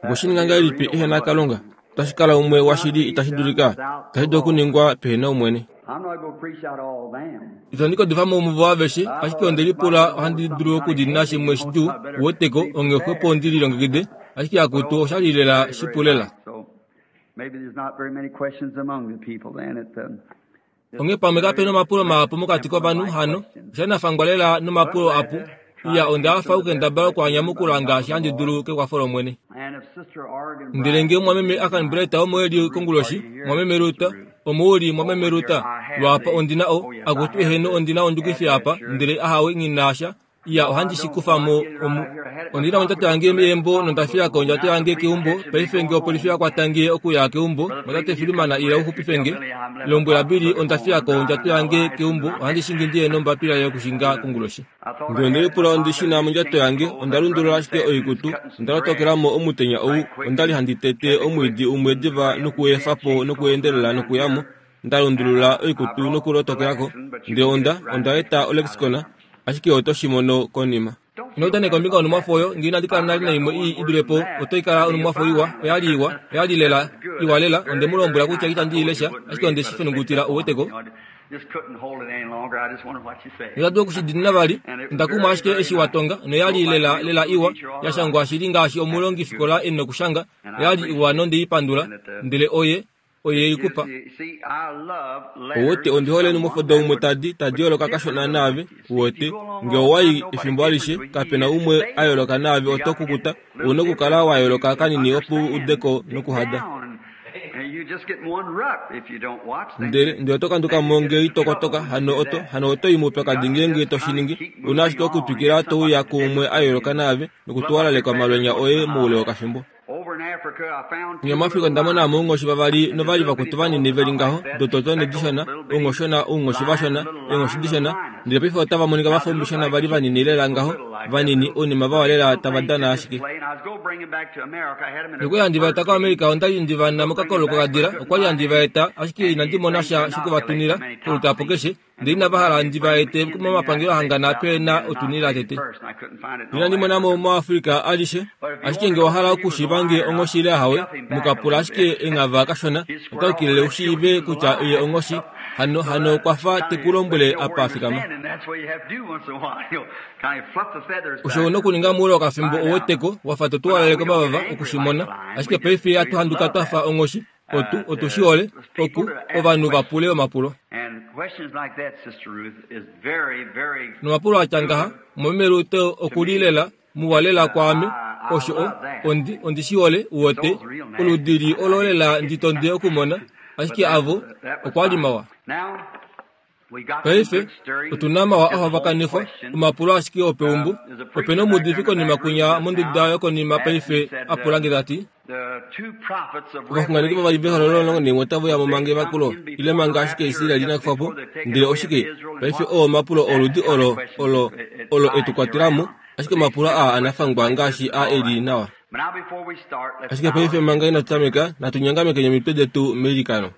Okwe shi ninga ngahelipi ehe na Kalunga? Otashi kala umwe washili itashi dulika, itashi dulu okuningwa pehe na Omwene. Itandi ka udifa mo muvo aveshe, ashike onde lipula ohandi dulu okudina shimwe shidjuu, uweteko, onghee xwepo ndi lilongekide, ashike akutu osha li lela shipu lela. Onghee pamwe kape nomapulo mahapu mokati kovanhu hano, osha nafangwa lela nomapulo apu. Iya, onda hafa okukendabala oku a nyamukula ngaashi handi dulu kekwafo lOmwene. Ndele ngee mumwameme Akan Breta omo e li konguloshi, mumwameme Ruta, omo u li mumwameme Ruta, lwaapa ondi na o, akutu eheno ondi na ondjukifi apa, ndele ahawe nghi na sha, Iya, ohandi shi kufa mo omu. Ondi na ondjato yange meembo nonda fiya ko ondjato yange keumbo. Paife nge opolifi ya kwata nge okuya keumbo, Mwatate Filman ila u xupife nge. Lombwela Billy onda fiya ko ondjato yange keumbo, ohandi shingi ndi ye nombapila yokushinga konguloshi. Nge onde lipula ondi shi na mondjato yange, onda lundulula ashike oikutu, onda lotokela mo omutenya ou, onda li handi tete omwiidi umwe diva nokuefa po nokuendelela nokuya mo, nda lundulula oikutu nokulotokela ko, ndele onda, onda eta olexicon, ashike oto shi mono konima. Ino udaneka kombinga yonhumwafo oyo, nge inandi kala nale naimwe ii i dule po, otai kala onhumwafo iwa. Oya li iwa. Oya li lela iwa lela. Onde mu lombwela kutya itandi i lesha, ashike onde shi fenungutila, ou wete ko. Nota dulu oku shi diinina vali. Onda kumwa ashike eshi wa tonga, noya li lela lela iwa, ya shangwa shili ngaashi omulongifikola e nokushanga. Oya li iwa nonde i pandula. Ndele oye, oye i ku pa. Uwete, ondi hole enumwafo daumwe tadi, tadi yooloka kashona naave, uwete. Nge owa i efimbo alishe, kape na umwe a yooloka naave, oto kukuta. Ou na okukala wa yooloka kanini opo u ude ko nokuhada. Ndele, ndele oto kanduka mo nge ito kotoka, hano oto, hano oto i moupyakadi ngeenge to shi ningi. Ou na ashike okutwikila to uya kuumwe a yooloka naave, nokutuwalaleka omalwenya oye moule wokafimbo. Nge muAfrika onda mona mo ounghoshi vavali novali vakutu vanini ve li ngaho, dototo nedishona, ounghoshona, ounghoshi vashona, eenghoshi dishona, ndele paife otava monika va fa oumbishona va li vanini lela ngaho, vanini, ounima vawa lela tava dana ashike. Nokwali handi va eta koAmerica, onda li ndi va na mokakololo kokadila, okwa li handi va eta, ashike inandi mona sha shokuvatunila, kolutapo keshe, Ndele inava hala ndi va ete momapangelo ahangana pe na otunila tete. Inandi mona mo moAfrica alishe, ashike nge wa hala okushiiva nge onghoshi ile ahawe, mu ka pula ashike enghava kashona, ota yukilile u shiive kutya ye onghoshi. Hano, hano okwa fa te ku lombwele apa a fikama. Osho u na okuninga moule wokafimbo ouweteko, wa fa to tuwalele komavava oku shi mona. Ashike paife ihatu handuka twa fa onghoshi, Otu, otu shi hole, oku, ovanhu va pule omapulo. Nomapulo a tya ngaha, Mumeme Rute oku li lela, muwa lela kwaame. Osho o, ondi, ondi shi hole, uwete, oludi lii olo lela ndi tonde okumona, ashike avo, okwa li mawa. Paife, otu na mawa a hovakanifwa, omapulo ashike opeumbo. Ope nomuudifi konima kwinya monduda yokonima paife a pula nge ta ti, Ovaxunganeki vavali vehololo lomulongo otave uya mo manga evakulo, ile manga ashike Israel ina kufa po? Ndele oshike? Paife oo omapulo oludi olo, olo, olo e tu kwatela mo, ashike omapulo aa anafangwa ngaashi a e li nawa. Ashike paife manga inatu tameka, natu nyongamekeni omitwe detu meilikano.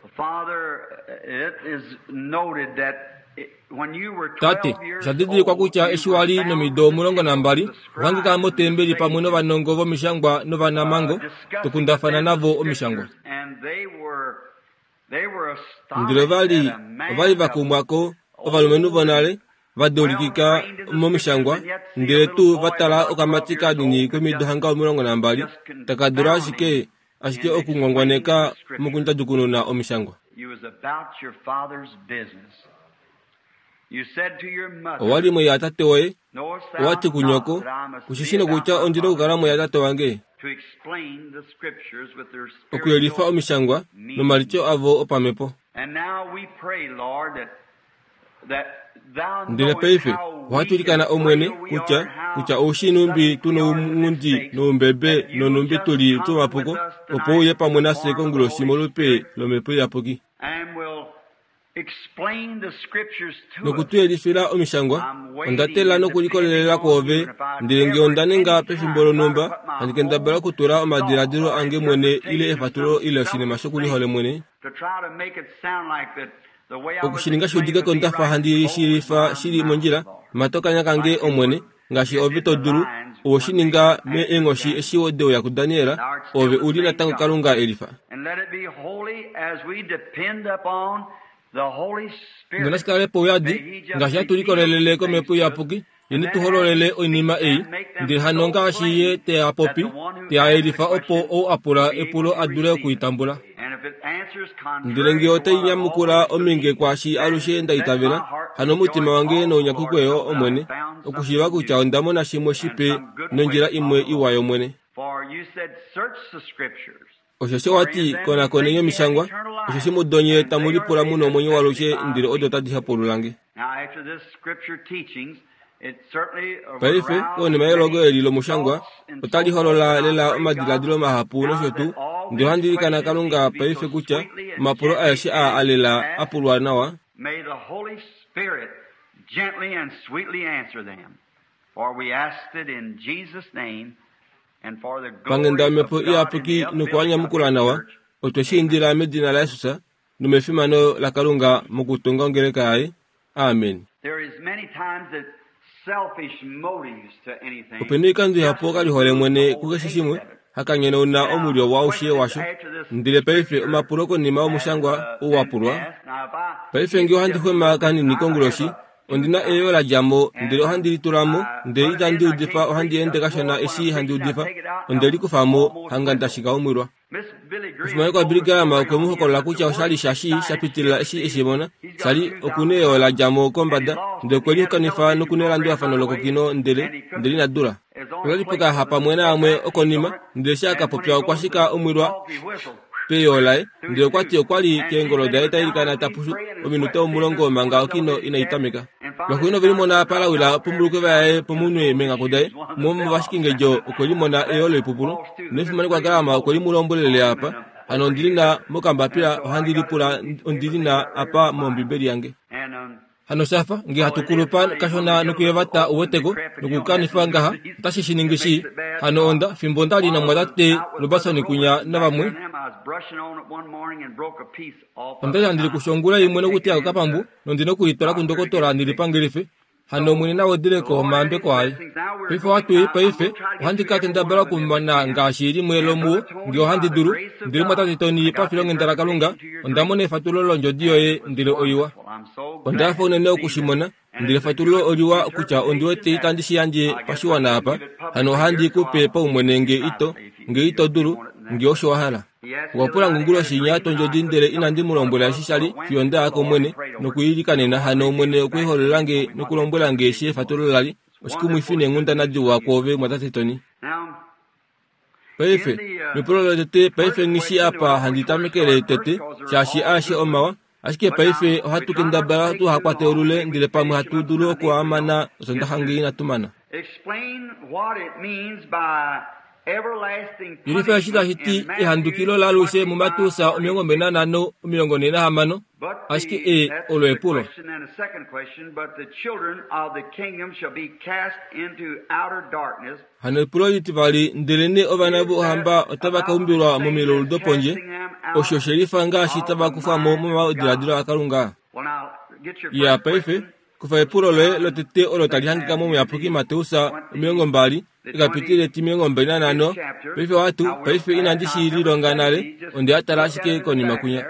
Tate, osha didilikwa kutya eshi wa li nomido 12, owa hangika motembeli pamwe novanongo vomishangwa novanamhango, to kundafana navo omishangwa. Ndele ova li, ova li va kumwa ko, ovalumenhu vonale, va deulikika momishangwa, ndele tuu va tala okamati kanini komido hanga 12, taka dula ashike, ashike okungwangwaneka mokundjadjukununa omishangwa. Owa li moyatate woye, owa ti kunyoko, Ku shi shii nokutya ondi nokukala moyatate wange? Okuyelifa omishangwa nomalityo avo opamhepo. Ndele paife ohatu ilikana Omwene kutya, kutya ou shii nhumbi tu nounghundi noumbebe nonhumbi tu li twomapuko, opo u uye pamwe nafye konguloshi molupe lOmhepo Iyapuki. Noku tu yelifila Omishangwa. Onda teelela nokulikolelela kwoove, ndele nge onda ninga pefimbo lonhumba, handi kendabala okutula omadiladilo ange mwene ile efatululo ile oshinima shokuliholemwene. Oku shi ninga shi udike ko nda fa handi shi lifa shi li mondjila, mata okanya kange, Omwene, ngaashi Ove to dulu, owe shi ninga meenghoshi eshi de uya kuDaniel, Ove u li natango Kalunga e lifa. Nonashi kale pauyadi, ngaashi hatu likolelele kOmhepo Iyapuki, Ye ne tu hololele oinima ei, ndele hano ngaashi Ye te a popi, te a yelifa opo ou a pula epulo a dule oku i tambula. Ndele nge otai nyamukula ominge kwaashi alushe nda itavela, hano omutima wange nounyakukwe yo, Omwene, okushiiva kutya onda mona shimwe shipe nondjila imwe iwa yOmwene. Osheshi owa ti, Konakoneni omishangwa, osheshi mudo nye tamu lipula mu nomwenyo walushe, ndele odo tadi hapulula nge. Paife, konima yelongo eli lomushangwa, otali holola lela omadiladilo mahapu nosho tuu, ndele ohandi ilikana Kalunga paife kutya omapulo aeshe aa a lela a pulwa nawa, Panghenda yOmhepo Iyapuki nokuhanyamukula nawa, otwe shi indila medina laJesus nomefimano laKalunga mokutunga ongeleka yaye. Amen. Ope na oikando ihapu okalihole mwene kukeshe shimwe haka nyonauna omulyo waushe washo. Ndele paife omapulo konima yomushangwa ou wa pulwa. Paife nge ohandi xwema kanini konguloshi, Ondi na eyoo la dja mo, ndele ohandi li tula mo, ndele itandi udifa, ohandi ende kashona eshi handi udifa. Onde li kufa mo, hanga nda shika omwilwa. Omufimanekwa Billy Graham okwe mu hokolola kutya osha li sha shi sha pitilila eshi e shi mona, sha li oku na eyoo la dja mo kombada, ndele okwe li hokanifa noku nelandulafano lokokino, ndele, ndele ina dula. Okwa li pokayaxa pamwe naamwe okonima, ndele eshi a ka popya okwa shika omwilwa peyoo laye, ndele okwa ti okwa li keengolo daye ta ilikana ta pushu ominute omulongo manga okino inai tameka. Lwaxuuninwa ove limona palawila pombulukeva yaye pomunwe meenghaku daye, umwe womovashikingedjo okwe limona eyoo loipupulu, nomufimanekwa Graham okwe li mu lombwelele apa, Hano ondi li na mokambapila, ohandi lipula ondi li na apa mOmbibeli yange. Hano sha fa nge hatu kulupa kashona nokuyevata uweteko nokukanifa ngaha, otashi shi ningi shii. Hano onda, fimbo nda li namwatate Roberson kunya navamwe, onda li handi likusha ongula imwe nokuteya okapambu, nondi nokulitwala kundokotola ndi lipangelife. Hano Omwene na wedele ko omayambeko aye. Paife ohatu i paife, ohandi ka kendabala okumana ngaashi limwe lomuo, nge ohandi dulu. Ndele mwatate Tony, pafilonghenda laKalunga, onda mona efatululo londjodi yoye, ndele oiwa. Onda hafa unene oku shi mona. Ndele efatululo oliwa kutya ondi wete itandi shi yandje pashiwana apa, hano ohandi ku pe paumwene nge ito, nge ito dulu, nge osho wa hala. Okwa pula nge onguloshi inya tondjodi ndele inandi mu lombwela eshi sha li fiyo nda ya kOmwene nokwiilikanena. Hano Omwene okwe holola nge nokulombwela nge eshi efatululo la li. Oshikumwifi neenghundana diwa kwoove, Mwatate Tony. Paife, mepulo lotete, paife nghi shii apa handi tamekele tete, shaashi aeshe omawa. Ashike paife ohatu kendabala tuha kwate olule ndele pamwe hatu dulu oku a mana Osondaxa nge inatu mana. Yelifa eshi tashi ti ehandukilo laalushe muMateus 25 46, ashike e olo epulo. Hano epulo litivali, ndelenee ovana vOuhamba otava ka umbilwa momilaulu dopondje, osho she lifa ngaashi tava kufwa mo momadiladilo aKalunga? Iya, paife, kufa epulo loye lotete olo tali hangika mOmuyapuki Mateus 20, ekapitile eti 25. Paife watu, paife inandi shi lilonga nale, onde a tala ashike konima kwinya.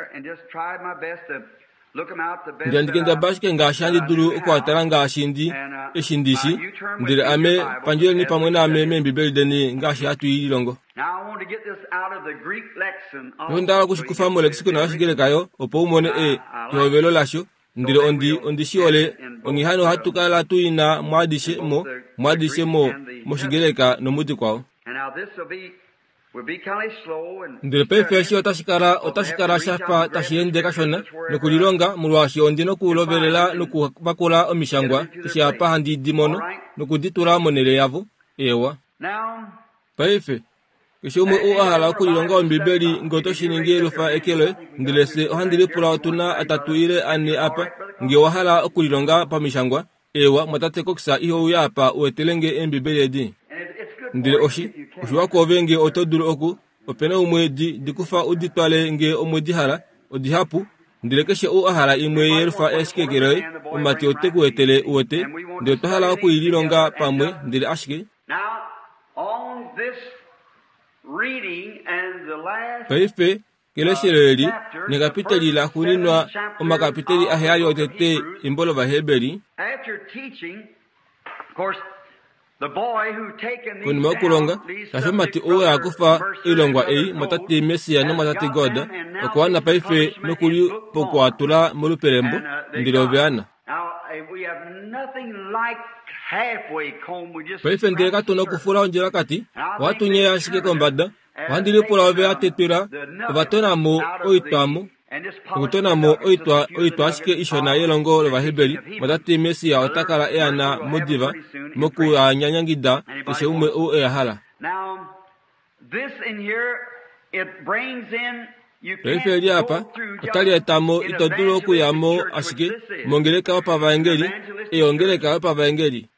Ndele handi kendabala ashike ngaashi handi dulu oku a tala ngaashi ndi eshi ndi shi, ndele ame, pandjeleni pamwe naame mEembibeli deni ngaashi hatu i lilongo. Onda hala oku shi kufa molexicon yOshigreka yo, opo u mone e, ehovelo lasho. Ndele ondi, ondi shi hole, onghee hano ohatu kala tu i na mwaadishe mo, mwaadishe mo, mOshigreka nomudikwao. Ndele paife eshi otashi kala, otashi kala sha fa tashi ende kashona nokulilonga, molwaashi ondi nokulovelela nokuvakula omishangwa keshe apa handi di mono noku di tula monhele yavo. Eewa. Paife, keshe umwe ou a hala okulilonga Ombibeli, nge oto shi ningi lufa eke loye, ndele fye ohandi lipula otu na atatu ile ane apa, nge owa hala okulilonga pamishangwa. Eewa, mwatate Cox iho uya apa u etele nge Eembibeli edi? Ndele oshi, oshiwa kwoove nge oto dulu oku, ope na umwe di, di kufa u di twale nge omwe di hala. Odihapu. Ndele keshe ou a hala imwe yelufa ashike ke loye, omumati ote ku etele, uwete. Ndele otwa hala oku i lilonga pamwe, ndele ashike. Paife, keleshelo eli, nekapiteli laxuuninwa omakapiteli aheyali otete embo lOvaheberi, Konima yokulonga, shaashi omumati ou a kufa oilongwa ei mwatate Messiah nomwatate God, okwa wana paife nokuli poku a tula molupe lembo, ndele ove ana. Paife ndele katu na okufula ondjilakati, ohatu nyeya ashike kombada. Ohandi lipula ove a tetwila, ova tona mo oitwamo. Okutona mo oitwa oitwa ashike ishona yelongo lOvaheberi, mwatate Messiah ota kala e ana mo diva moku a nyanyangida keshe umwe ou e a hala. Paife eli apa otali eta mo ito dulu okuya mo ashike mongeleka yopavaengeli, ei ongeleka yopavaengeli.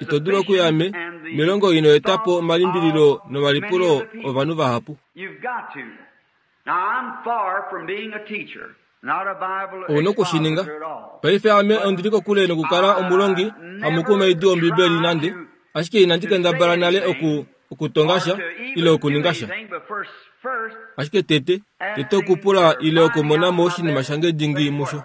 Ito dulu okuya me, melongo ino eta po omalimbililo nomalipulo ovanhu vahapu. Ou na oku shi ninga. Paife ame ondi li kokule nokukala omulongi hamukumaidi wOmbibeli nande, ashike inandi kendabala nale oku, okutonga sha ile okuninga sha. Ashike tete, tete okupula ile okumona mo oshinima shange dingi musho.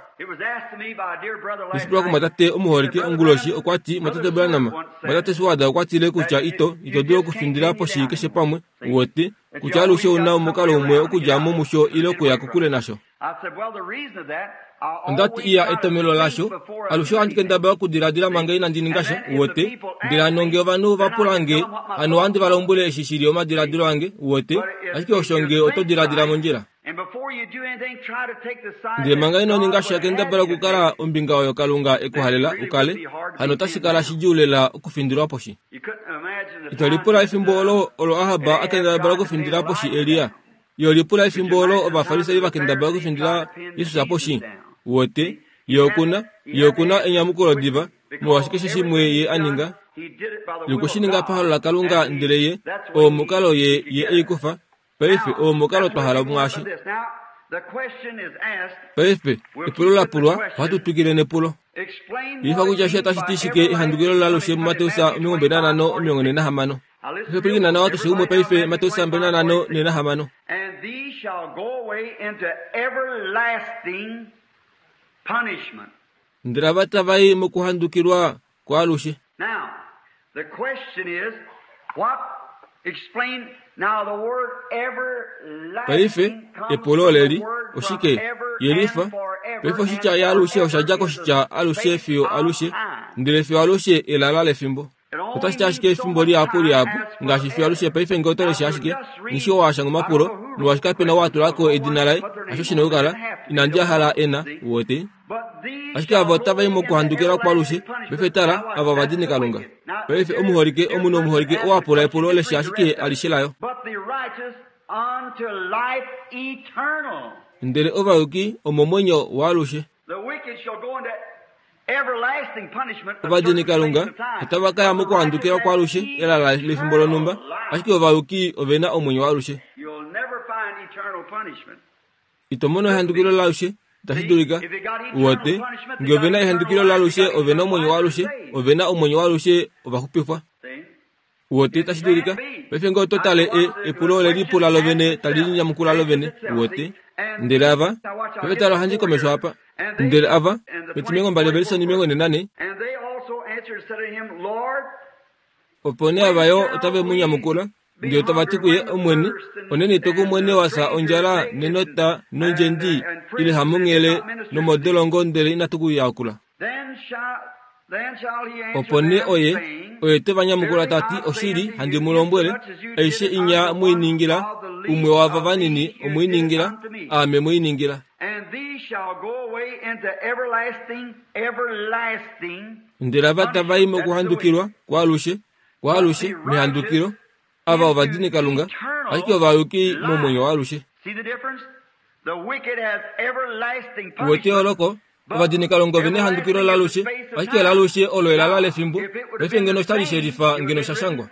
Neshipulwa kumwatate omuholike onguloshi okwa ti, Mwatate Branham, Mwatate Seward okwa tile kutya ito, ito dulu okufindila poshi keshe pamwe, uwete, kutya alushe ou na omukalo umwe okudja mo musho ile okuya kokule nasho. Onda ti, Iya, etomhelo lasho, alushe ohandi kendabala okudiladila manga inandi ninga sha, uwete. Ndele hano nge ovanhu va pula nge, hano ohandi va lombwele eshi shi li omadiladilo ange, uwete, ashike osho nge oto diladila mondjila. Ndele manga ino ninga sha, kendabala okukala ombinga oyo Kalunga e ku halela u kale, hano otashi kala shidjuu lela okufindilwa poshi. Ito lipula efimbo olo olo Ahab a kendabala okufindila poshi Elia. Yo lipula efimbo olo Ovafarisai va kendabala okufindila Jesus poshi. Uwete, ye oku na, ye oku na enyamukulo diva, molwaashi keshe shimwe ye a ninga, ye okwe shi ninga pahalo laKalunga, ndele ye, oo omukalo ye, ye e i kufa. Paife, oo omukalo twa hala mwaashi. Paife, epulo la pulwa, ohatu twikile nepulo. Yelifa kutya eshi otashi ti shike ehandukilo laalushe muMateus 25:46. Paife pwilikina nawa keshe umwe paife, Mateus 25:46. Ndele ava tava i mokuhandukilwa kwaalushe. Now, the question is, what explain now the word Paife, everlasting comes epulo from the oleli, word from oshike? ever Yelifa. and forever Paife oshitya and yaalushe osha forever dja is the koshitya alushe space fiyo of alushe, time. ndele fiyo alushe elala lefimbo. It only Otashi ti ashike means so efimbo much lihapu time lihapu, as ngaashi fiyo alushe forever. paife ngee oto Now, lesha to ashike, just read, nghi oo a shanga I don't omapulo, know who molwaashi wrote the kape na oo a questions, tula because ko no edina one laye, put their hasho name shi na on it. They okukala, didn't have to. They inandi a don't hala want e to. na, See? uwete. But these Ashike shall ava go otava i away into mokuhandukilwa kwaalushe, everlasting punishment. paife tala, Now watch, ava that's ovadini the Kalunga. wicked. Now, Paife dear, omuholike, dear omunhu person omuholike asked oo a the pula question, epulo just leshe read the ashike rest of it. alishe layo. But the righteous unto life eternal. Ndele ovayuki omomwenyo waalushe. The wicked shall go into everlasting punishment, a Ovadini certain space Kalunga of time. otava ka ya But the righteous mokuhandukilwa have kwaalushe elala lefimbo lonhumba, eternal life. ashike ovayuki ove na omwenyo waalushe. You'll never find eternal punishment. Ito mono ehandukilo laalushe, itashi dulika. Uwete, nge ove na ehandukilo laalushe, ove na omwenyo waalushe, ove na omwenyo waalushe, ova xupifwa. Uwete, itashi dulika. Paife nge oto tale e, epulo ole lipula lovene tali linyamukula lovene, uwete. Ndele ava, paife tala ohandi komesho apa. Ndele ava, metimilongombali ovelise 44, Opo nee ava yo otave mu nyamukula, ndele tava ti kuye, Omwene, oneni twe ku mwene wa fya ondjala nenota nondjendi ile hamunghele nomodolongo ndele inatu ku yakula? Opo nee oye, oye te va nyamukula ta ti, Oshili, handi mu lombwele, aishe inya mu i ningila, umwe waava vanini omu i ningila, aame mu i ningila. Ndele ava tava i mokuhandukilwa kwaalushe, kwaalushe, mehandukilo, ava ovadinikalunga, ashike ovayuki momwenyo waalushe. Uwete eyooloko? Ovadinikalunga ove nehandukilo lalushe, ashike lalushe olo elala lefimbo. Paife ngeno osha li shelifa ngeno sha shangwa.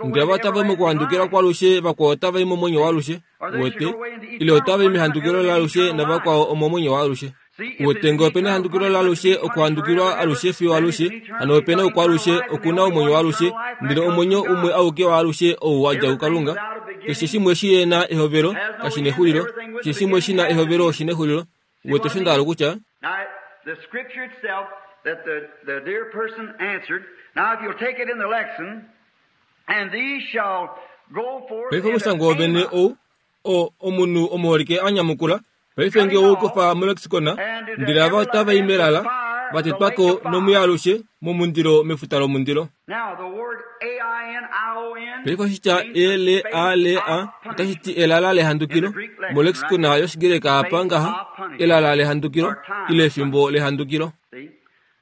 Ndele ava otava i mokuhandukilwa kwalushe, vakwao otava i momwenyo waalushe. Uwete? Ile otava i mehandukilo laalushe navakwao omomwenyo waalushe. Uwete, nge ope na ehandukilo laalushe, okuhandukilwa alushe fiyo alushe, hano ope na oukwaalushe, oku na omwenyo waalushe, ndele omwenyo umwe auke waalushe ou wa dja kuKalunga. Keshe shimwe shi na ehovelo, kashi nexulilo. Keshe shimwe shi na ehovelo oshi nexulilo. Uwete osho nda hala okutya? Now, the scripture itself that the, the dear person answered. Now, if you'll take it in the lexicon, and these shall go forth Paife into omushangwa wovene Ammon. ou, o, omunhu omuholike a nyamukula, paife nge ou kufa molexicon, ndele ava otava i melala, va tetwa ko nomuya alushe, momundilo mefuta lomundilo. Now, the word A-I-N-I-O-N Paife oshitya means the space L-A-L-A of otashi punishment. ti elala lehandukilo. Molexicon yOshigreka apa ngaha, elala lehandukilo, ile efimbo lehandukilo. See?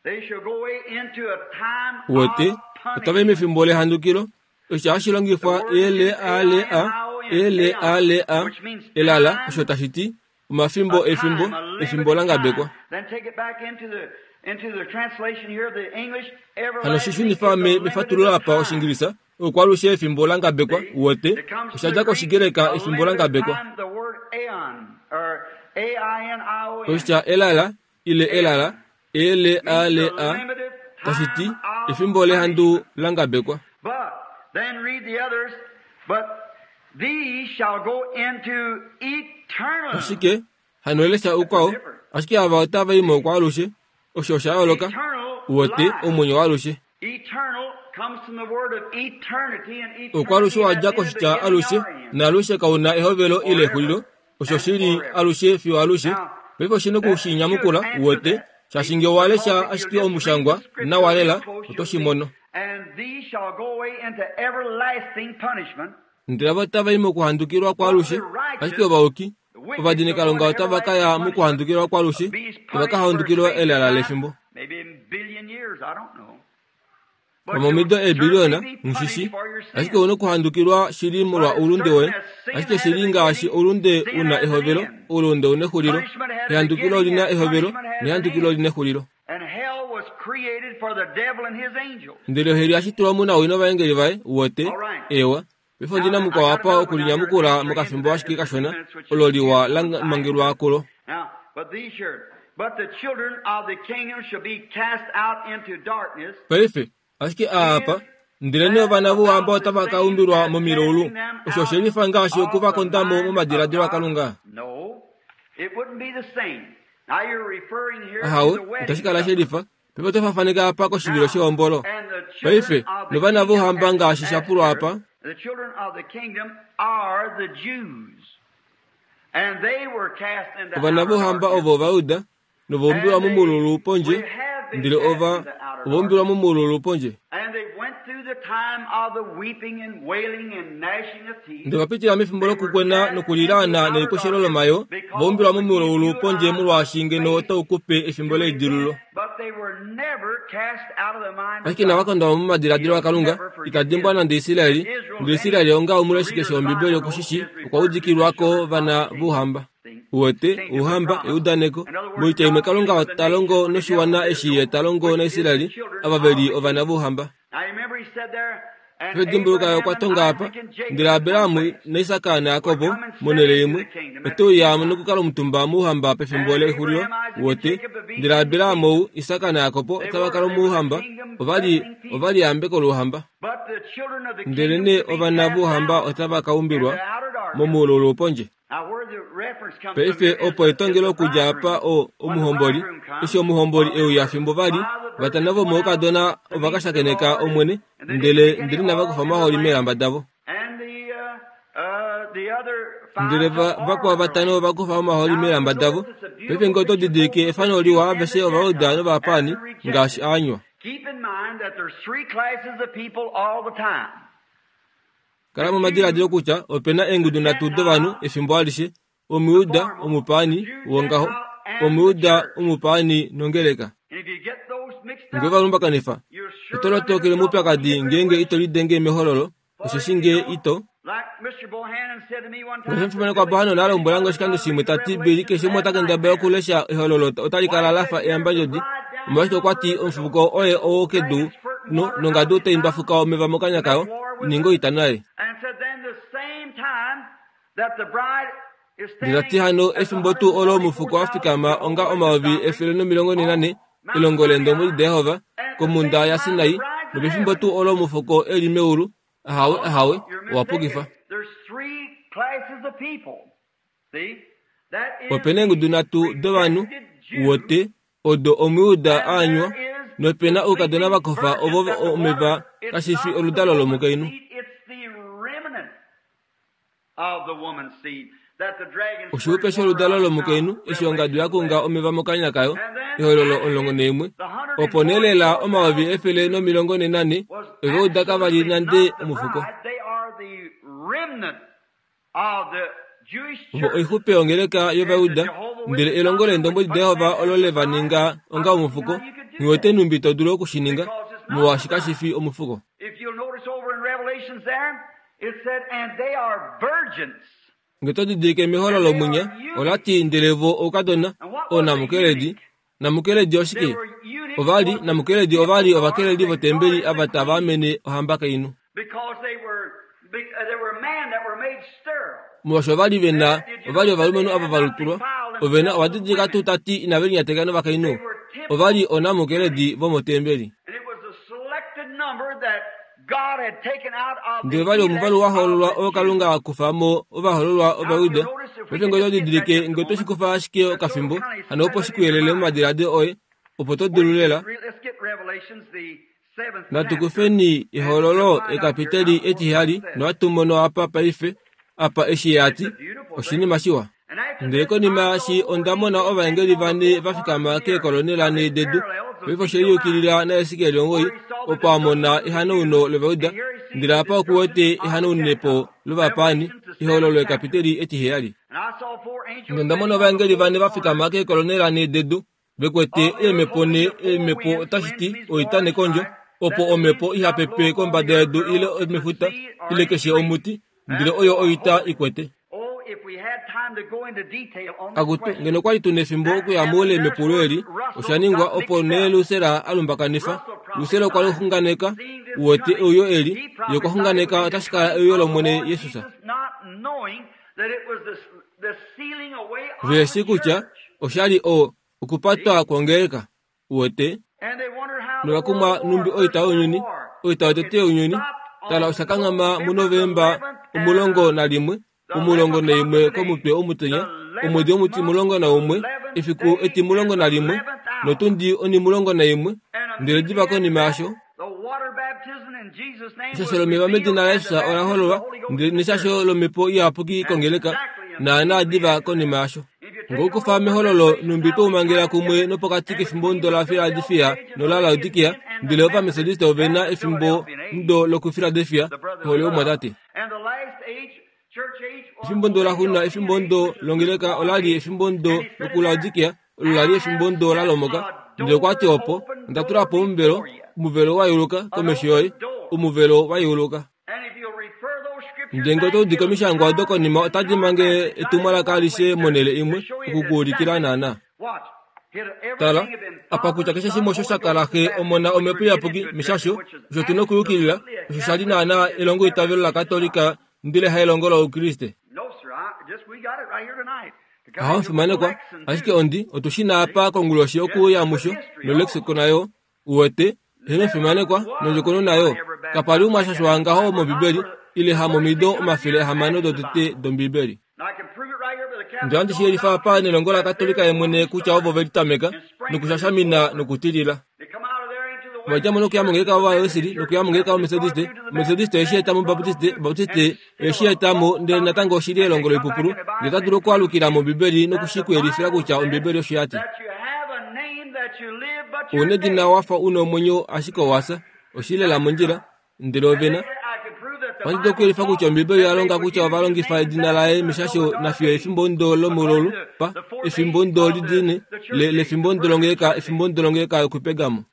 They shall go away into a time Uwete, of otava i punishment. mefimbo lehandukilo. Osho hashi longifwa L-A-L-A, L-A-L-A, elala, osho tashi ti, omafimbo A efimbo, time, a efimbo limited la ngabekwa. time. Then take it back into the into the translation here of the English. Hano shi Everlasting shunifa is a me limited mefatululo apa time. Oshingilisa, okwalushe efimbo la ngabekwa, See? uwete, It comes osha from dja the Greek, kOshigreka a efimbo la limited ngabekwa. time, the word aeon, or A-I-N-I-O-N. Oshitya elala, ile elala, Means the L-A-L-A, limited tashi ti, time of efimbo lehandu punishment. la ngabekwa. But then read the others, but these shall go into eternal. Ashike, hano elesha oukwao, ashike ava otava i mokwaalushe, osho osha yooloka, Eternal uwete, life. omwenyo waalushe. Eternal comes from the word of eternity, and eternity Okwalushe wa has dja neither koshitya beginning alushe, nor end. naalushe kau na ehovelo ile exulilo, osho shi li alushe fiyo alushe. Paife oshi na That oku shi should nyamukula, answer uwete, that. shaashi nge owa lesha Because if ashike you just read the omushangwa scripture nawa real lela, close, oto you'll shi see. mono. And these shall go away into everlasting punishment, Ndele ava otava i mokuhandukilwa but kwaalushe, the ashike righteous, ovayuki, the wicked shall go ovadinikalunga into otava ka everlasting ya punishment. mokuhandukilwa kwaalushe, Be tava punished ka for a handukilwa space of elala time, lefimbo. maybe a billion years, I don't know. But Pamomido you'll eebiliona, certainly be nghishishi, punished for your ashike sin. ouna okuhandukilwa shili molwa But as oulunde certain woye, as sin ashike had a shili ngaashi beginning, oulunde sin una has an ehovelo, end. oulunde una exulilo, Punishment had a ehandukilo beginning olina and ehovelo, punishment has an nehandukilo end. olina exulilo. And hell was created for the devil and his angels. Ndele oheli yashitulwa mu nawi novaengeli vaye, uwete, All right. ewa. Paife ondina Now, I mukwao got apa another one down here to okulinyamukula answer into mokafimbo that ashike just a few kashona, minutes, which is olo a liwa la beautiful mangelwa title. kulo. Now, but these here, but the children of the kingdom shall be cast out into darkness. Paife, ashike aapa, Is ndele nee that ovana vouhamba about the otava ka same umbilwa as momilaulu, casting them osho out oshe lifa ngaashi of the okuvakondamo mind of momadiladilo God? aKalunga. No, it wouldn't be the same. Now you're referring here to Ahawe, the wedding itashi kala she supper. lifa. Paife oto fafaneka apa koshivilo Now, shehombolo. and the children Paife, of the novana kingdom, vouhamba as ngaashi sha pulwa asked apa, here, the children of the kingdom are the Jews. And they were cast into ovana outer vouhamba darkness. ovo Ovayuda, novaumbilwa And they, momululu we pondje, have been ndele cast ova into outer ovaumbilwa darkness. momululu pondje. And they went through the time of the weeping and wailing and gnashing of teeth. Ndele vapitila mefimbo They were lokukwena cast into nokulilaana outer neliposhelo darkness lomayo, because vaumbilwa to give momululu you and pondje I molwaashi ngeno space otau kupe efimbo to leidilululo. repent. But they were never cast out of the mind of Ashike inava God. kondwa mo momadiladilo He'll aKalunga, never ita forget dimbwa Israel. nande Israeli, Israel's ndele Israeli any onga omuleshi reader keshe of the wOmbibeli Bible knows okushishi, is okwa referred to the udikilwako children of vana the kingdom. vouhamba. See? Uwete, Kingdom of ouhamba, promise. eudaneko, In other words, moitya imwe God Kalunga speaks of the ta longo nation which is noshiwana eshi ye Israel, ta longo which is the naIsraeli, children ava ve of li the ovana kingdom. vouhamba. Now you remember he said there, and Pedimbuluka Abraham okwa and tonga apa, Isaac and Jacob ndele in one Abrahamu place naIsak would naYakobo come and sit monhele into imwe, the kingdom at ote the uya end time. nokukala omutumba mouhamba pefimbo And lexulilo, Abraham, Isaac, and wote, Jacob would be ndele in the Abrahamu kingdom. ou, Isak naYakobo They otava were, kala they were the mouhamba, kingdom ovali blessing people. ovali yambeko louhamba. But the children of the Ndele kingdom nee should be ovana cast vouhamba out otava ka into umbilwa outer darkness. momululu pondje. Now where the reference comes from Paife here is opo the, is etongelo the okudja apa bridegroom. o When the omuhomboli, bridegroom eshi comes, omuhomboli while e they uya were fimbo vali, five of the vatano virgins went out vomoukadona to ova ka meet the shakeneka Lord, Omwene, and they didn't ndele take any ndele inava oil kufa in the omahooli lamp. meelamba davo. And the other Ndele five va took oil vakwao in their vatano lamp. ova kufa omahooli Now you meelamba davo. notice it's a Paife beautiful nge oto picture didilike both of the efano Jew liwa and the aveshe Ovayuda Gentile novapaani after ngaashi rejection. aanywa. Keep in mind that there's three classes of people all the time. Kala The momadiladilo Jew, kutya opena the eengudu nhatu dovanhu Gentile, efimbo alishe, the Omuyuda, formal, the omupaani, Jew, wongaho, Gentile, and the Omuyuda, church. omupaani nongeleka. And if you get those mixed Nge up, ovalumbakanifa, you're sure oto run into lotokele trouble when you moupyakadi get ngeenge through with ito lidenge mehololo, For osheshi if you nge don't, ito, like Mr. Ngaashi omufimanekwa Bohanon a lombwela nge oshikando shimwe ta ti, Billy, keshe umwe ota kendabala okulesha ehololo otali kala la fa eyambandjodi. Omolwashike okwa ti omufuko oye oo kedu no, nongadu otai ndwafuka omeva mokanya kayo, i ninge oita naye. Ndele ta ti hano efimbo tuu olo omufuko wa fikama onga 144000 elongo leendombwedi daJehova komhunda yaSinai, nopefimbo tuu olo omufuko e li meulu, Ahawe, ahawe, owa pukifa. Ope na eengudu nhatu dovanhu, wote, odo Omuyuda a anywa, nope na oukadona va kofa ovo omeva kashi fi oludalo lomukainhu. Oshihupe sholudalo lomukainhu eshi ongadu ya kunga omeva mokanya kayo, Ehololo 11, opo nee lela 144 ove uda kava li nande omufuko. Ovo oixupe yongeleka yOvayuda, ndele elongo lEendombwedi daJehova olo le va ninga onga omufuko. Nghi wete nhumbi to dulu oku shi ninga, molwaashi kashi fi omufuko. Nge to didilike mehololo mwinya, ola ti, Ndele vo oukadona, oonamukeledi. Namukeledi oshike? Ova li, namukeledi ova li ovakeleli votembeli ava tava amene ohambakainhu. Molwaashi ova li ve na, ova li ovalumenhu ava va lutulwa. Ove na, owa didilika tuu ta ti inave linyateka novakainhu? Ova li oonamukeledi vomotembeli. Ndele va li omuvalu wa hoololwa oo Kalunga a kufa mo ovahoololwa Ovajuda. Paife ngee oto didilike, ngee oto shi kufa ashike okafimbo, hano opo shi ku yelele momadiladilo oye, opo to dulu lela. Natu kufeni Ehololo ekapiteli etiheyali nohatu mono apa paife, apa eshi ye a ti, Oshinima shiwa. Ndele konima yaashi onda mona ovaengeli vane va fikama keekolonela nhee dedu. Paife oshe liyukilila naHesekiel 9, opo a mona ehanauno lOvayuda, ndele apa oku wete ehanaunepo lovapaani, Ehololo ekapiteli etiheyali. Ndele onda mona ovaengeli vane va fikama keekolonela nhee dedu, ve kwete eemhepo nhee, eemhepo otashi ti oita nekondjo, opo omhepo iha pepe kombada yedu ile mefuta ile keshe omuti, ndele oyo oita i kwete. Akutu, ngeno kwa li tu nefimbo okuya moule mepulo eli, osha ningwa opo nee Lucer a lumbakanifa. Lucer okwa xunganeka, uwete, euyo eli, ye okwa xunganeka otashi kala euyo lOmwene Jesus. Ve shii kutya osha li o, okupatwa kwongeleka. Uwete? Nova kumwa numbi oita younyuni, oita yotete younyuni. Tala, osha kanghama muNovemba 11, 11 komutwe omutenya, omwedi omutimulongo naumwe, efiku etimulongo nalimwe, notundi onimulongo naimwe, ndele diva konima yasho, Eshasho lomeva medina laJesus ola hololwa, ndele neshasho lomhepo iyapuki kongeleka, naanaa diva konima yasho. Ngokukufa mehololo numbi twe u mangela kumwe nopokati kefimbomudo laFiladelfia nolaLaodikia, ndele Ovametodiste ove na efimbomudo lokuFiladelfia, ohole yomumwatate. Efimbomudo laxuuninwa efimbomudo longeleka ola li efimbomudo lokuLaodikia, olo la li efimbomudo la lomoka. Ndele okwa ti opo, Onda tula po omuvelo, omuvelo wa yeuluka komesho yoye, omuvelo wa yeuluka. Ndele ngee oto udike omishangwa odo konima otadi mange etumwalaka alishe monhele imwe oku ku ulikila naanaa. Tala, apa kutya keshe shimwe osho sha kala Xe, Omona, Omhepo Iyapuki, meshasho, osho tu nokuyukilila, osho sha li naanaa elongoitavelo laKatolika ndele haelongo lOukriste. Ahawe omufimanekwa, ashike ondi, otu shi na apa konguloshi okuuya musho, nolexicon nayo, Uwete, eheno omufimanekwa, nondjokonona yo. Kapa li umwe a shashwa ngaho mOmbibeli, ile hamomido 600 dotete dOmbibeli. Ndele ohandi shi yelifa apa nelongo laKatolika yemwene kutya ovo ve litameka, nokushashamina nokutilila. Ova dja mo nokuya mongeleka yOvawesley, nokuya mongeleka yOmethodiste, Omethodiste oye shi eta mObaptiste, Obaptiste oye shi eta mo, ndele natango oshi li elongo loipupulu. Ndele ota dulu okualukila mOmbibeli noku shi ku yelifila kutya Ombibeli osho ya ti. Ou nedina wa fa u na omwenyo ashike owa fya. Oshi li lela mondjila. Ndele ove na. Ohandi dulu okuyelifa kutya Ombibeli oya longa kutya ova longifa edina laye meshasho nafiyo efimbomudo lomulolu pa, efimbomudo lidini, le, lefimbomudo longeleka, efimbomudo longeleka yokuPergamo.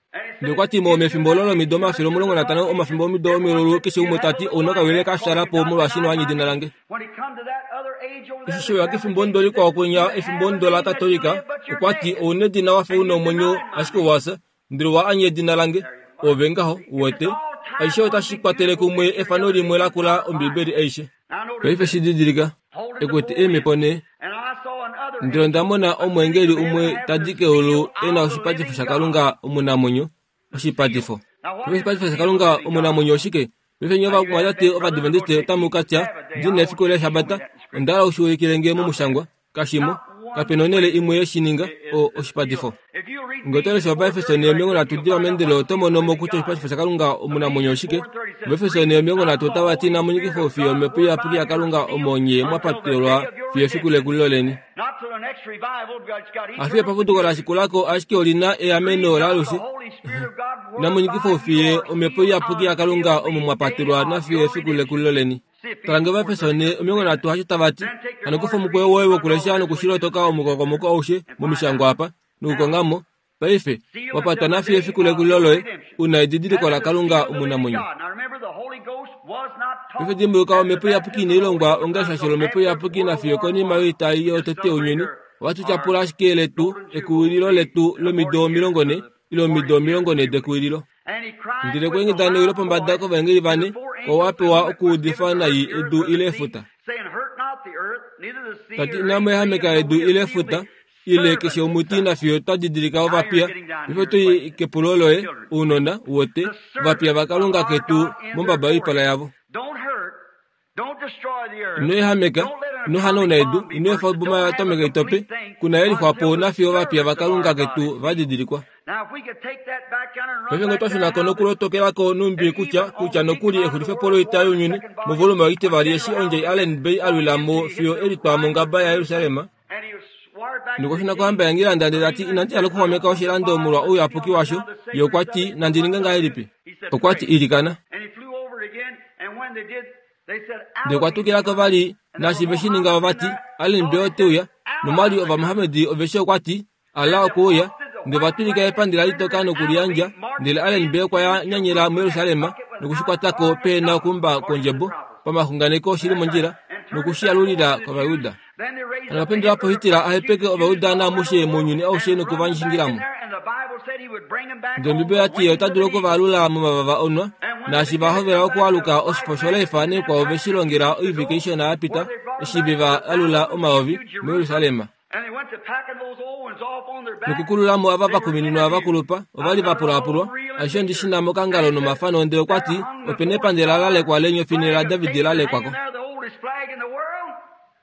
Ndele okwa ti mo mefimbo olo lomido 150 omafimbo omido omilulu keshe umwe ta ti ouna okawile ka fyaala po molwaashi ino anya edina lange. Eshi she uya kefimbo ndo likwao kwinya efimbo ndo laKatolika okwa ti ouna edina wa fa una omwenyo ashike owa fya ndele owa anya edina lange. Ove ngaho, uwete. Aishe otashi kwatele kumwe efano limwe lakula Ombibeli aishe. Paife shi didilika, e kwete eemhepo nhee. Ndele onda mona omweengeli umwe ta di keulu e na oshipatifo shaKalunga omunamwenyo, oshipatifo. Paife oshipatifo shaKalunga omunamwenyo oshike? Paife nye ovamwatate Ovadventiste otamu ka tya, Ndi na efiku lEshabata. Onda hala u shi ulikile nge momushangwa. Kashimo. Kape na onhele imwe ye shi ninga, o, oshipatifo. Nge oto lesha Ovaefeso 13 diva meendelelo oto mono mo kutya oshipatifo shaKalunga omunamwenyo oshike. Ovaefeso 13 otava ti inamu nyikifwa fiyo Omhepo Iyapuki yaKalunga omo nye mwa patelwa fiyo efiku lekulilo leni. Hafiyo epapuduko la shikula ko ashike oli na eameno laalushe. Inamu nyikifwa fiyo Omhepo Iyapuki yaKalunga omo mwa patelwa nafiyo efiku lekulilo leni. Tala nge Ovaefeso 13 hasho tava ti, Hano kufa omukweyo woye wokulesha nokushilotoka omukokomoko aushe momishangwa apa, nokukonga mo, paife, wa patwa nafiyo efiku lekulilo loye, u na edidiliko laKalunga omunamwenyo. Paife dimbuluka Omhepo Iyapuki inai longwa onga eshasho lOmhepo Iyapuki nafiyo konima yoita yotete younyuni. Ohatu tyapula ashike letu, ekuwililo letu lomido 40, ile omido 40 dekuwililo. Ndele okwa ingida newi lopombada kovaengeli vane, oo a pewa okuudifa nai edu ile efuta, ta ti, Inamu ehameka edu ile efuta, ile keshe omuti nafiyo twa didilika ovapiya. Paife oto i kepulo loye, ounona, wote, ovapiya vaKalunga ketu mombaba yoipala yavo. Ino ehameka, ino hanauna edu, ino efa oboma yoatomika i tope, ku na yelifwa po nafiyo ovapiya vaKalunga ketu va didilikwa. Paife ngee otwa shuna ko nokulotokela ko numbi kutya, kutya nokuli exulifepo loita younyuni, movolume oitivali eshi ondjai Allen Bay a lwila mo fiyo e litwa mongaba yaJerusalem, Nokwa shuna kohamba yaNgilanda ndele ta ti, Inandi hala okuxwameka oshilando molwa ouyapuki washo. Ye okwa ti, Nandi ninge ngahelipi? Okwa ti, Ilikana. Ndele okwa tukila ko vali, naashi ve shi ninga ova ti, Allen Bay ote uya. Nomwali Ovamohamedi ove shi okwa ti, Allah okwe uya. Ndele ova tulika epandela litoka nokuliyandja, ndele Allen Bay okwa ya nyanyela muJerusalem noku shi kwata ko pehe na okuumba kwondjebo, pamaxunganeko shi li mondjila, noku shi alulila kOvayuda. Hano pendula po Hitler a hepeke Ovajuda naamushe mounyuni aushe noku va shingila mo. Ndele Ombibeli oya ti ye ota dulu oku va alula momavava onwa, naashi va hovela okualuka oshifo shoLife naikwao ve shi longela oivike ishona ya pita eshi ve va alula omayovi muJerusalem. Nokukulula mo ava va kumininwa va kulupa, ova li va pulaapulwa. Aishe ondi shi na mokangalo nomafano ndele okwa ti, Ope na epandela la lekwa leenyofi nhee laDavid la lekwa ko.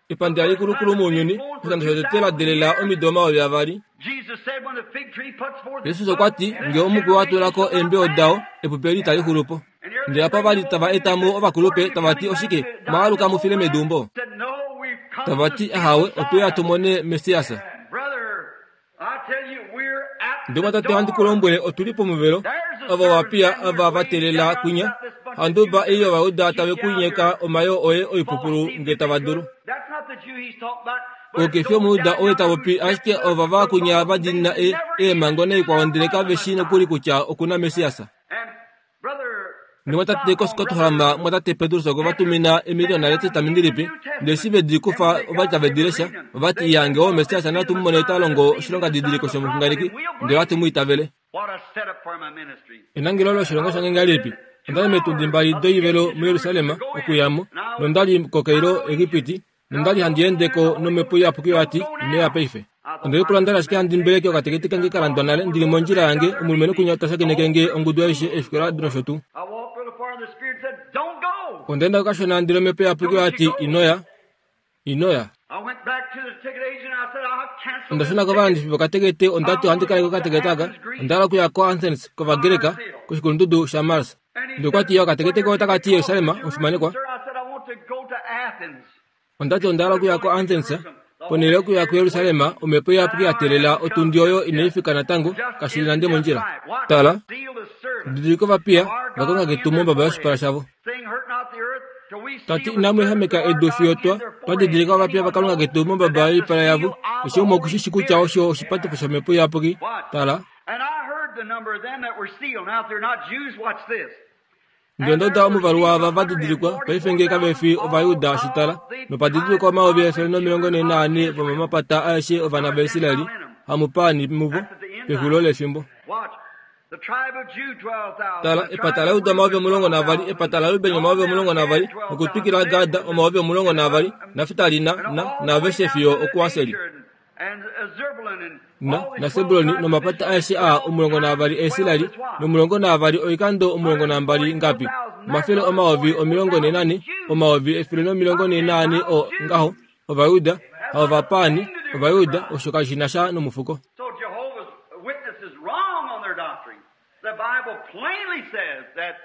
Epandela likulukulu mounyuni, oshikando shotete la delela omido 2000. Jesus okwa ti, Nge omukwi wa tula ko eembeo dao, epupi eli itali xulu po. Ndele apa va li tava eta mo ovakulupe, tava ti, Oshike, mwa aluka mu file meduumbo? Tava ti, Ahawe, otwe uya tu mone Messias. Ndele mwatate ohandi ku lombwele, otu li pomuvelo. Ova ovapiya ava va teelela kwinya. Handuba ei Ovajuda tave ku nyeka omayoo oye oipupulu nge tava dulu. Ou ke fi Omujuda oye ta popi, ashike ovava kwinya va diinina e, eemhango naikwao ndele kave shii nokuli kutya oku na Messias. Nomwatate koScotland, mwatate Petrus okwe va tumina emiliyona lEtestamenti Lipe, ndele eshi ve di kufa ova li tave di lesha, ova ti, Iya, nge oo Messias, natu mu mone ta longo oshilongadidiliko shomuxunganeki, ndele ohatu mu itavele. Enangelo loshilongo shange ngahelipi? Onda li meetundi mbali doivelo muJerusalem okuya mo, nonda li koKairo, Egipiti, nonda li handi ende ko nomhepo iyapuki oya ti, Ino ya paife. Onde lipula nda li ashike handi mbeleke okatekete kange ka landwa nale ndi li mondjila yange, omulumenhu kwinya ta shakeneke nge ongudu aishe, eefikola nosho tuu. Onda enda ko kashona ndele omhepo iyapuki oya ti, Ino ya. Ino ya. Onda shuna kovalandifi vokatekete onda ti ohandi kaleke okatekete aka. Onda hala okuya koAthens, kOvagreka, koshikulundudu shaMars. Ndele okwa ti, Okatekete koye otaka ti Jerusalem, omufimanekwa. Onda ti onda hala okuya koAthens, ponhele yokuya kuJerusalem, omhepo iyapuki ya teelela otundi oyo inai fika natango, kashi li nande mondjila. Tala, didilika ovapiya vaKalunga ketu mombaba yoshipala shavo. Ta ti, Inamu ehameka edu fiyo twa twa didilika ovapiya vaKalunga ketu mombaba yoipala yavo. Keshe umwe oku shi shi kutya osho oshipatifo shomhepo iyapuki. Tala. Ndele onda uda omuvalu waava va didilikwa paife ngee kave fi Ovajuda oshitala, nopa didilikwa 144,000 vomomapata aeshe ovana vaIsrael, hamupaani muvo, pexulilo lefimbo. Tala, epata laJuda 12,000, epata laRuben 12,000, nokutwikila Gad 12,000, Naftali na, na, naaveshe fiyo okuAseri. Na, naSebuloni nomapata aeshe aa 12 aIsrael, nomulongo naavali oikando 12 ngapi? 244,000, 144,000 o ngaho, Ovajuda, haovapaani, Ovajuda, osho kashi na sha nomufuko.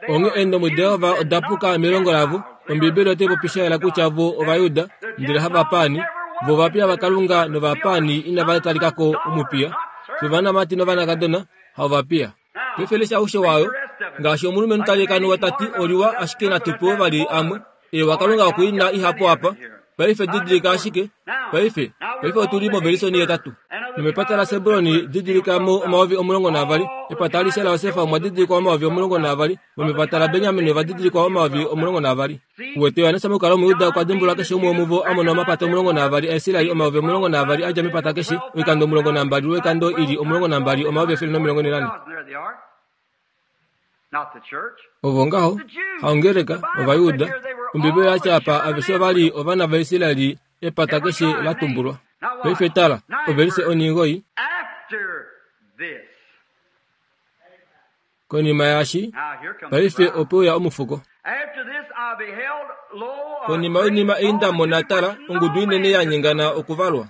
Onghee eendombwedi daJehova oda puka melongo lavo. Ombiibeli otai popi sha yela kutya vo Ovajuda, ndele havapaani. Vo ovapiya vaKalunga novapaani inava talika ko omupiya. Fye ovanamati novanakadona, haovapiya. Paife lesha aushe wayo. Ngaashi omulumenhu ta likanuwa ta ti, Oliwa, ashike natu pewe vali amwe. Ewa, Kalunga oku i na ihapu apa. Paife didilika ashike. Paife, paife otu li movelisoni yetatu. Nomepata laSebulon didilika mo 12,000. Epata alishe laJosef omwa didilikwa 12,000. Vomepata laBenjamin ova didilikwa 12,000. Uwete, Johannes mokukala Omujuda okwa dimbulula keshe umwe womuvo a mona omapata 12 aIsrael, 12,000 a dja mepata keshe, oikando 12 lwoikando i li 12, 144,000. Ovo ngaho, haongeleka, Ovajuda. Ombibeli oya ti apa aveshe ova li ovana vaIsrael, epata keshe la tumbulwa. Paife tala, ovelise onhinhoi. Konima yaashi, paife ope uya omufuko. Konima yoinima ei nda mona, tala, ongudu inene ya nyengana okuvalwa.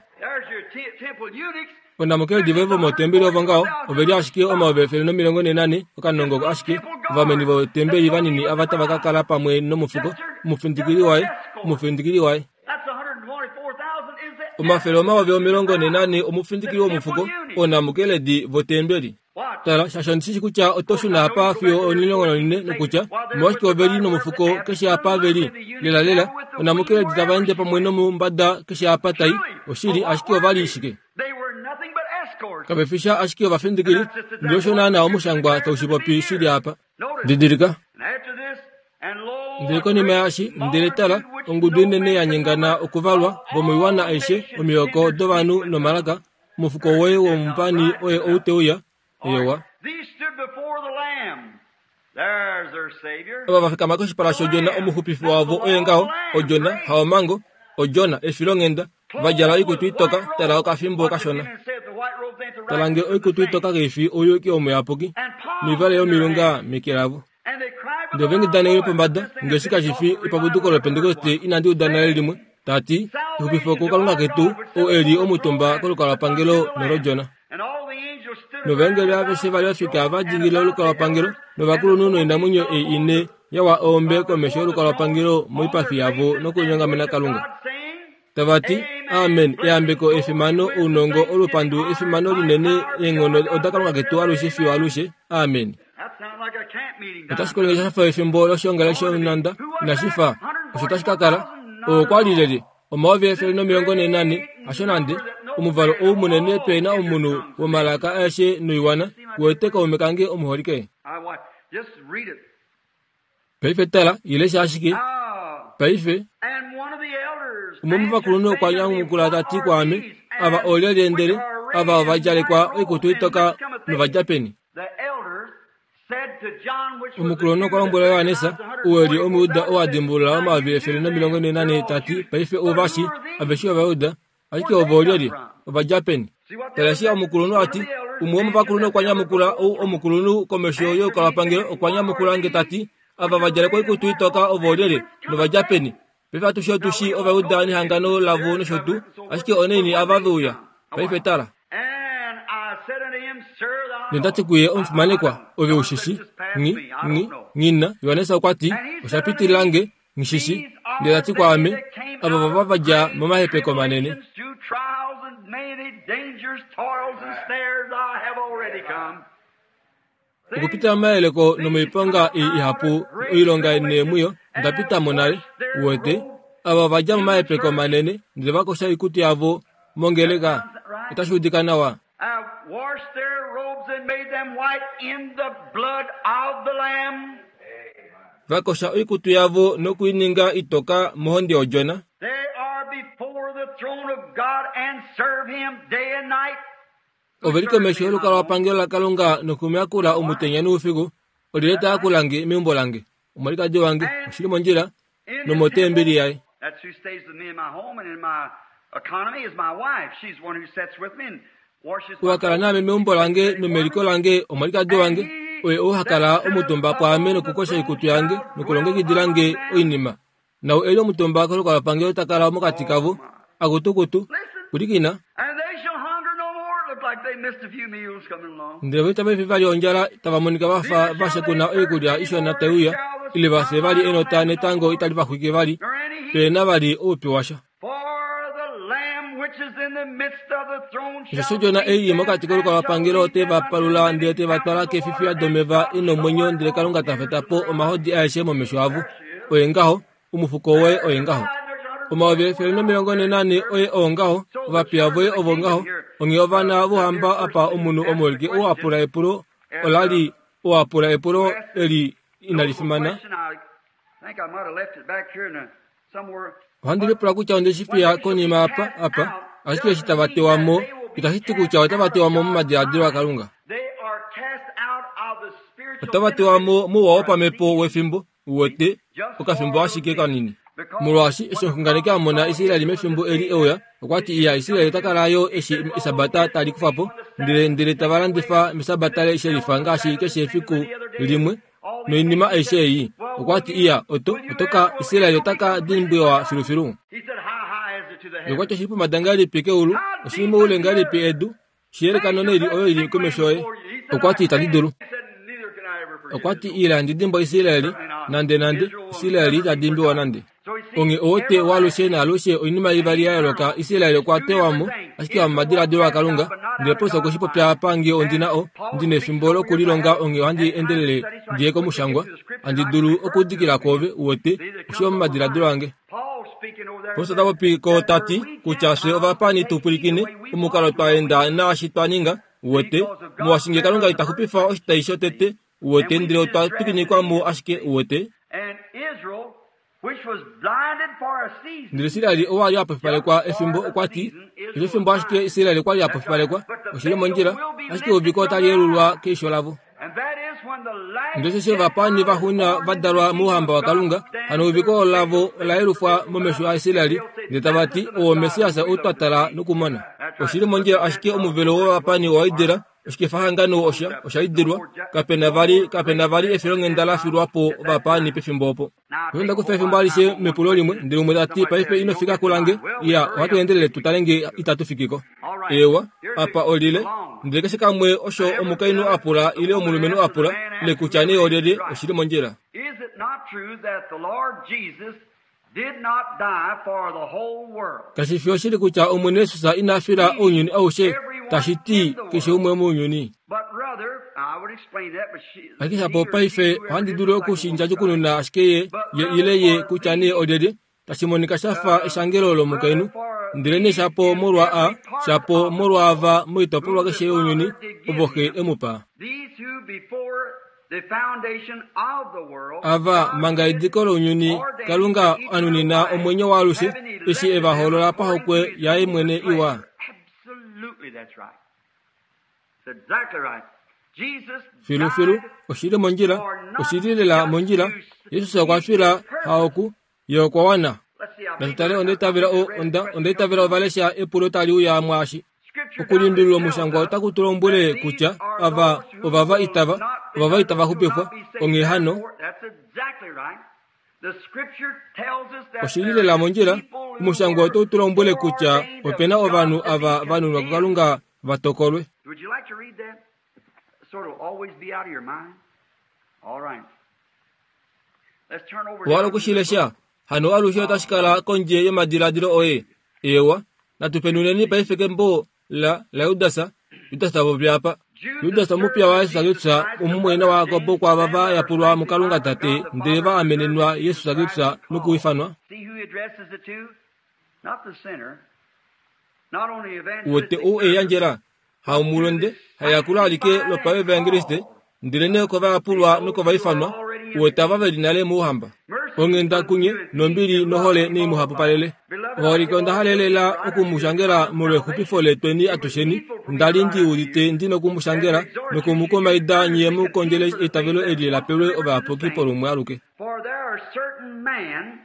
Onamukeledi voye vomotembeli ovo ngaho ove li ashike 144,000, okanongo ashike, ovameni votembeli vanini ava tava ka kala pamwe nomufuko, omufindikili waye, omufindikili waye. 244,000 omufindikili womufuko, onamukeledi votembeli. Tala, shaashi ondi shi kutya oto shuna apa fiyo 14 nokutya, omolwashike ove li nomufuko keshe apa ve li? Lelalela, onamukeledi tava ende pamwe nomumbada keshe apa tai. Oshili, ashike ova li shike? Kave fi sha ashike ovafindikili, ndele osho naanaa omushangwa tau shi popi shi li apa. Didilika. Ndele konima yaashi, ndele tala, ongudu inene ya nyengana okuvalwa, vomoiwana aishe, omihoko dovanhu nomalaka, Omufuko woye womupani oye ou te uya. Eewa. Ava va fikama koshipala shOdjona omuxupifi wavo oye ngaho, Odjona, haOmhango, Odjona, efilonghenda, va djala oikutu itoka, tala okafimbo kashona. Tala nge oikutu itoka kai fi ouyuki womuyapuki, noivale yomilunga meke lavo. Ndele ove ngida newi lopombada, ngeshi kashi fi epapuduko loPentekoste inandi uda nale limwe, ta ti, Exupifo kuKalunga ketu, ou e li omutumba kolukalwapangelo nolOdjona. Novaengeli aveshe va li ofika va dingilila olukalwapangelo, novakulunhu noinamwenyo ei ine ya wa eombe komesho yolukalwapangelo moipafi yavo nokulinyongamena Kalunga. Tava ti, Amen, eyambeko, efimano, ounongo, olupandu, efimano linene, eenghono odaKalunga ketu alushe fiyo alushe. Amen. Otashi kolonge sha fa efimbo loshoongalele shonhanda, inashi fa osho tashi ka kala. Oo okwa li lyelye? 144,000, hasho nande. Omuvalo ou munene pe na omunhu womalaka aeshe noiwana, uwete kaume kange omuholike. Paife tala, ile sha ashike. Paife, umwe womovakulunhu okwa nyamukula ta ti kwaame, Ava oolyelye ndele ava ova djalekwa oikutu itoka nova dja peni? Omukulunhu okwa lombwela Johannes, ou e li Omujuda oo a dimbulula 144,000 ta ti, Paife ou va shi, aveshe Ovajuda, Ashike ovo olyelye? Ova dja peni? Tala eshi omukulunhu a ti. Umwe womovakulunhu okwa nyamukula, ou omukulunhu komesho yokalwapangelo okwa nyamukula nge ta ti, Ava va djala oikutu itoka ovo olyelye, nova dja peni? Paife atushe otu shii Ovajuda nehangano lavo nosho tuu, ashike onaini ava ve uya? Paife tala. Nonda ti kuye, Omufimanekwa, ove u shi shii. Nghi, nghi, nghi na. Johannes okwa ti, Osha pitilila nge. Nghishishi, ndele ta ti kwaame, Ava vava va dja momahepeko manene. Okupitila momayeleko nomoiponga ei ihapu, oilonga neemwiyo, onda pita mo nale. Uwete, ava va dja momahepeko manene, ndele va kosha oikutu yavo mongeleka. Otashi udika nawa. washed their robes and made them white in the blood of the Lamb. Vakosha oikutu yavo nokuininga itoka mohonde yodjona. They are before the throne of God and serve Him day and night. Ove li komesho yolukalwapangelo laKalunga nokumuyakula omutenya noufiku. Olyelye ta yakula nge meumbo lange? Omwalikadi wange, oshi li mondjila, nomotembeli yaye. That's who stays with me in my home and in my economy is my wife. She's the one who sits with me and washes Ou ha kala naame meumbo lange nomeliko lange omwalikadi wange, oye ou ha kala omutumba pwaame nokukosha oikutu yange nokulongekidila nge oinima. Nau e li omutumba kolukalwapangelo ta kala mokati kavo, akutukutu, pwilikina. And they shall hunger no more. It looked like they missed a few meals coming along. Ndele vo itava fi vali ondjala, tava monika va fa va shekuna oikulya ishona tai uya, ile va fye vali enota netango itali va xwike vali, Nor any heat. pe na vali oupyu washa. For the Lamb which is in the midst of the throne Osheshi shall Odjona feed ei i them mokati and shall kolukalwapangelo lead ote them va unto palula the ndele te va twala kefifiya domeva i nomwenyo ndele Kalunga ta feta po omahodi aeshe momesho avo. Oye ngaho, omufuko woye oye ngaho. 1440 oye oo ngaho, ovapiya voye ovo ngaho, onghee ovana vohamba apa omunhu omuholike ou a pula epulo ola li ou a pula epulo eli inali fimana. Ohandi lipula kutya onde shi fiya konima apa, apa, ashike eshi tava tewa mo, itashi ti kutya otava tewa mo momadiladilo aKalunga. Otava tewa mo mouwa wopamhepo wefimbo, uwete, okafimbo ashike kanini. Molwaashi eshi omuxunganeki a mona Israel mefimbo eli e uya, okwa ti iya Israel ota kala yo eshi Esabata tali kufa po, ndele ndele tava landifa mEsabata le shelifa ngaashi keshe efiku limwe noinima aishe ei. Okwa ti iya oto oto ka Israel ota ka dimbwiwa filufilu. Ye okwa ti oshi li pombada ngahelipi keulu, oshi li moule ngahelipi edu, shi yeleka noneli oyo i li komesho yoye. Okwa ti itandi dulu. Okwa ti ila ndi dimbwa Israel nande nande, Israel ita dimbiwa nande. Onghee owote waalushe naalushe oinima ivali ya yooloka Israel okwa tewa mo ashike hamomadiladilo aKalunga. Ndele Paulus okwe shi popya apa nge ondi na o, ndi nefimbo lokulilonga onghee ohandi endelele ndi ye komushangwa. Handi dulu okuudikila kwoove, uwete, oshi omomadiladilo ange. Paulus ota popi ko ta ti kutya fye ovapaani tu pwilikine omukalo twa enda naashi twa ninga, uwete, molwaashi nge Kalunga ita xupifa oshitai shotete, uwete, ndele otwa twikinikwa mo ashike, uwete. Ndele Israel ou a li a pofipalekwa efimbo, okwa ti, Osho efimbo ashike Israel kwa li a pofipalekwa, oshi li mondjila, ashike euviko otali yelulwa keisho lavo. Ndele osheshi ovapaani vaxuuninwa va dalwa mouhamba waKalunga, hano euviko lavo ola yelufwa momesho aIsrael, ndele tava ti, Ou oMessias ou twa tala nokumona. Oshi li mondjila ashike omuvelo wovapaani owa idila, oshikefahangano osha, osha idilwa, kape na vali, kape na vali efilonghenda la filwa po ovapaani pefimbo opo. Paife onda kufa efimbo alishe mepulo limwe, ndele umwe ta ti, Paife ino fika kulange. Iya, ohatu endelele tu tale nge itatu fiki ko. Eewa, apa olile. Ndele keshe kamwe osho omukainhu a pula ile omulumenhu a pula, ile kutya nee olyelye, oshi li mondjila. Is it not true that the Lord Jesus did not die for the whole world? Kashi fi oshili kutya Omwene Jesus ina fila ounyuni aushe, tashi ti keshe umwe mounyuni? But rather, I would explain that, but she, Ashike shapo paife ohandi dulu oku shi ndjadjukununa ashike ye, ye ile ye kutya nee olyelye, tashi monika sha fa eshangelo lomukainhu. Ndele nee shapo molwa a, shapo molwaava moitopolwa keshe younyuni ovo Xe e mu pa. These who before the foundation of the world, Ava, manga ediko lounyuni, Kalunga a nunina omwenyo waalushe, eshi e va hoolola pahokwe yaye mwene iwa. Absolutely, that's right. That's exactly right. Jesus Filufilu, died oshi li mondjila, oshi li lela mondjila. Jesus okwa fila haoku, ye okwa wana. Let's see, I Natu think tale, onda itavela o, onda, onda itavela ova lesha epulo tali uya mwaashi. Okulundulula omushangwa otaku tu lombwele kutya ava ovava itava, ovava itava xupifwa. Onghee hano, oshi li lela mondjila, omushangwa otau tu lombwele kutya ope na ovanhu ava va nunwa kuKalunga va tokolwe. Would you like to read that? So it'll always be out of your mind. All right. Let's turn over Owa hala oku shi lesha? Hano alushe otashi kala kondje yomadiladilo oye. Eewa, natu penuneni paife kembo la, laJudas. Judas ta popi apa. Judas omupiya waJesus Kristus, omumwaina waJakob kwaava va yapulwa muKalunga Tate, ndele va amenenwa Jesus Kristus nokuifanwa. See who he addresses it to? Not the sinner. Not only Uwete evangelistic ou e yandjela? Haumulonde, haeyakulo alike lopaevangeliste, ndelenee okovayapulwa nokovaifanwa, uwete ava ve li nale mouhamba. Onghenda kunye, nombili nohole nei mu hapupalele. Ovaholike onda halelela oku mu shangela molwexupifo letweni atusheni. Onda li ndi udite ndi noku mu shangela noku mu kumaida nye mu kondjele eitavelo eli la pelwe ovayapuki polumwe aluke. For there are certain men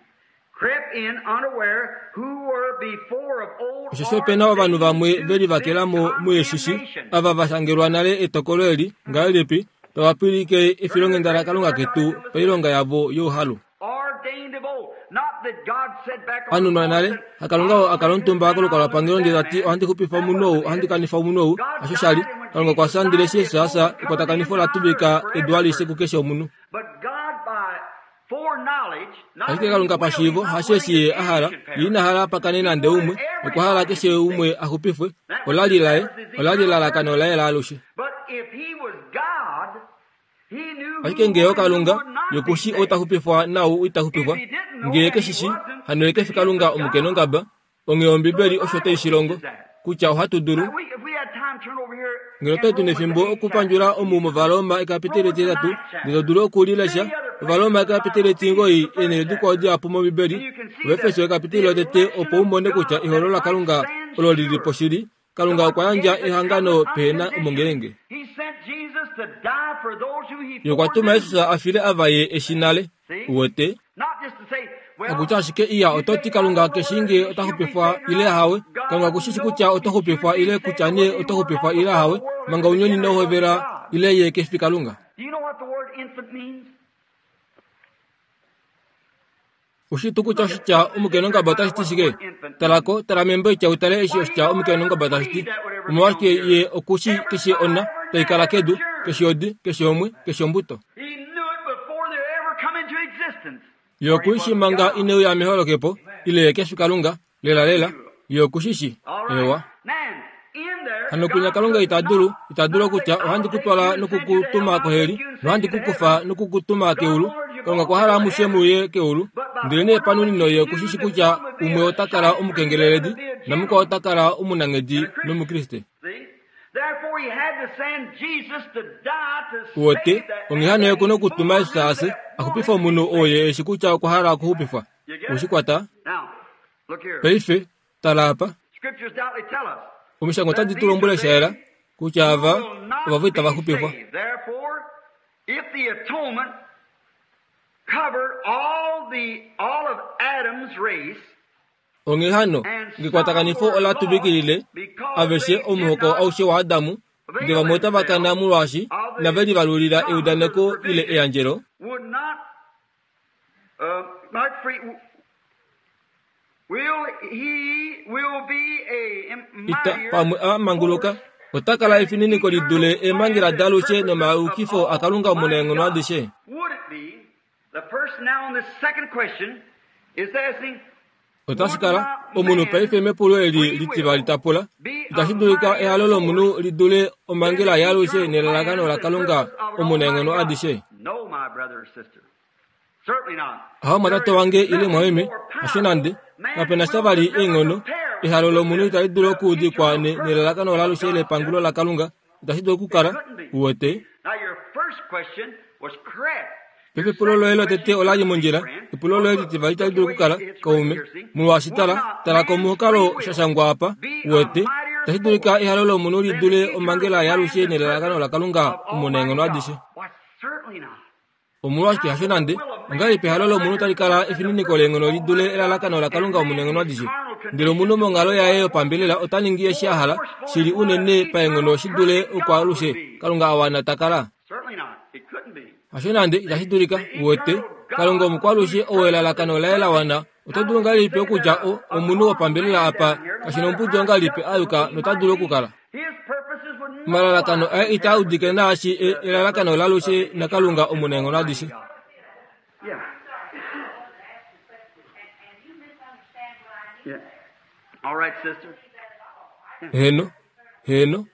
crept in unaware who were before of old Osheshi ope na ovanhu vamwe ve livakela mo mueshishi, ava va shangelwa nale etokolo eli, ngahelipi, tava pwilike efilonghenda laKalunga ketu pailonga yavo youhalu. ordained of old. Not that God said back on A nunwa nale, haKalunga oo a kala omutumba kolukalwapangelo ndele ta ti, Ohandi xupifa omunhu ou, ohandi kanifa omunhu ou. Hasho sha li. Kalunga okwa fya ndele eshi Jesus a fya, ekwatakanifo ola tuvika edu alishe kukeshe omunhu. But God by foreknowledge, not Ashike Kalunga pashiivo, hasho eshi Ye a hala, Ye ina hala pa kane nande umwe, okwa hala keshe umwe a xupifwe. Ola li laye, ola li elalakano laye laalushe. But if he was God, he knew who Ashike ngee would and who oKalunga, would not Ye be oku shii saved. ou ta xupifwa naau ita xupifwa. If he didn't know Ngee and ke he shi shii, wasn't, hano ye then ke fi he Kalunga isn't God. omukenongaba. Onghee So Ombibeli the osho Bible tai shi longo, teaches that. kutya ohatu dulu, Now, we, if we had time, turn over here ngeno in otwali tu Romans nefimbo the 8th okupandjula chapter. omu mOvaroma ekapiteli Romans the etitatu, 9th ndele to chapter. dulu oku li lesha, Many other places Ovaroma in the ekapiteli Bible. etingoi, Ephesians the first eenhele dikwao chapter. dihapu mOmbibeli, And you can see Ovaefeso the, ekapiteli the lotete, election opo u of mone kutya God eholo that laKalunga might stand olo li li sure. po shili. Kalunga God okwa yandja gave the ehangano covenant pehe na unconditionally. omongelenge. He sent Jesus to die for those who he Ye okwa tuma foreknew. Jesus a file ava ye eshi nale. See? Uwete? Not just to say, well, Hakutya ashike iya you oto say, ti I Kalunga don't know ke shii whether ngee he ota should be xupifwa saved or ile not. ahawe. God Kalunga ku shi shi kutya knows oto he should xupifwa be ile saved kutya or nee whether he oto were xupifwa not ile before ahawe, the world manga ever ounyuni began, inau it was hovela God. ile ye ke fi Kalunga. Do you know what the word infant means? Ushi tuu kutya Look at oshitya look at the dictionary omukenongaba find otashi out ti what the shike? word infant Tala means. ko, tala membo itya u tale eshi Why, he oshitya don't ever omukenongaba tashi ti. seed that would ever be on Omolwashike the ye earth. oku shi Every keshe ona flower, every tai gnat, kala every kedu, germ. keshe odi, keshe omwe, keshe ombuto. He knew it before they ever come into existence. Ye For he oku shi was manga God. ineu ya meholokepo, ile ye ke fi Kalunga, lela lela, ye oku shi shi. All right. Ewa. Now, in there, Hano kwinya God Kalunga could ita dulu, not, ita dulu not say, okutya I'll ohandi ku take twala you and send you to hell, nokukutuma I'll koheli, take you and send nohandi you to ku kufa heaven. nokukutuma God keulu. wanted you Kalunga both okwa to hala go to amushe heaven. muye keulu. But by Ndele nee panunino foreknowledge, ye he oku shi knew shi that kutya one would be umwe a ota kala shyster and the other omukengeleledi, would be a namukwao gentleman ota kala omunanghedi and a Christian. nOmukriste. See? Therefore, he had to send Jesus to die to Uwete, save that onghee man hano that ye ku he nokutuma Jesus foreknew a fye, that a xupife wanted to omunhu be oo saved. ye eshi kutya okwa hala okuxupifwa. You get Ushi it? kwata? Now, look here. Paife, tala apa. Scriptures doubtly tell us Omishangwa that otadi tu these lombwele are sha yela they kutya who ava will not ovavo itava be xupifwa. saved. Therefore, if the atonement covered all the all of Adam's race, Onghee hano, and some ngekwatakanifo were ola lost tuvikilile because aveshe they did omuhoko not aushe waAdamu, ndele avail vamwe otava kana themselves molwaashi of inave the livalulila promise or the eudaneko ile provision, eyandjelo, would not not free will he will be a ita mightier pamwe a manguluka, force ota kala than efininiko li eternal dule eemhangela plans and daalushe purposes of nomayukifo aKalunga Almighty omunaenghono God. adishe. Would it be the person now on this second question is asking, Otashi would kala not omunhu paife man's mepulo eli free litivali will ta pula, be itashi a dulika mightier ehalo lomunhu force li dule than omhangela the yaalushe eternal nelalakano plans and laKalunga purposes of an Almighty omunaenghono God? adishe? No, my brother or sister. Certainly not. Aho There mwatate is wange ile nothing mwameme, more hasho powerful. nande, kape Man's na sha will vali could never eenghono, compare ehalo with lomunhu the, itali dulu the okuudikwa eternal purpose nelalakano of laalushe God's lepangulo justice. laKalunga, itashi dulu It okukala, couldn't be. uwete. Now, your first question was correct. Paife Your epulo loye second lotete question ola li couldn't be, mondjila, friend. epulo Well, loye look, litivali itali look the dulu way okukala, it's written kaume, here, see? molwaashi Would tala, not tala man's komukalo free sha will shangwa apa, be a uwete, mightier itashi dulika force ehalo lomunhu li than the dule eternal omhangela yaalushe plans and nelalakano purpose laKalunga of Almighty omunaenghono God? adishe? Why, certainly not. Omolwashike How hasho could the nande, will of man ongahelipi be ehalo a lomunhu mightier tali kala force than the efininiko purpose leenghono of li dule Almighty God? elalakano And laKalunga man omunaenghono in his adishe? carnal Ndele condition omunhu monghalo is yaye what yopambelela ota ningi eshi a more hala, forceful shili than what an unene paenghono eternal shi dule perfect God would okwaalushe be. Kalunga a wana ta kala. Certainly not. It couldn't be. Hasho nande The, itashi dulika, the uwete, eternal Kalunga God, omukwalushe whose ou purpose elalakano is laye la perfect, wana, oto how dulu could he ngahelipi say okutya that a omunhu carnal wopambelela man apa down here, no kashi matter nombudi how ongahelipi just a yuka he nota might dulu be, okukala? his purposes would no Omalalakano wise aye itaa compare with udike the, naashi the, the elalakano purpose of laalushe the naKalunga eternal and omunaenghono almighty adishe. God. Yeah. Yeah. All right, sister. Yeah. Heeno, heeno,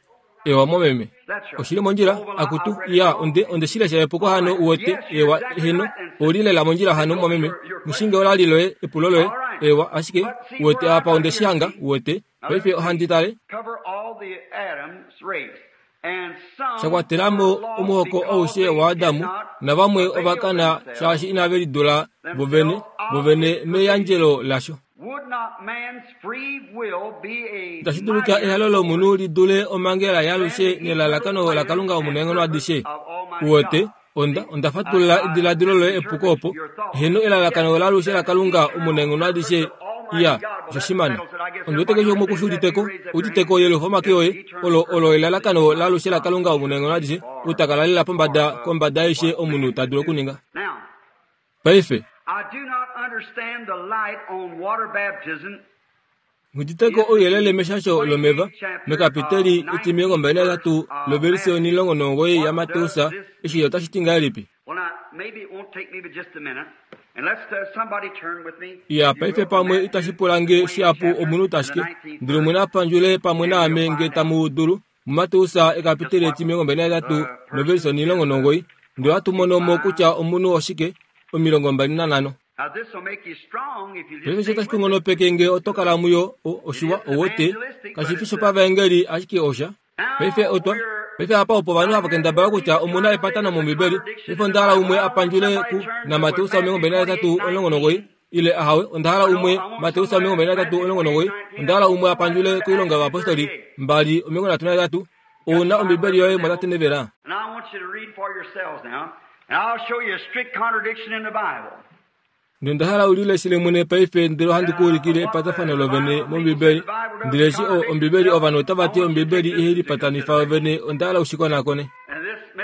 ewa momeme. That's right. Oshili mondjila, Oh, well, I, akutu, I've read it iya, wrong. onde onde shi lesha epuko All hano right. uwete, Yes, you're ewa, exactly heeno, right then, sister. oli lela mondjila hano Note momeme. your Mushinge question. ola li loye, epulo loye, All right. Ewa, ashike, uwete apa onde shi hanga, uwete. Paife ohandi tale. Sha kwatela mo omuhoko aushe waAdam, navamwe ova kana shaashi inave lidula vovene, vovene meyandjelo lasho. Itashi dulika ehalo lomunhu li dule omhangela yaalushe nelalakano laKalunga Omunaenghono adishe. Uwete, onda, onda fatulula ediladilo loye epuko opo. Heeno, elalakano laalushe laKalunga Omunaenghono adishe, iya, osho shimana. Ondi wete keshe umwe ku shi udite ko, udite ko yelufa omake oye, olo, olo elalakano laalushe laKalunga Omunaenghono adishe, ou ta kala lela pombada kombada aishe omunhu ta dulu okuninga. Paife. Nghi ouyelele meshasho lomeva mekapiteli etimilongo lovelise 19 yaMateus eshi otashi ti ngahelipi? Iya, paife pamwe itashi pula nge shihapu omunhu tashike, ndele umwe na pandjule pamwe naame nge tamu dulu. MuMateus ekapiteli etimilongo novelise 19 ndele ohatu mono mo kutya omunhu oshike, 25. Paife eshi otashi ku nghonopeke nge oto kala muyo, oshiwa, ouwete, kashi fi shopavaengeli, ashike osha. Paife otwa. Paife apa opo ovanhu hava kendabala kutya omu na epatano mOmbibeli. Paife onda hala umwe a pandjule ku naMateus 23, 19, ile ahawe, onda hala umwe, Mateus 23, 19, onda hala umwe a pandjule koilonga yovapostoli 2, 33. Ou na Ombibeli yoye mwatate Nevela? Ndele onda hala u lileshele mwene paife ndele ohandi ku ulikile epatafano lovene mOmbibeli. Ndele eshi o, Ombibeli ovanhu otava ti Ombibeli ihai lipatanifa yovene, onda hala u shi konakone.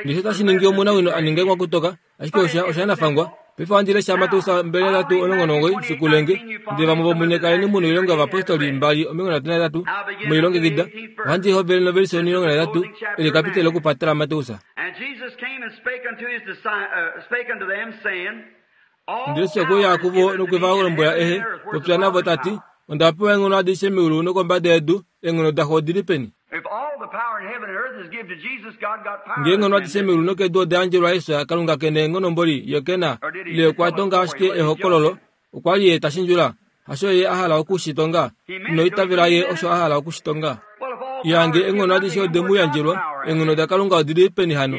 Ndele otashi ningi omunawino a ninge mwakutoka, ashike osha, osha nafangwa. Paife ohandi lesha Mateus 23:19, shikulenge. Ndele vamwe vomunye kaleni mu noilonga yovapostoli 2:33 mwelilongekida. Ohandi hovele novelise 13, eli ekapiteli lokupatela Mateus. Ndele Jesus okwe uya kuvo nokwe va lombwela ehe popya navo ta ti, Onda pewa eenghono adishe meulu nokombada yedu, eenghono daXo odi li peni? Ngee eenghono adishe meulu nokedu oda yandjelwa Jesus, Kalunga ke na eenghono mboli, ye ke na, ile okwa tonga ashike ehokololo, okwa li ye ta shindjula, hasho ye a hala oku shi tonga, ino itavela ye osho a hala oku shi tonga. Ya nge eenghono adishe ode mu yandjelwa, eenghono daKalunga odi li peni hano?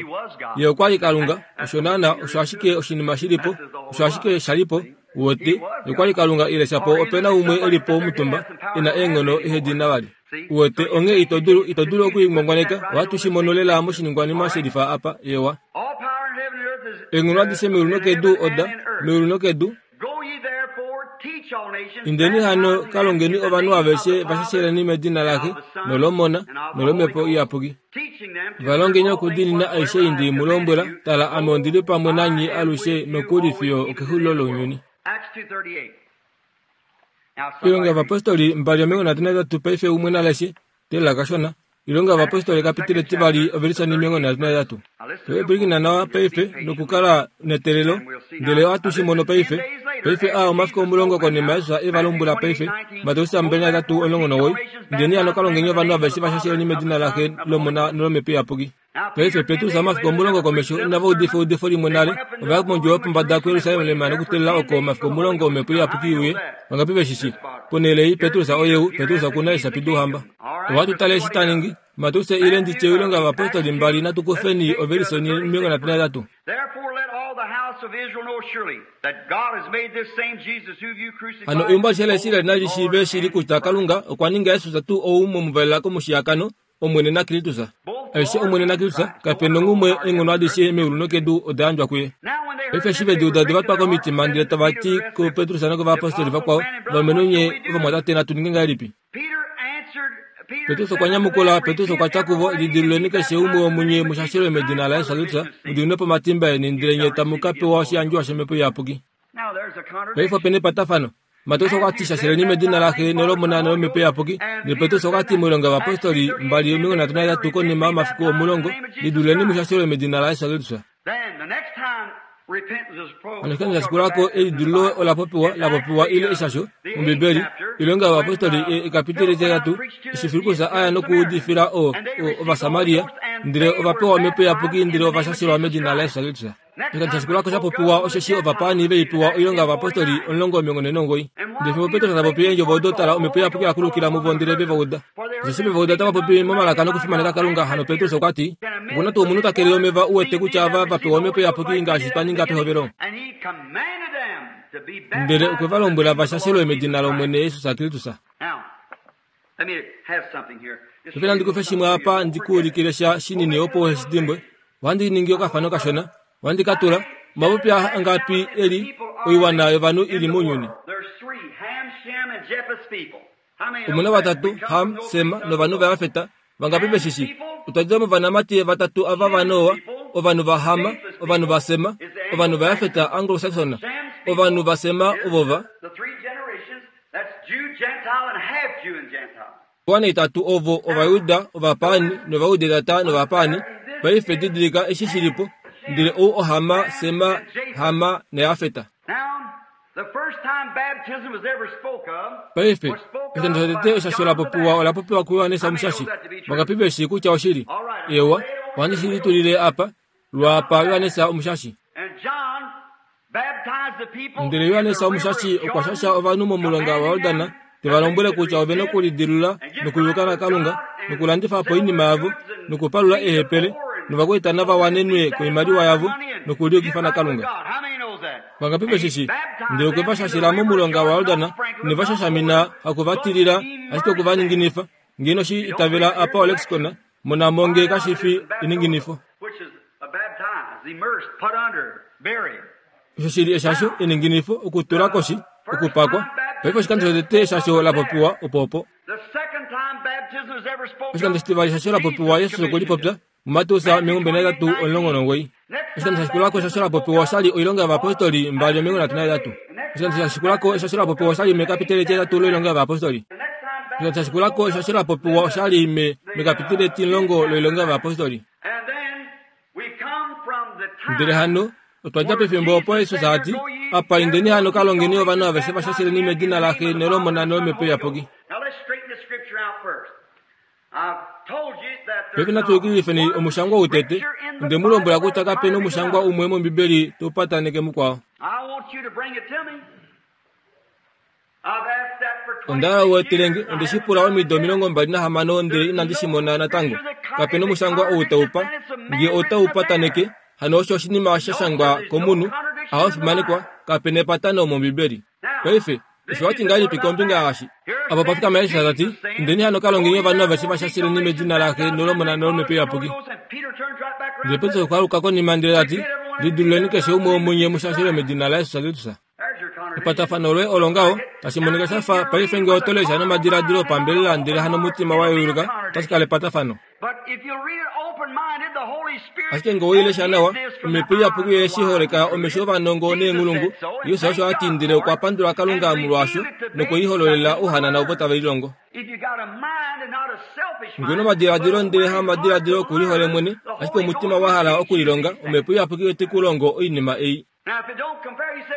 Ye okwa li Kalunga, osho naana, osho ashike oshinima shi li po, osho ashike sha li po, uwete, ye okwa li Kalunga ile shapo ope na umwe e li po omutumba e na eenghono ehe di na vali. Uwete, onghee ito dulu, ito dulu oku i ngwangwaneka, ohatu shi mono lela moshiningwanima shelifa apa, ewa. Eenghono adishe meulu nokedu oda, meulu nokedu, Indeni hano ka longeni ovanhu aveshe va shasheleni medina laXe nolOmona nolOmhepo Iyapuki. Va longeni okudiinina aishe ei ndi mu lombwela. Tala, ame ondi li pamwe nanye alushe nokuli fiyo okexulilo lounyuni. Oilonga yOvapostoli 2:38 Paife umwe na leshe Teelela kashona. Oilonga yOvapostoli ekapiteli etivali ovelise 33. Pwilikina nawa paife nokukala neteelelo, ndele ohatu shi mono paife. Paife aa omafiku 10 konima Jesus e va lombwela paife, Mateus 23:19, Indeni hano ka longeni ovanhu aveshe va shasheleni medina laXe, lOmona nolOmhepo Iyapuki. Paife Petrus omafiku 10 komesho inava udifa eudifo limwe nale, ova ya mondjuwo yopombada kuJerusalem nokuteelela oko omafiku 10 Omhepo Iyapuki i uye. Vangapi ve shi shii? Ponhele ei, Petrus oye ou, Petrus oku na eeshapi douhamba. Ohatu tale eshi ta ningi. Mateus ile ndi tye Oilonga yOvapostoli 2, natu kufeni ovelise 33. Hano eumbo alishe laIsrael nali shiive shili kutya Kalunga okwa ninga Jesus tuu ou mwe mu valela komushiyakano, Omwene naKristus. Aishe Omwene naKristus, kape nonghumwe eenghono adishe meulu nokedu oda yandjwa kuye. Paife eshi ve di uda ode va twa komitima ndele tava ti kuPetrus nokovayapostoli vakwao, Ovalumenhu nye ovamwatate, natu ninge ngahelipi? Petrus okwa nyamukula, Petrus okwa tya kuvo, Lidiluleni keshe umwe womunye mu shashelwe medina laJesus Kristus, mu diminwe po omatimba eni, ndele nye tamu ka pewa oshiyandjiwa shOmhepo Iyapuki. Paife ope na epatafano. Mateus okwa ti shasheleni medina laXe nolOmona nolomhepo iyapuki. Ndele Petrus okwa ti moilonga yovapostoli 2:33 konima yomafiku 10, liduleni mu shashelwe medina laJesus Kristus. Hano oshikando sha shikula ko elidululo ola popiwa la popiwa ile eshasho mOmbibeli, Oilonga yOvapostoli ekapiteli etitatu, eshi Filippus a ya nokuudifila o, o, Ovasamaria, ndele ova pewa Omhepo Iyapuki ndele ova shashelwa medina laJesus Kristus. Oshikando sha shikula ko sha popiwa osheshi ovapaani ve i pewa oilonga yovapostoli 49. Ndele fimbo Petrus ta popi eendjovo odo, tala, Omhepo Iyapuki ya kulukila muvo ndele ve va uda. Osheshi ve va uda tava popi momalaka nokufimaneka Kalunga. Hano Petrus okwa ti, Oku na tuu omunhu ta kelele omeva u wete kutya ava va pewa Omhepo Iyapuki ngaashi twa ninga pehovelo? Ndele okwe va lombwela va shashelwe medina lOmwene Jesus Kristus. Paife nandi kufe shimwe apa ndi ku ulikile sha shinini opo uhe shi dimbwe. Ohandi ningi okafano kashona. Ohandi ka tula omapupi angapi e li oiwana yovanhu i li mounyuni. Omu na vatatu, Ham, Sem novanhu vaJafet. Vangapi ve shi shii? Otwa dja movanamati vatatu ava vaNoa, ovanhu vaHam, ovanhu vaSem, ovanhu vaJafet, Anglo-Saxon. Ovanhu vaSem ovo va. Oiwana itatu ovo Ovajuda, Ovapaani nOvaudetata nOvapaani. Paife didilika eshi shi li po. Ndele ou oHama, Sema, Hama naJafet. Paife, oshikando shotete eshasho la popiwa ola popiwa kuJohannes Omushashi. Vangapi ve shii kutya oshili? Eewa, ohandi shi litulile apa, lwaapa Johannes Omushashi. Ndele Johannes Omushashi okwa shasha ovanhu momulonga waJordan, te va lombwele kutya ove na okulidilula nokuliluka naKalunga, nokulandifa po oinima yavo, nokupalula eehepele, novakwaita nava wanenwe koimaliwa yavo, nokuliyukifa naKalunga. Vangapi ve shi shii? Ndele okwe va shashela momulonga waJordan, ine va shashamina haku va tilila, ashike oku va ninginifa. Nge ino shi itavela apa olexicon, mona mo nge kashi fi eninginifo. Osho shi li eshasho, eninginifo, okutula koshi, okupakwa. Paife oshikando shotete eshasho la popiwa opo opo. Oshikando shitivali eshasho la popiwa Jesus okwe li popya muMateus 23:19. Oshikando sha shikula ko eshasho la popiwa osha li oilonga yovayapostoli 2:38. Oshikando sha shikula ko eshasho la popiwa osha li mekapiteli etihetatu loilonga yovayapostoli. Oshikando sha shikula ko eshasho la popiwa osha li me mekapiteli etimulongo loilonga yovayapostoli. Ndele hano, otwa dja pefimbo opo Jesus a ti, Apa indeni hano ka longeni ovanhu aveshe va shasheleni medina laXe nolOmona nolOmhepo Iyapuki. Paife natu yukililifeni omushangwa ou tete. Onde mu lombwela kutya kape na omushangwa umwe mOmbibeli tau pataneke mukwao. Onda hala u etele nge, onde shi pula omido 26 ndele inandi shi mona natango. Kape nomushangwa ou tau pa nge otau pataneke, hano osho oshinima sha shangwa komunhu, ahofimanekwa, kape nepatano mOmbibeli. Paife, osho wa ti ngahelipi kombinga yaashi? Apa opa fikama Jesus ta ti, Indeni hano ka longeni ovanhu aveshe va shasheleni medina laXe nolOmona nolOmhepo Iyapuki. Ndele Petrus okwa aluka konima ndele ta ti, Lidiluleni keshe umwe womunye mu shashelwe medina laJesus Kristus. Epatafano loye olo ngaho, tashi monika sha fa paife ngee oto lesha nomadiladilo opambelela ndele hanomutima wa yeuluka, otashi kala epatafano. Ashike ngee owei lesha nawa, Omhepo Iyapuki oye shi holeka omesho ovanongo neenghulungu, Jesus osho a ti ndele okwa pandula Kalunga molwaasho nokwe i hololela ouhanana ovo tave lilongo. Ngee una omadiladilo ndele hamadiladilo okulihole mwene, ashike omutima wa hala okulilonga, Omhepo Iyapuki ote ku longo oinima ei.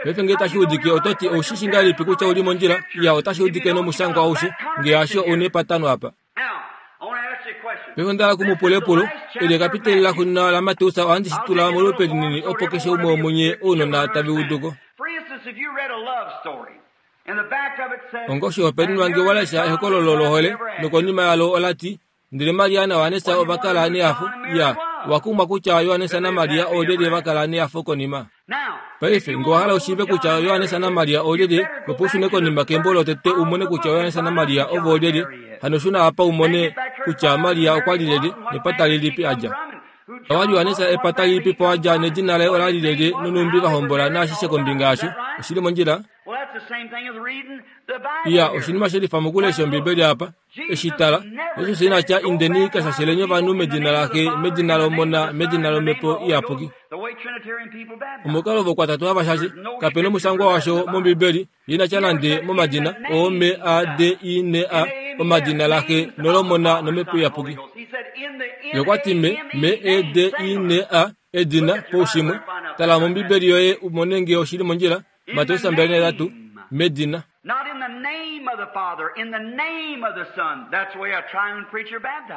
Paife ngee tashi udike oto ti ou shi shi ngahelipi kutya ou li mondjila? Iya, otashi udike nomushangwa aushe. Ngee hasho, ou na epatano apa. Paife onda hala ku mu pula epulo. Eli ekapiteli laxuuninwa laMateus ohandi shi tula molupe linini opo keshe umwe womunye ounona tave udu ko. Onga oshihopaenenwa ngee wa lesha ehokololo lohole nokonima yalo ola ti, Ndele Maria naJohannes ova kala nehafo. Ya, owa kumwa kutya Johannes naMaria oolyelye va kala nehafo konima. Paife, ngee owa hala u shiive kutya Johannes naMaria oolyelye, opo u shune konima kembo lotete u mone kutya Johannes naMaria ovo oolyelye. Hano shuna apa u mone kutya Maria okwa li lyelye, nepata lilipi a dja. Owa Johannes epata lilipi po a dja nedina laye ola li lyelye nonhumbi va hombola naashishe kombinga yasho. Oshi li mondjila? Iya, oshinima she lifa mokulesha Ombibeli apa. Eshi tala, Jesus ina tya indeni ka shasheleni ovanhu medina laXe, medina lOmona, medina lOmhepo Iyapuki. Omukalo vokwatatu hava shashe, kape nomushangwa washo mOmbibeli, ye ina tya nande momadina O M A D I N A, omadina laXe nolOmona nOmhepo Iyapuki. Ye okwa ti me, M E D I N A, edina, poushimwe. Tala mOmbibeli yoye u mone ngee oshi li mondjila, Mateus 23, medina.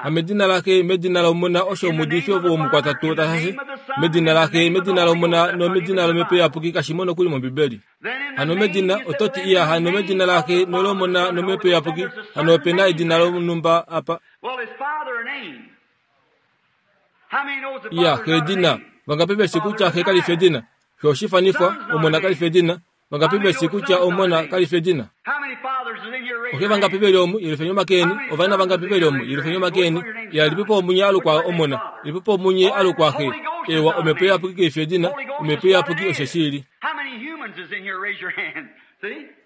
Hamedina laXe, medina lOmona, osho omuudifi womukwatatu ta shashe. Medina laXe, medina lOmona nomedina lOmhepo Iyapuki kashi mo nokuli mOmbibeli. Hano medina, oto ti, Iya, hano medina laXe nolomona nOmhepo Iyapuki, hano ope na edina lonhumba apa. Iya, Xe edina. Vangapi ve shi kutya Xe kali fi edina? Xe oshifanifwa, Omona kali fi edina. Vangapi ve shi kutya Omona kali fi edina? Oxe vangapi ve li omu? Yelifeni omake eni. Ovana vangapi ve li omu? Yelifeni omake eni. Iya, lipipo omunye a lukwa Omona. Lipipo omunye a lukwa Xe. Eewa, Omhepo Iyapuki kai fi edina. Omhepo Iyapuki osho shi li.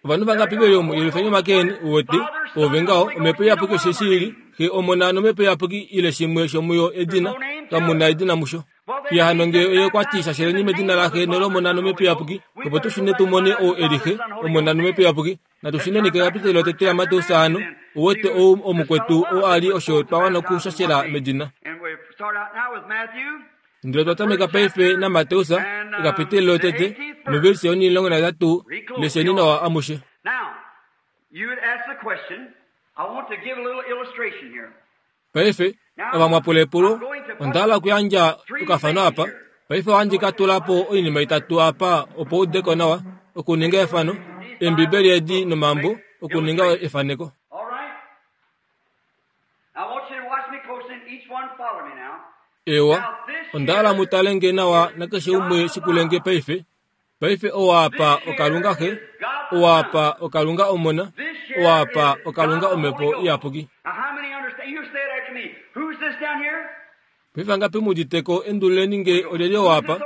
Ovanhu vangapi ve li omu? Yelifeni omake eni. Uwete? Oove ngaho. Omhepo Iyapuki osho shi li. Xe, Omona nOmhepo Iyapuki ile shimwe shomuyo edina. Kamu na edina musho. Iya hano nge oye okwa ti shasheleni medina laXe nolOmona nOmhepo Iyapuki, opo tu shune tu mone ou e li Xe, Omona nOmhepo Iyapuki. Natu shuneni kekapiteli lotete laMateus hano, u wete ou omukwetu ou a li osho twa wana okushashela medina. Ndele otwa tameka paife naMateus, ekapiteli lotete, novelise yonimulongo nahetatu, lesheni nawa amushe. Paife, ava mwa pula epulo, onda hala okuyandja okafano apa. Paife ohandi ka tula po oinima itatu apa opo u ude ko nawa, okuninga efano, Eembibeli edi nomambo, okuninga efaneko. Eewa, onda hala mu tale nge nawa nakeshe umwe shikule nge paife. Paife owa apa oKalunga Xe, owa apa oKalunga Omona, owa apa oKalunga Omhepo Iyapuki. Paife angapi mu udite ko endululeni nge olyelye owa apa?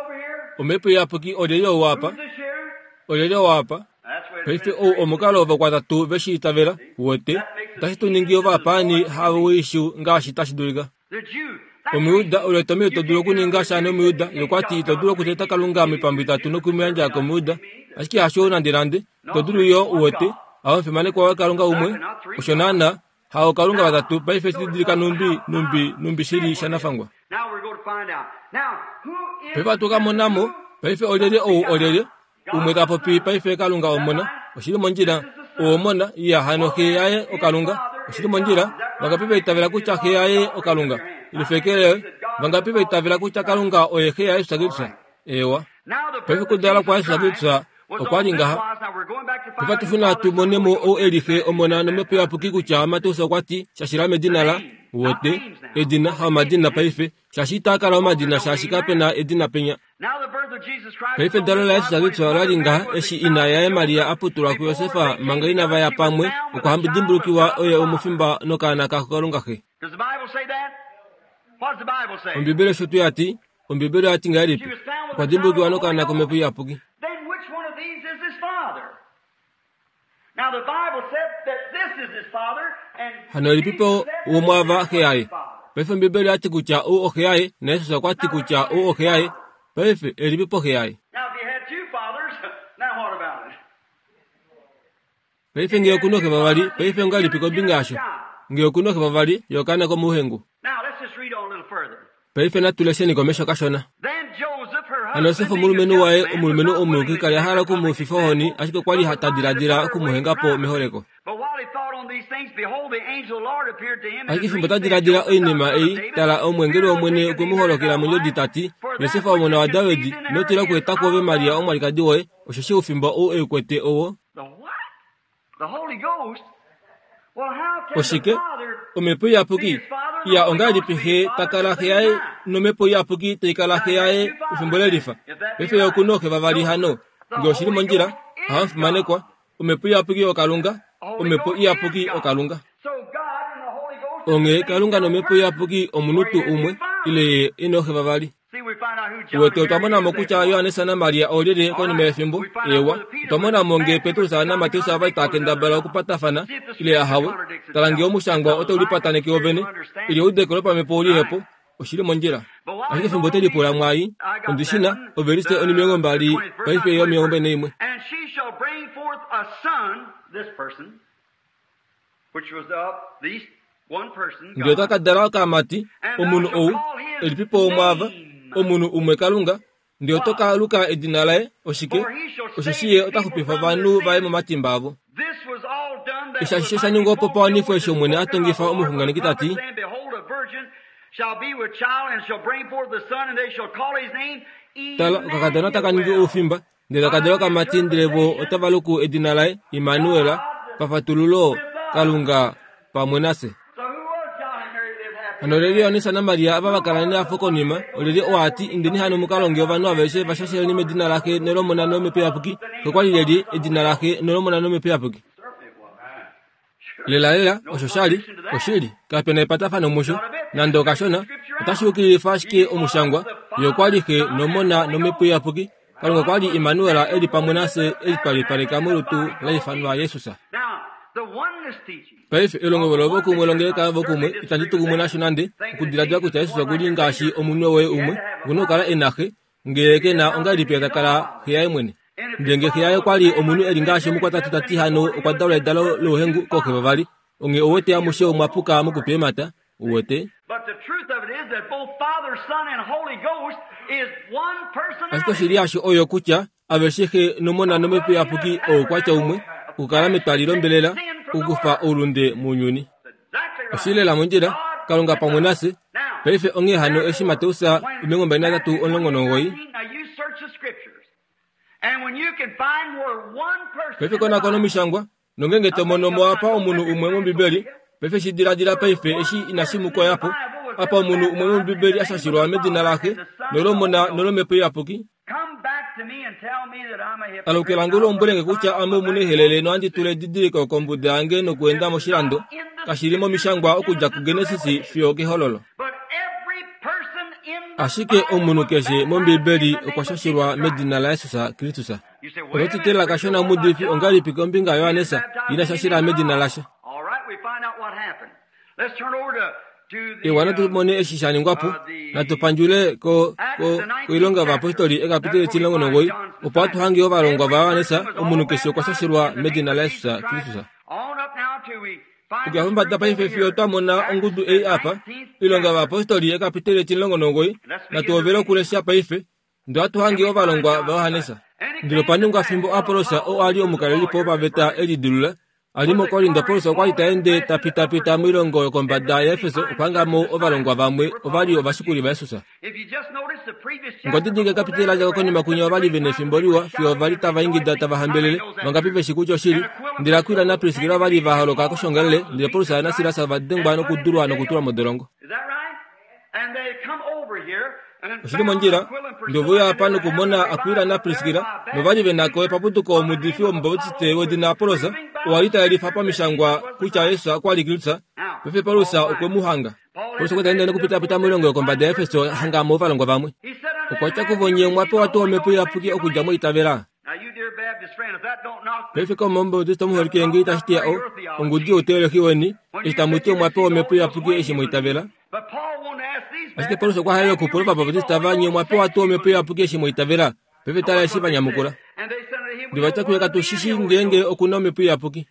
Omhepo Iyapuki olyelye owa apa? Olyelye owa apa? Paife ou omukalo vokwatatu ve shi itavela, uwete, otashi tu ningi ovapaani hawoishu ngaashi tashi dulika. Omuyuda, olo etomhelo ito dulu okuninga sha nOmuyuda. Ye okwa ti, Ito dulu okuteta Kalunga moipambu itatu noku mu yandja kOmuyuda. Ashike hasho nandenande. Ito dulu yo, uwete. Hao omufimanekwa waKalunga umwe. Osho naanaa. Hao Kalunga vatatu. Paife shi didilika nhumbi, nhumbi, nhumbi shi li shanafangwa. Paife ohatu ka mona mo. Paife olyelye ou olyelye? Umwe ta popi paife Kalunga Omona. Oshi li mondjila. Ou Omona, iya hano xe yaye oKalunga. Oshi li mondjila. Vangapi va itavela kutya xe yaye oKalunga? Lifekele. Vangapi va itavela kutya Kalunga oye xe yaJesus Kristus? Eewa. Paife okudalwa kwaJesus Kristus okwa li ngaha. Paife atu shuna tu mone mo ou e li Xe, Omona nOmhepo Iyapuki kutya Mateus okwa ti, Shashila medina la, wote, edina, haomadina paife, shaashi itaa kala omadina shaashi kape na edina penya. Paife edalo laJesus Kristus ola li ngaha eshi ina yaye Maria a putulwa kuJosef manga inava ya pamwe, okwa dimbulukiwa oye omufimba nokaana kaKalunga Xe. Ombibeli osho tuu ya ti? Ombibeli oya ti ngahelipi? Okwa dimbulukiwa nokaana kOmhepo Iyapuki. Hano elipipo womwaava xe yaye? Paife Ombibeli oya ti kutya ou oxe yaye, naJesus okwa ti kutya ou oxe yaye. Paife, elipipo xe yaye? Paife nge oku noxe vavali, paife ongahelipi kombinga yasho? Nge oku noxe vavali, ye okaana komouhengu. Paife natu lesheni komesho kashona. Hano Josef omulumenhu waye, omulumenhu omuyuki, ka li a hala oku mu fifa ohoni, ashike okwa li ta diladila oku mu henga po meholeko. Ashike fimbo ta diladila oinima ei, tala, omweengeli wOmwene okwe mu holokela mondjodi ta ti, Josef omona waDavid, ino tila okweeta kwoove Maria omwalikadi woye, osheshi oufimba ou e u kwete owo Oshike? Omhepo Iyapuki. Iya, ongahelipi Xe ta kala Xe yaye nOmhepo Iyapuki tai kala Xe yaye pefimbo lelifa? Paife Ye oku nooxe vavali hano. Nge oshi li mondjila, ohamu fimanekwa. Omhepo Iyapuki oKalunga. Omhepo Iyapuki oKalunga. Onghee Kalunga nOmhepo Iyapuki omunhu tuu umwe, ile Ye e nooxe vavali. Uwete, otwa mona mo kutya Johannes naMaria oolyelye konima yefimbo. Eewa, otwa mona mo ngee Petrus naMateus ova li tava kendabala okupatafana, ile ahawe. Tala ngee omushangwa otau lipataneke wovene, ile eudeko lopamhepo oli he po. Oshi li mondjila. Ashike fimbo te lipula mwaai, ondi shi na, ovelise onimilongombali paife yomilongombali naimwe. Ndele ota ka dala okamati, omunhu ou, elipipo womwaava, omunhu umwe Kalunga, ndele oto ka luka edina laye oshike? Osheshi ye ota xupifa ovanhu vaye momatimba avo. Eshi ashishe sha ningwa opo pa wanifwe eshi Omwene a tongifa omuxunganeki ta ti. Tala, okakadona taka ningi oufimba, ndele taka dala okamati, ndele vo otava luku edina laye Immanuel, pafatululo, Kalunga pamwe nafye. Hano lyelye Johannes naMaria ava va kala nehafo konima, olyelye oo a ti, Indeni hano mu ka longe ovanhu aveshe va shasheleni medina laXe nolOmona nOmhepo Iyapuki? Okwa li lyelye edina laXe nolOmona nOmhepo Iyapuki? Lelalela, osho sha li oshili. Kape na epatafano musho nande okashona. Otashi yukililifa ashike omushangwa. Ye okwa li Xe nOmona nOmhepo Iyapuki. Kalunga okwa li Immanuel e li pamwe nafye e litwalipaleka molutu la ifanwa Jesus. Paife, elongo lovokumwe longeleka vokumwe itandi tu kumwe nasho nande, okudiladila kutya Jesus oku li ngaashi omunwe woye umwe, oku na okukala e na Xe, Ngee ke na ongahelipi ta kala xe yaye mwene? Ndele ngee xe yaye okwa li omunhu e li ngaashi omukwatatu ta ti hano okwa dalwa edalo louhengu kooxe vavali, onghee ou wete amushe omwa puka mokutwa eemhata, u wete. Ashike oshili yasho oyo kutya aveshe Xe nOmona nOmhepo Iyapuki oukwatya umwe, okukala metwali lombelela, okukufa oulunde mounyuni. Oshi li lela mondjila, Kalunga pamwe nafye. Paife onghee hano eshi Mateus 23:19. Paife konakona Omishangwa, nongenge to mono mo apa omunhu umwe mOmbibeli, paife shi diladila paife eshi inashi mu koya po, apa omunhu umwe mOmbibeli a shashilwa medina laXe, nolOmona nolOmhepo Iyapuki. Alukila nge u lombwele nge kutya ame omunehelele nohandi tula edidiliko kombuda yange nokuenda moshilando, kashi li momishangwa okudja kuGenesis fiyo okEhololo. Ashike omunhu keshe mOmbibeli okwa shashilwa medina laJesus Kristus. Oto ti tela kashona omuudifi ongahelipi kombinga yaJohannes ina shashila medina lasha? Ewa natu mone eshi sha ningwa po. Natu pandjule ko, ko, koilonga yovayapostoli ekapiteli 19, opo hatu hange ovalongwa vaJohannes, omunhu keshe okwa shashelwa medina laJesus Kristus. Okuya pombada paife fiyo twa mona ongudu ei apa, Oilonga yOvayapostoli ekapiteli 19, natu hovele okulesha paife, Ndele ohatu hange ovalongwa vaJohannes. Ndele opa ningwa fimbo Apollos oo a li omukalelipo wopaveta e lidilula, a li muKorinto, Paulus okwa li ta ende ta pitapita moilongo yokombada yaEfeso okuhanga mo ovalongwa vamwe ova li ovashikuli vaJesus. Okwa didilika ekapiteli la dja ko konima kwinya ova li ve nefimbo liwa fiyo ova li tava ingida tava hambelele. Vangapi ve shi kutya oshili? Ndele Akuila naPriskila ova li va holoka koshoongalele, ndele Paulus naSilas ova dengwa nokudulwa nokutulwa modolongo. Oshi li mondjila ndi ove uya apa nokumona Akuila naPriskila, nova li ve na ko epapuduko omuudifi wOmubaptiste wedina Apollos, oo a li ta yelifa pamishangwa kutya Jesus okwa li Kristus. Paife Paulus okwe mu hanga. Paulus okwa ta ende nokupitapita moilongo yokombada yaEfeso a hanga mo ovalongwa vamwe. Okwa tya kuvo, Nye omwa pewa tuu Omhepo Iyapuki okudja mwa itavela? Paife kaume Omubautista omuholike nge itashi teya o, ongudi youteolohi weni, eshi tamu ti omwa pewa Omhepo Iyapuki eshi mwa itavela. Ashike Paulus okwa halele okupula Ovabautista va nye omwa pewa tuu Omhepo Iyapuki eshi mwa itavela? Paife tala eshi va nyamukula. Ndele va tya kuye katu shi shii ngeenge oku na Omhepo Iyapuki.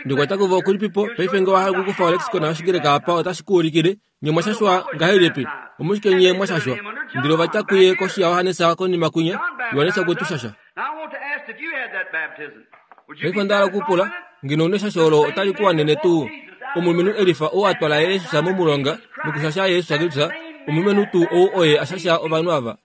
Ndele okwa tya kuvo okulipipo, paife nge owa hala okukufa olexicon yOshigreka apa otashi ku ulikile Nye mwa shashwa ngahelipi? Omushike nye mwa shashwa? Ndele ova tya kuye koshi yaJohannes konima kwinya, Johannes okwe tu shasha. Paife onda hala okupula, ngeno une eshasho olo otali ku wanene tuu? Omulumenhu Elifa ou a twala Jesus momulonga nokushasha Jesus Kristus, omulumenhu tuu ou oye a shasha ovanhu ava.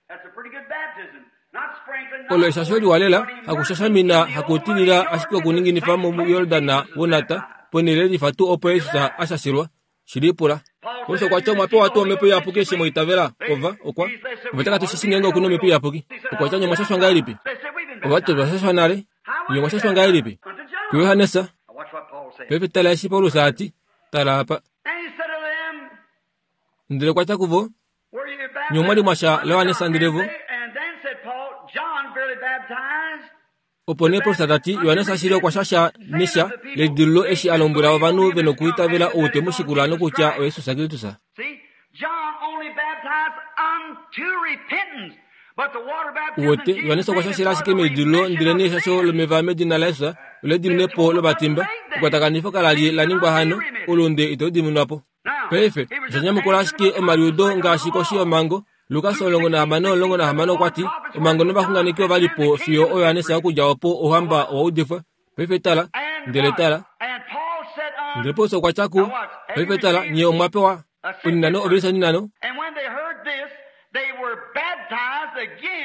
Olo eshasho liwa lela, hakushashamina, hakutilila, ashike okuninginifa muJordan wonata, ponhele Elifa tuu opo Jesus a shashelwa. Shi lipula. Paulus okwa ti omwa pewa tuu omhepo iyapuki eshi mwa itavela? Ova, okwa. Ova tya katu shi shii ngeenge oku na omhepo iyapuki. Okwa tya nye omwa shashwa ngahelipi? Ova ti otwa shashwa nale. Nye omwa shashwa ngahelipi? KuJohannes. Paife tala eshi Paulus a ti. Tala apa. Ndele okwa tya kuvo, Nye omwa li mwa sha laJohannes ndele vo Opo nee Paulus ta ti, Johannes ashili okwa shasha nesha ledililo eshi a lombwela ovanhu ve nokwiitavela ou te mu shikula nokutya oJesus Kristus. Uwete, Johannes okwa shashela ashike meidililo ndelenee eshasho lomeva medina laJesus olediminepo lovatimba. Ekwatakanifo kala li la ningwa hano, oulunde itau diminwa po. Paife, osha nyamukula ashike omaliudo ngaashi koshi yomhango. Lukas 16:16 okwa ti, Omhango novaxunganeki ova li po fiyo oJohannes okudja opo Ouhamba owa udifwa. Paife tala, ndele tala. Ndele Paulus okwa tya ku paife tala, nye omwa pewa oninano ovelise oninano.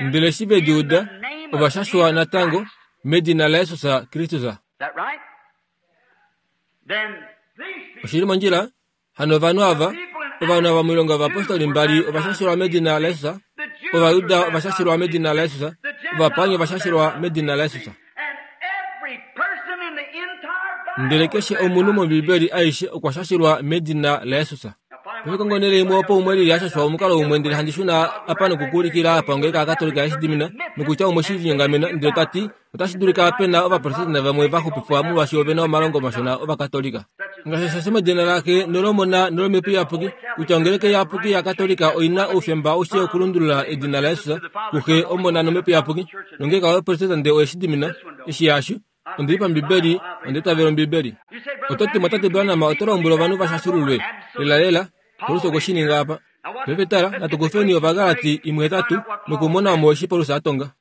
Ndele eshi ve di uda, ova shashwa natango medina laJesus Kristus. Oshi li mondjila hano ovanhu ava, ovanhu ava moilonga yovapostoli mbali ova shashelwa medina laJesus, Ovajuda ova shashelwa medina laJesus, Ovapaani ova shashelwa medina laJesus. Ndele keshe omunhu mOmbibeli aishe okwa shashelwa medina laJesus. Paife kongo onhele imwe opo umwe lili a shashwa omukalo umwe ndele handi shuna apa nokukuulikila apa ngeenge Akatolika eshi dimina nokutya umwe shi linyongamena ndele ta ti Otashi dulika pe na Ovaprotestante vamwe va xupifwa molwaashi ove na omalongo mashona Ovakatolika. Ngaashi sha medina laXe nolOmona nolOmhepo Iyapuki, kutya Ongeleka Iyapuki yaKatolika oi na oufemba aushe okulundulula edina laJesus kuXe, Omona nOmhepo Iyapuki, nongeenge Ovaprotestante oye shi dimina, eshi hasho, ondi li paMbibeli, onda itavela Ombibeli. Oto ti, Mwatate Branham, oto lombwele ovanhu va shashululwe? Lelalela, Paulus okwe shi ninga apa. Paife tala, natu kufeni Ovagalati imwe hetatu nokumona omo eshi Paulus a tonga.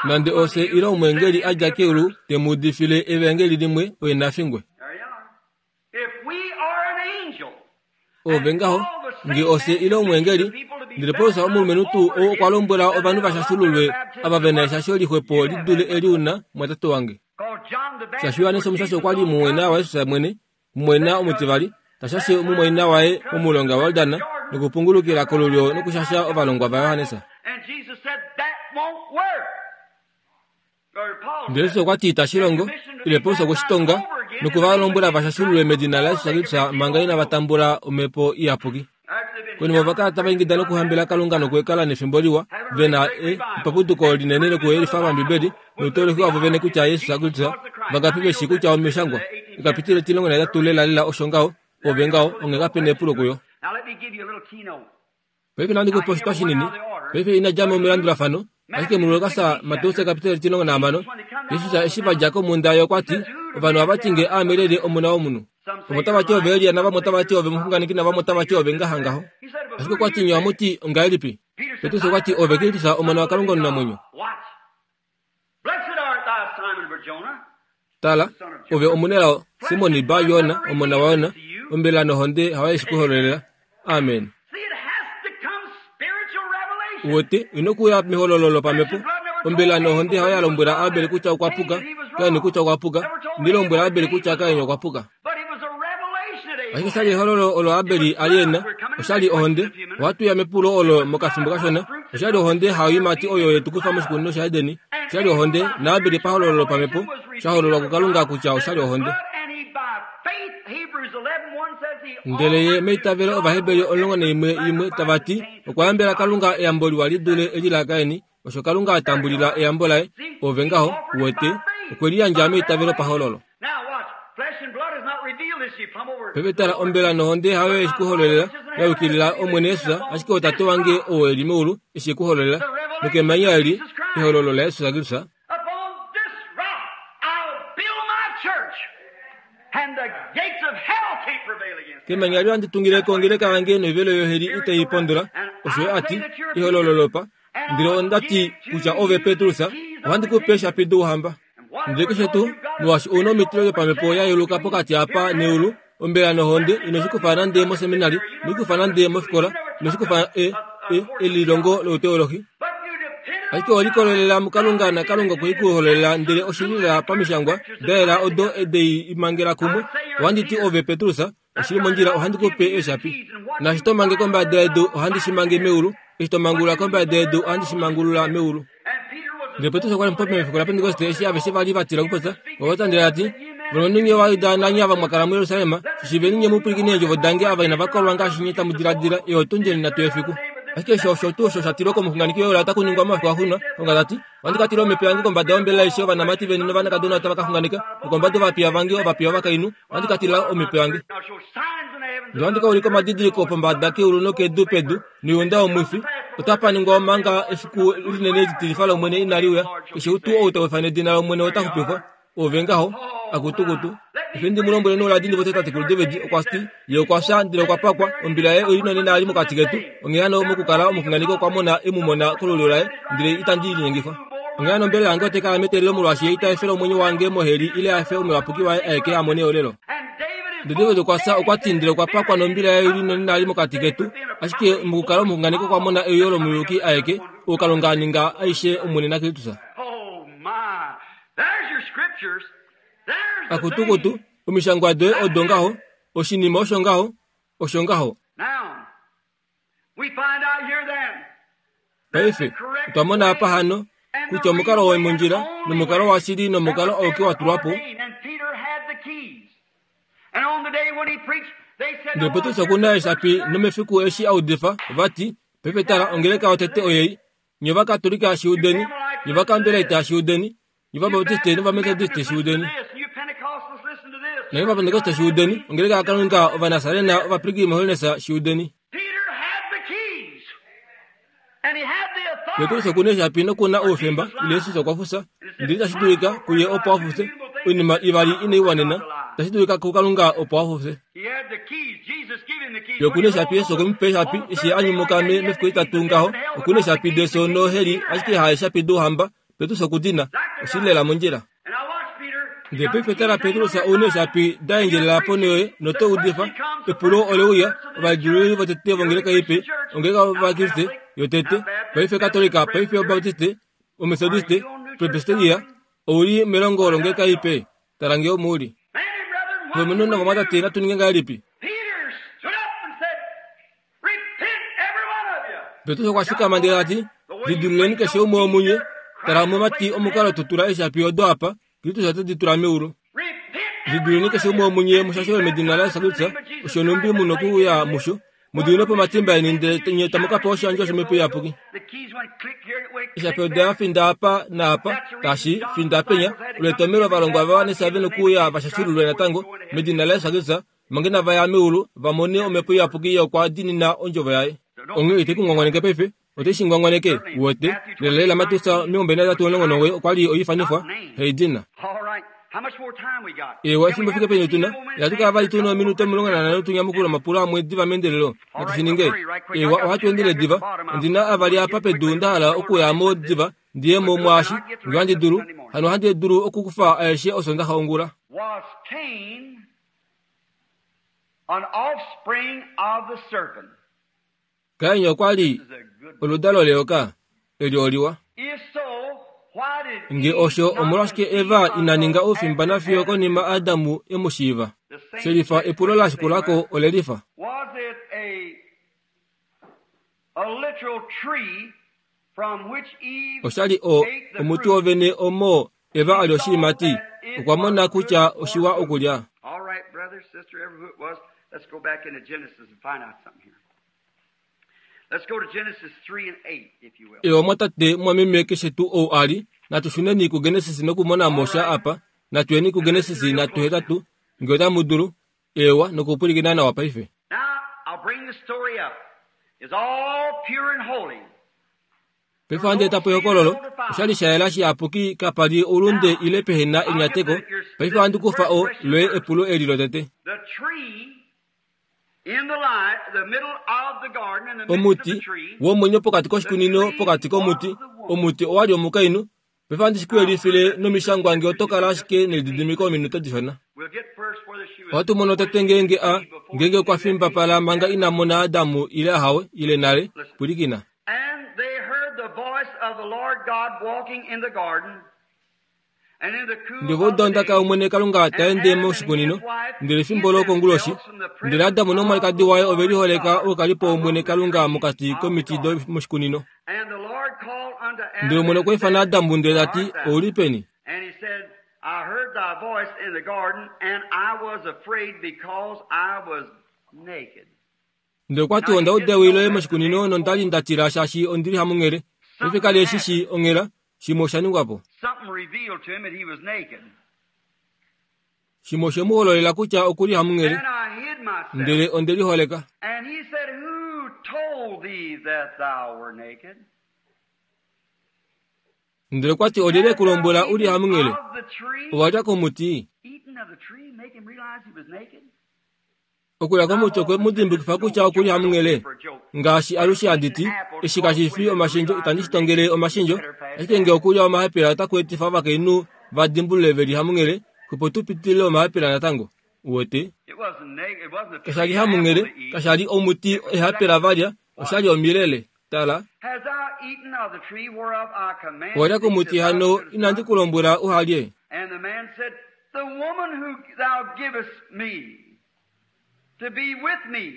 Nande ofye ile omweengeli a dja keulu te mu udifile evaengeli limwe, oye na fingwe. Ove ngaho, nge ofye ile omweengeli, ndele Paulus omulumenhu tuu ou okwa lombwela ovanhu va shashululwe ava ve na eshasho lixwepo li dule eli u na, mwatate wange. Shaashi Johannes Omushashi okwa li mumwaina waJesus mwene, mumwaina omutivali, ta shashe mumwaina waye momulonga waJordan nokupungulukila kolulyo nokushasha ovalongwa vaJohannes. Ndele Jesus okwa ti itashi longo, ile Paulus okwe shi tonga noku va lombwela va shashululwe medina laJesus Kristus manga inava tambula omhepo iyapuki. Konima ova kala tava ingida nokuhambela Kalunga nokuekala nefimbo liwa, ve na epapuduko linene lokuyelifa paMbibeli noutoleki wavo vene kutya Jesus Kristus. Vangapi ve shii kutya Omishangwa ekapitilo 18 lelalela osho ngaho, ove ngaho, onghee kape na epulo kuyo. Paife nandi ku pe oshitwa shinini. Paife ina dja mo melandulafano, ashike muLukas Mateus ekapitelo 16, Jesus eshi va dja komhunda ye okwa ti, Ovanhu ohava ti nge aame lyelye Omona wOmunhu? Vamwe otava ti ove Elia navamwe otava ti ove omuxunganeki navamwe otava ti ove ngaha ngaho. Ashike okwa ti nye ohamu ti ongahelipi? Petrus okwa ti ove Kristus Omona waKalunga omunamwenyo. Tala, ove omunelao, Simon Bar-Jona, omona waYona, ombelela nohonde hayo ye shi ku hololela. Amen. Uwete, ino kuya mehololo lopamhepo. Ombelela nohonde hayo ya lombwela Abel kutya okwa puka, Kain kutya okwa puka, ndi lombwela Abel kutya Kain okwa puka. Ashike oshali ehololo olo Abel a li e na, oshali ohonde. Ohatu ya mepulo olo mokafimbo kashona. Oshali ohonde hayoimati oyo ye tu kufa moshikunino shaEdeni. Oshali ohonde, naAbel pahololo lopamhepo, sha hololwa kuKalunga kutya oshali ohonde. Ndele ye meitavelo Ovaheberi 11 imwe tava ti, okwa yambela Kalunga eyambo liwa li dule eli laKain, osho Kalunga a tambulila eyambo laye, ove ngaho, uwete, okwe liyandja meitavelo pahololo. Paife tala, ombela nohonde hayo ye shi ku hololela, ya yukilila Omwene Jesus, ashike oTate wange ou e li meulu e shi ku hololela. Nokemanya eli, ehololo laJesus Kristus, Kemanya eli ohandi tungile ko ongeleka yange noivelo yoheli itai i pondola, osho ye a ti, ehololo lopa. Ndele onda ti kutya ove Petrus, ohandi ku pe eeshapi douhamba. Ndele keshe tuu, molwaashi ou na omitilo yopamhepo ya yeluka pokati apa neulu, ombela nohonde ino shi kufa nande moseminari, ino shi kufa nande mofikola, ino shi kufa e, e, elilongo louteolohi. Ashike owe likolelela muKalunga naKalunga okwe ku hololela ndele oshili lela pamishangwa da yela odo de i mangela kumwe. Ohandi ti ove Petrus, oshili mondjila ohandi ku pe eeshapi. Naashi to mange kombada yedu ohandi shi mange meulu, eshi to mangulula kombada yedu ohandi shi mangulula meulu. Ndele Petrus okwa li mupopi mefiku laPentekoste eshi aveshe va li va tila okupopya, okwa popya ndele a ti, Valumenhu nye Ovajuda nanye ava mwa kala muJerusalem, shiveni nye mu pwilikine eendjovo dange ava inava kolwa ngaashi nye tamu diladila, eyo tundjeni nhatu yefiku. Ashike eshi osho tuu osho sha tilwa komuxunganeki Joel otaku ningwa momafiku axuuninwa, Kalunga ta ti, Ohandi ka tila omhepo yange kombada yombelela aishe, ovanamati veni novanakadona otava ka xunganeka, nokombada yovapiya vange ovapiya ovakainhu ohandi ka tila omhepo yange. Ndele ohandi ka ulika omadidiliko pombada keulu nokedu pedu, noyuunda yomwifi otapa ningwa omanga efiku linene litilifa lOmwene inali uya. Keshe tuu ou ta ifana edina lOmwene ota xupifwa. Ove ngaho, akutukutu. Efe ndi mu lombwele nouladi ndi popye tatekulu David okwa ti, Ye okwa fya ndele okwa pakwa, ombila yaye oi li nonena ali mokati ketu. Onghee hano mokukala omuxunganeki okwa mona e mu mona kolulyo laye, ndele itandi linyengifwa. Onghee hano ombelela yange otai kala meteelelo molwaashi ye ita efele omwenyo wange moheli ile a efe omuyapuki waye aeke a mone eolelo. Ndele David okwa fya, okwa ti, ndele okwa pakwa nombila yaye ili nonali mokati ketu. Ashike mokukala omuxunganeki okwa mona euyo lomuyuki aeke, ou Kalunga a ninga aishe Omwene naKristus. Akutukutu, omishangwa doye odo ngaho, oshinima osho ngaho, osho ngaho. Paife, otwa mona apa hano, kutya omukalo womondjila, nomukalo washili nomukalo auke wa tulwa po. Ndele Petrus oku na eeshapi, nomefiku eshi a udifa, ova ti, Paife tala, ongeleka yotete oyei. Nye Ovakatolika shi udeni, nye Ovakambelaita shi udeni, nye Ovabaptiste nOvametodiste shi udeni, nanye Ovapentekoste shi udeni, ongeleka yaKalunga, Ovanasarena, Ovapilgrim Holiness shi udeni. Petrus oku na eeshapi noku na oufemba, ile Jesus okwa fufya, ndele itashi dulika kuye opo a fufye. Oinima ivali inai wanena, itashi dulika kuKalunga opo a fufye. Ye oku na eeshapi, Jesus okwe mu pa eeshapi eshi a nyumuka mefiku etitatu ngaho. Oku na eeshapi defyo noheli, ashike haeshapi douhamba. Petrus oku di na. Oshi li lela mondjila. Ndele paife tala Petrus ou na eeshapi da endjelela ponho yoye noto udifa. Epulo ole uya, ovalidilululi votete vongeleka ipe, ongeleka yOvakriste yotete, paife Katolika, paife Obaptiste, Ometodiste, Presbyteria, ou li melongo longeleka ipe. Tala nge omo u li. Valumenhu novamwatate natu ninge ngahelipi? Petrus okwa fikama ndele a ti, Lidiluleni keshe umwe womunye. Tala omumati omukalo to tula eeshapi odo apa, Kristus ote di tula meulu. Lidiluleni keshe umwe womunye mushashelwe medina laJesus Kristus, osho nhumbi mu nokuuya musho. Mu diminwe po omatimba eni ndele nye tamu ka pewa oshiyandjwa shOmhepo Iyapuki. Eeshapi oda ya finda apa naapa, tashi finda penya, olo etomhelo ovalongwa va wanisa ve nokuuya va shashululwe natango medina laJesus Kristus, manga inava ya meulu va mone Omhepo Iyapuki ye okwa diinina Ondjovo Yaye. Onghee ite ku ngwangwaneke paife, ote shi ngwangwaneke, uwete. Lelalela Mateus 23:19 okwa li oifanifwa, haidina. Eewa, efimbo fike peni tu na? Ihatu kala vali tu na ominute 15 tu nyamukule omapulo amwe diva meendelelo. Natu shi ninge. Eewa, ohatu endele diva. Ondi na avali apa pedu nda hala okuya mo diva, ndi ye mo mwaashi, nge ohandi dulu. Hano ohandi dulu okukufa aeshe Osondaxa ongula. An offspring of the serpent. Kain okwa li oludalo leyoka eli oliwa. If so, why did Nge Eve osho, not omolwashike conceive Eva ina ninga until oufimba after nafiyo Adam konima Adamu e mu shiiva? The same Shelifa next epulo la question shikula ko right? ole lifa. Was it a literal tree from which Eve Osha li o, ate the omuti fruit? wovene omo Eva a She lya saw oshiimati. that it Okwa was mona good kutya for oshiwa food. okulya. All right, brother, sister, ever who it was, let's go back into Genesis and find out something here. Let's go to Genesis 3 and 8, if you will. Ewa mwatate, mwameme, keshe tuu ou a li, natu shuneni kuGenesis nokumona mo All sha right, apa. Natu yeni and listen kuGenesis real natu close now. hetatu, nge otamu dulu. Ewa, nokupwilikina nawa paife. Now, I'll bring the story up. It's all pure and holy. Paife ohandi eta po ehokololo. Osha li sha yela shiyapuki, kapa li oulunde ile pehe na enyateko. Paife ohandi kufa o, loye epulo eli lotete. Omuti womwenyo pokati koshikunino, pokati komuti, omuti owa li omukainhu. Paife ohandi shi ku yelifile nomishangwa nge oto kala ashike nelididimiko ominute dishona. Ohatu mono tete ngeenge a, ngeenge okwa fimbapala manga ina mona Adamu ile ahawe, ile nale. Pwilikina. And they heard the voice of the Lord God walking in the garden, and in the cool Ndele ova of uda the ondaka day, yOmwene Kalunga ta and ende Adam and his moshikunino, wife ndele hid efimbo lokonguloshi, themselves from the ndele presence Adamu of nomwalikadi the waye ove Lord liholeka God oukalipo wOmwene among the Kalunga trees mokati of the komiti garden. domoshikunino. And the Lord called unto Ndele Adam Omwene and okwa ifana said, Adamu ndele Where ta ti, art thou? Ou li peni? And he said, I heard thy voice in the garden, and I was afraid because I was naked. Ndele okwa ti, Now Onda he uda didn't ewi know loye that the moshikunino day nonda li before. nda tila shaashi ondi li hamunghele. Paife ka Something li eshi shii happened. onghela, shimwe osha ningwa po. Something revealed to him that he was naked. Shimwe oshe mu hololela kutya oku li hamunghele, And I hid myself. ndele onde liholeka. And he said, Who told thee that thou were naked? Ndele okwa ti, Olyelye e Hast ku thou lombwela u li eaten hamunghele? of the tree? Owa lya komuti? Eaten of the tree make him realize he was naked? Okulya komuti okwe mu dimbukifa kutya oku li hamunghele. Ngaashi alushe handi ti, eshi kashi fi omashendjo, itandi shi tongele omashendjo, ashike nge okulya omahapela otaku etifa ovakainhu va dimbulule ve li hamunghele, opo tu pitilile omahapela natango. Uwete? Kasha li hamunghele, kasha li omuti ehapela va lya, osha li omilele. Tala. Owa lya komuti hano inandi ku lombwela uha lye? The woman who thou givest me to be with me.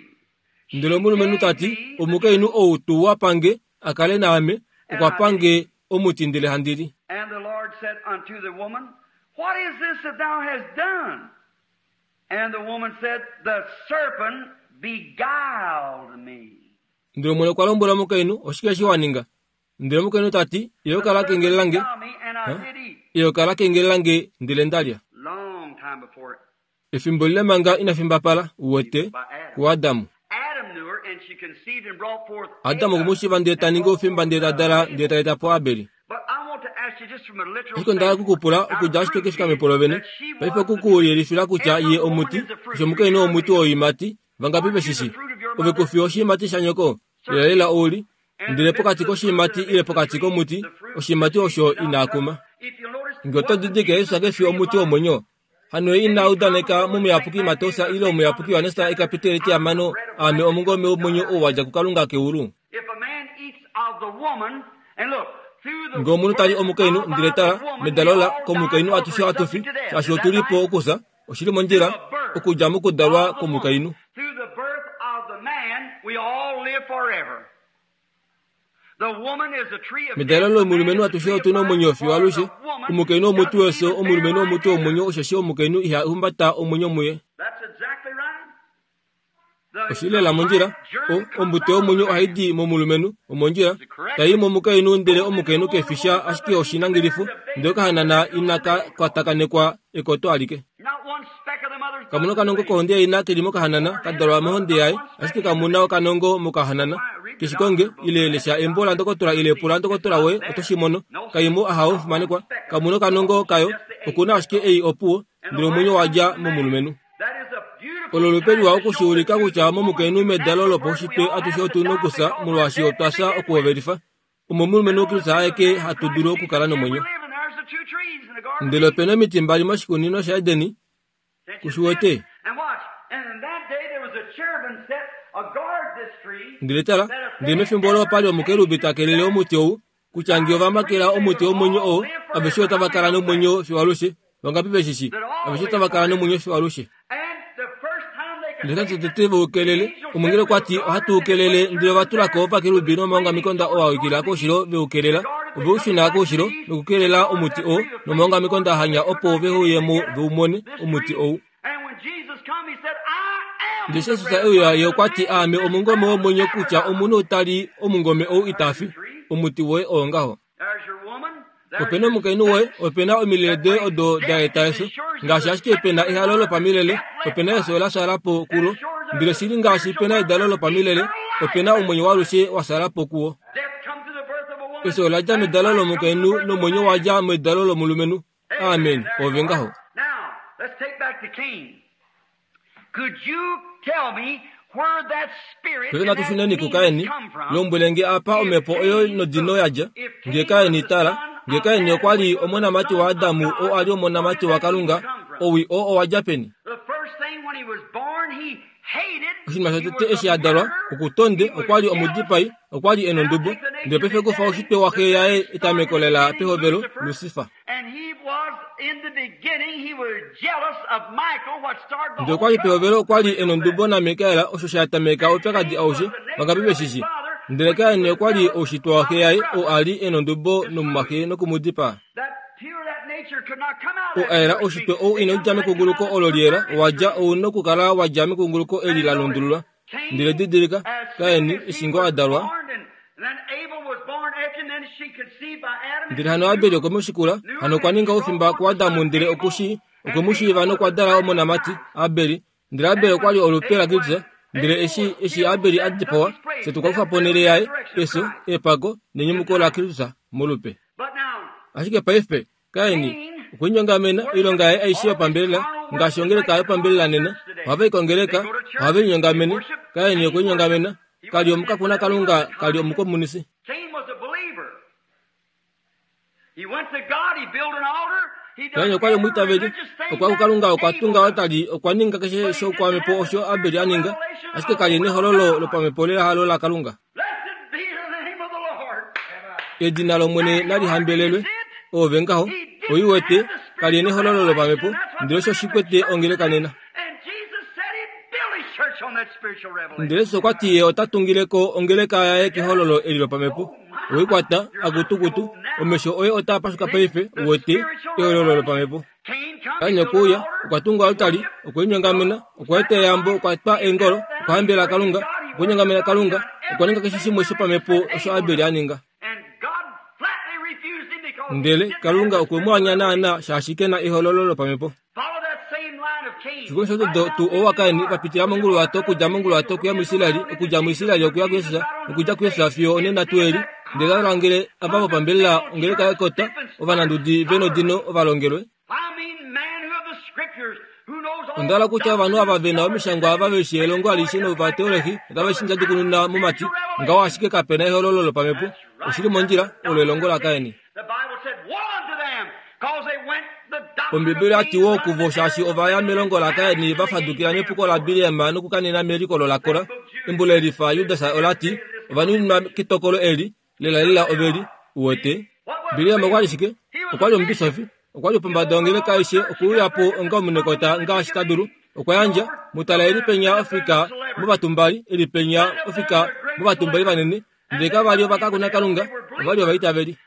Ndele omulumenhu ta ti, Omukainhu ou tuu wa pa nge, a kale naame, okwa pa nge omuti ndele handi li. And the Lord said unto the woman, What is this that thou hast done? And the woman said, The serpent beguiled me. Ndele Omwene okwa lombwela omukainhu, Oshike eshi wa ninga? Ndele omukainhu ta ti, Eyoka la kengelela nge, eyoka la kengelela nge, ndele nda lya. Efimbo lile manga ina fimbapala, uwete, kuAdam. Adam okwe mu shiiva ndele ta ningi oufimba ndele ta dala ndele ta eta po Abeli. Ashike onda hala oku ku pula okudja ashike kefikamepo lovene, paife oku ku yelifila kutya ye omuti, osho omukainhu omuti woiimati, vangapi ve shi shi? Ove ku fi oshiimati shanyoko, lelalela ou li, ndele pokati koshiimati ile pokati komuti, oshiimati osho ina kuma. Nge oto didilike Jesus ke fi omuti womwenyo, hano ye ina udaneka mOmuyapuki Mateus ile Omuyapuki Johannes ekapiteli etihamano, Aame omungome womwenyo ou wa dja kuKalunga keulu. Nge omunhu ta li omukainhu, ndele tala, medalo la komukainhu atushe ohatu fi, shaashi otu li po okufya, oshi li mondjila, okudja mokudalwa kwomukainhu. Medalo lomulumenhu atushe otu na omwenyo fiyo alushe. Omukainhu omuti wefyo, omulumenhu omuti womwenyo, osheshi omukainhu iha humbata omwenyo muye. Oshi li lela mondjila. O, ombuto yomwenyo ohai di momulumenhu, omondjila, tai i momukainhu, ndele omukainhu ke fi sha ashike oshinangilifo, ndele okahanana inaka kwatakanekwa ekoto alike. Kamu na okanongo kohonde yaina ke li mokahanana, ka dalwa mohonde yaye, ashike kamu na okanongo mokahanana. Keshikonge, ile lesha embo landokotola ile pula ndokotola woye, oto shi mono. Kaimo aha omufimanekwa, kamu na okanongo kayo, oku na ashike ei opuwo, ndele omwenyo wa dja momulumenhu. Olo olupe liwa oku shi ulika kutya momukainhu medalo lopaushitwe atushe otu na okufya molwaashi otwa fya okuhovelifa. Omomulumenhu Kristus aeke hatu dulu okukala nomwenyo. Ndele ope na omiti mbali moshikunino shaEdeni, ku shi wete? Ndele tala, ndele mefimbo olo opa li omukerubi ta kelele omuti ou, kutya nge ova makela omuti womwenyo oo, aveshe otava kala nomwenyo fiyo alushe. Vangapi ve shi shii? Aveshe otava kala nomwenyo fiyo alushe. Ndele tete ve u kelele, omwengeli okwa ti, Ohatu u kelele. Ndele ova tula ko ovakerubi nomaongamikonda oo a wikila koushilo ve u kelela. Ove u shuna koushilo nokukelela omuti oo nomaongamikonda a hanya opo ve uye mo ve u mone, omuti ou. Ndele Jesus e uya, ye okwa ti, Aame omungome womwenyo, kutya omunhu ta li omungome ou ita fi. Omuti woye oo ngaho. Ope na omukainhu woye, ope na omilele doye odo da eta efyo. Ngaashi ashike pe na ehalo lopamilele, ope na efyo la fyaala po kulo. Ndele shili ngaashi pe na edalo lopamilele, ope na omwenyo waalushe wa fyaala po kuwo. Efyo ola dja medalo lomukainhu nomwenyo wa dja medalo lomulumenhu. Amen. Ove ngaho. Paife natu shuneni kuKain. Lombwele nge apa omhepo oyo nodino ya dja. Nge Kain, tala, nge Kain okwa li omonamati waAdam oo a li omonamati waKalunga, owii oo owa dja peni? Oshinima shotete eshi a dalwa, oku tonde, okwa li omudipai, okwa li e nondubo. Ndele paife kufa oshitwe waxe yaye etameko lela pehovelo, Lusifa. Ndele okwa li pehovelo okwa li e nondubo naMikael, osho sha tameka oupyakadi aushe, vangapi ve shi shii. Ndele Kain okwa li oushitwa waxe yaye, oo a li e nondubo nomumwaxe noku mu dipaa. Oo a yela oushitwe ou inau dja mekunguluko olo liyela, owa dja, ou nokukala wa dja mekunguluko eli la lundululwa. Ndele didilika, Kain, eshi ngoo a dalwa, ndele hano Abel okwe mu shikula, hano okwa ninga oufimba kuAdam ndele oku shi, okwe mu shiiva nokwa dala omonamati, Abel. Ndele Abel okwa li olupe laKristus. Ndele eshi, eshi Abel a dipawa, fye tukwa kufa ponhele yaye, efyo, epako, nenyumuko laKristus, molupe. Ashike paife, Kain okwe linyongamena, oilonga yaye aishe yopambelela. Ngaashi ongeleka yopambelela nena, ohava i kongeleka, ohave linyongamene, Kain okwe linyongamena, ka li omukakuna Kalunga, ka li omukomunisi. Kain okwa li omwiitaveli, okwa ya kuKalunga, okwa tunga oaltari, okwa ninga keshe shoukwamhepo osho Abel a ninga, ashike ka li nehololo lopamhepo lehalo laKalunga. Edina lOmwene nali hambelelwe. Oove ngaho, oi wete, ka li nehololo lopamhepo, ndele osho shi kwete ongeleka nena. Ndele Jesus okwa ti ye ota tungile ko ongeleka yaye kehololo eli lopamhepo. Owei kwata, akutukutu, omesho oye otaa pashuka paife, wete, ehololo lopamhepo. Kain okwe uya, okwa tunga oaltari, okwe linyongamena, okwa eta eyambo, okwa twa eengolo, okwa hambela Kalunga, okwe linyongamena Kalunga, okwa ninga keshe shimwe shopamhepo osho Abel a ninga. Ndele Kalunga okwe mu anya naanaa shaashi ke na ehololo lopamhepo. Shikulu shodo tuu ou waKain va pitila monguluwato okudja monguluwato okuya muIsraeli, okudja muIsraeli okuya kuJesus, nokudja kuJesus fiyo onena tuu eli. Ndele va langele ava vopambelela ongeleka yekota, ovanandudi ve nodino ovalongelwe. Onda hala kutya ovanhu ava ve na omishangwa ava ve shii elongo alishe novateolohi otave shi ndjadjukununa momati ngaho ashike kape na ehololo lopamhepo. Oshi li mondjila, olo elongo laKain. Ombibeli oya ti wo kuvo shaashi ova ya melongo laKain va fadukila mepuko laBileam nokukanena melikolo laKora. Embo lelifa Judas ola ti, Ova nuninwa ketokolo eli, lelalela ove li wete. Bileam okwa li shike? Okwa li omubisofi. Okwa li pombada yongeleka aishe okuuya po onga omunekota ngaashi ta dulu. Okwa yandja, mu tala e li penya ofika movatumbali, e li penya ofika movatumbali vanene, Ndele kava li ovakakunakalunga, ova li ovaitaveli.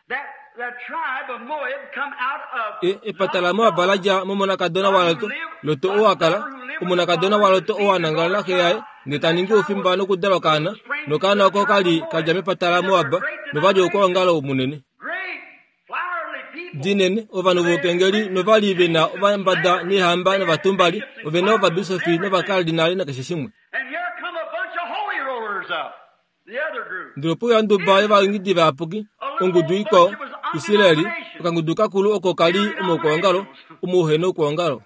E, epata laMoab la dja momonakadona waLot, Lot oo a kala, omonakadona waLot oo a nangala naxe yaye, ndele ta ningi oufimba nokudala okaana, nokaana oko ka li ka dja mepata laMoab, nova li oukwaongalo munene. Dinene, ovanhu voukengeli nova li ve na ovambada neehamba novatumbali, ove na ovabisofi novakardinali nakeshe shimwe. Ndele ope uya onduba yovaingidi vayapuki, ongudu ikwao, Israel, okangudu kakulu oko ka li omoukwaongalo, omo uhe noukwaongalo.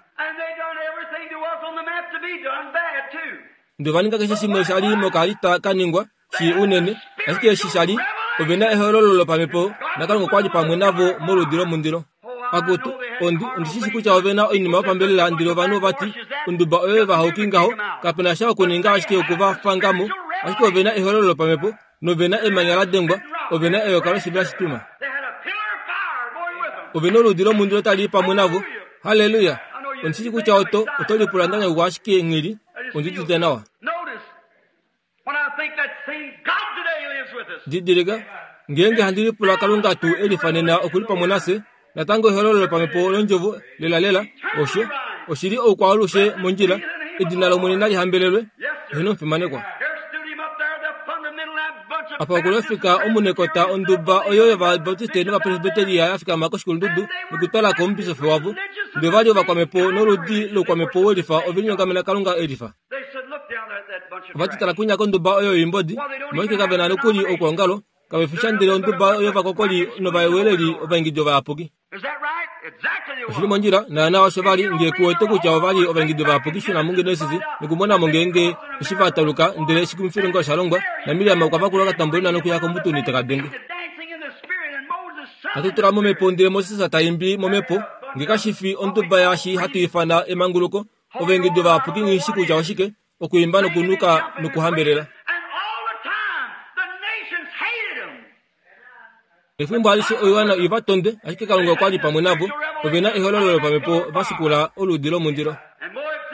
Ndele ova ninga keshe shimwe sha li mokaalita ka ningwa, shii unene, ashike eshi sha li, ove na ehololo lopamhepo, naKalunga okwa li pamwe navo moludi lomundilo. Akutu, ondi, ondi shi shi kutya ove na oinima yopambelela ndele ovanhu ova ti, Onduba oyo vahauki ngaho, kape na sha okuninga ashike oku va fanga mo. Ashike ove na ehololo lopamhepo, nove na emanya la dengwa, ove na eyoka loshivela shitwima. Ove na oludi lomundilo tali i pamwe navo. Halleluya! Ondi shi shi kutya oto, oto lipula nda nyakukwa ashike nghi li. Ondi udite nawa. Didilika, ngeenge handi lipula Kalunga tuu e lifa nena oku li pamwe nafye, natango ehololo lopamhepo londjovo lelalela, osho, oshi li oukwaalushe mondjila, edina lOmwene nali hambelelwe, heeno omufimanekwa. Apa oku lofika omunekota onduba oyo yOvabautiste nOvapresbiteria ya fikama koshikulundudu nokutwala ko omubisofi wavo, ndele ova li ovakwamhepo noludi loukwamhepo welifa ove linyongamena Kalunga e lifa. Ova ti tala kwinya konduba oyo yoimbodi, omolwashike kave na nokuli oukwaongalo, kave fi sha ndele onduba yovakokoli novaweleli ovaingidi ovayapuki. Oshi li mondjila, naanaa osho va li, nge ku wete kutya ova li ovaingidi ovayapuki shuna muGenesis nokumona mo ngeenge eshi va tauluka ndele eshikumwifilonga osha longwa, naMiriam okwa vakula okatambolina nokuya komutuni teka denge. Hatu tula momhepo ndele Moses ta imbi momhepo, nge kashi fi onduba yaashi hatu ifana emanguluko, Ovaengedi ovayapuki nghi shi kutya oshike, okwiimba nokunuka nokuhambelela. Efimbo alishe oiwana i va tonde, ashike Kalunga okwa li pamwe navo. Ove na ehololo lopamhepo va shikula oludi lomundilo.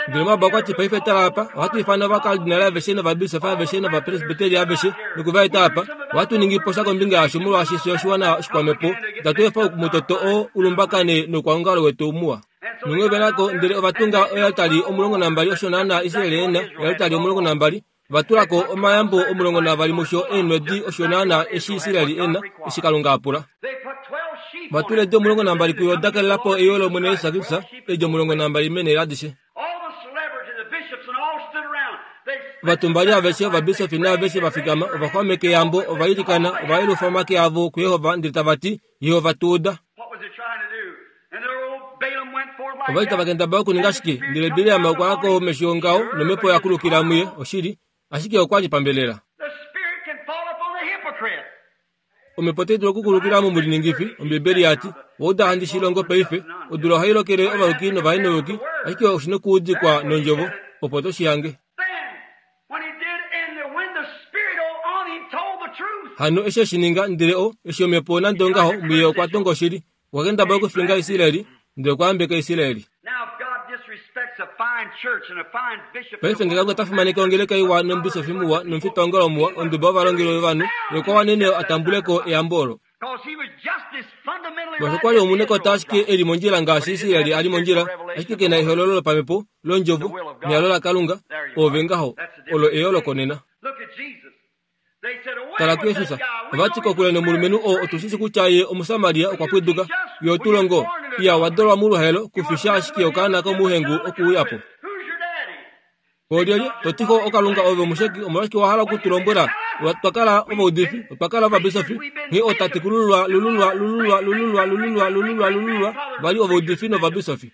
Ndele Moab okwa ti, Paife tala apa, ohatu ifana ovakardinale aveshe novabisofi aveshe novapresbiteri aveshe noku va eta apa. Ohatu ningi po sha kombinga yasho molwaashi fye oshiwana shikwamhepo. Itatu efa omutoto oo u lumbakane noukwaongalo wetu muwa. Nonghee ove na ko, ndele ova tunga oaltari 12 osho naanaa Israel e na, oaltari 12. Ova tula ko omayambo 12 musho eenhwedi osho naanaa eshi Israel e na, eshi Kalunga a pula. Ova tula eedi 12 kuyo da kalela po eyo lOmwene Jesus Kristus, eedi 12 meenhele adishe. Ovatumbali aveshe, ovabisofi naaveshe va fikama, ova xwameka eyambo, ova ilikana, ova yelufa omake avo kuJehova ndele tava ti, Jehova tu uda. Ova li tava kendabala okuninga shike? Ndele Bileam okwa ya komesho ngaho nomhepo ya kulukila muye, oshili, ashike okwa li pambelela. Omhepo otai dulu okukulukila momuliningifi, Ombibeli ya ti. Owa uda handi shi longo paife. Odula ohai lokele ovayuki novahenovayuki, ashike oshi nokuudikwa nOndjovo, opo to shi hange. Hano eshi e shi ninga, ndele o, eshi Omhepo nande ongaho, muye okwa tonga oshili. Okwa kendabala okufinga Israel, ndele okwa yambeka Israel. Paife nge Kalunga ta fimaneke ongeleka iwa nomubisofi muwa nomufitaongalo muwa, onduba yovalongeli vovanhu, ye okwa wanene a tambule ko eyambo olo. Molwaashi okwa li omunekota ashike e li mondjila ngaashi Israel a li mondjila, ashike ke na ehololo lopamhepo londjovo nehalo laKalunga, ove ngaho, olo eyooloko nena. Tala kuJesus. Ova ti kokule nomulumenhu oo otu shi shi kutya ye Omusamaria okwa pwiduka. Ye otu longo. Iya wa dolwa moluhaelo kufisha ashike okaana komuhengu okuuya po. Olyelye to ti ko okalunga ove omusheki omolwashike wa hala oku tu lombwela otwa kala ovaudifi otwa kala ovabisofi nghee ootatekulululwa lululwa lululwa lululwa lululwa lululwa lululwa va li ovaudifi novabisofi.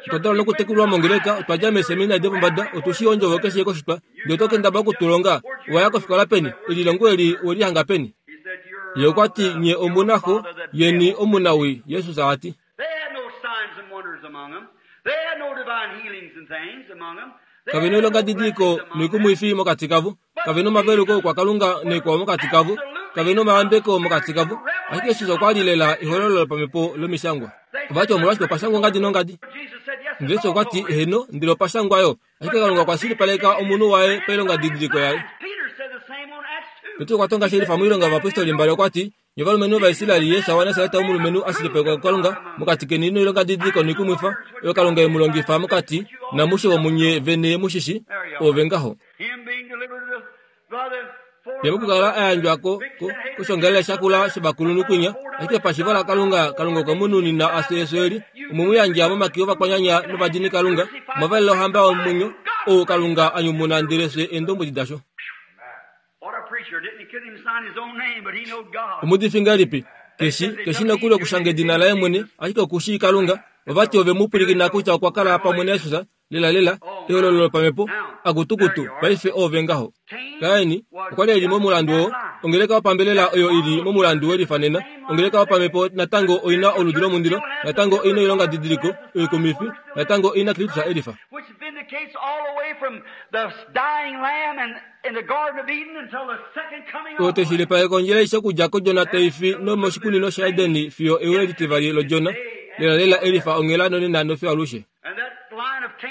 Otwa dalwa nokutekulwa mongeleka, otwa dja meeseminari dopombada, otu shii ondjovo keshe koshitwa, ndele oto kendabala oku tu longa. Owa ya kofikola peni? Elilongo eli we li hanga peni? Ye okwa ti, Nye omu na xo yeni omunawii, Jesus a ti. Kave na oilongadidiliko noikumwifi mokati kavo. Kave na omaveluko okwakalunga noikwao mokati kavo. Kave na omayambeko mokati kavo. Ashike Jesus okwa li lela ehololo lopamhepo lOmishangwa. Ova ti, Omolwashike opa shangwa ongadi nongadi? Ndele Jesus okwa ti, Eheno, ndele opa shangwa yo. Ashike Kalunga okwa shilipaleka omunhu waye pailongadidiliko yaye. Petrus okwa tonga shelifa moilonga yovapostoli mbali okwa ti, Nye ovalumenhu Ovaisraeli, Jesus waNasaret omulumenhu a shilipalekwa kuKalunga mokati keni noilongadidiliko noikumwifa oyo Kalunga e mu longifa mokati namushe womunye vene mu shi shi, ove ngaho. Ye mokukala a yandjwa ko, ko, koshongalele shakula shovakulunhu kwinya, ashike pashivo laKalunga, Kalunga okwe mu nunina a fye efyo eli, omwe mu yandja momake ovakwanyanya novadinikalunga, omwa valela ohamba yomwenyo, ou Kalunga a nyumuna ndele fye eendombwedi dasho. Omuudifi ngahelipi? Keshi, keshi nokuli okushanga edina laye mwene, ashike oku shii Kalunga. Ova ti ove mu pwilikina kutya okwa kala pamwe naJesus, lelalela, ehololo lopamhepo, akutukutu, paife oove ngaho. Kain okwa li e li momulandu oo, ongeleka yopambelela oyo i li momulandu we lifa nena. Ongeleka yopamhepo natango oi na oludi lomundilo, natango oi na oilongadidiliko, oikumifi, natango oi na Kristus e lifa. Oyo teshilipaleke ondjila aishe okudja kOdjona tai fi nomoshikunino shaEden fiyo euyo litivali lOdjona, lelalela elifa onghela nonena nofiyo alushe.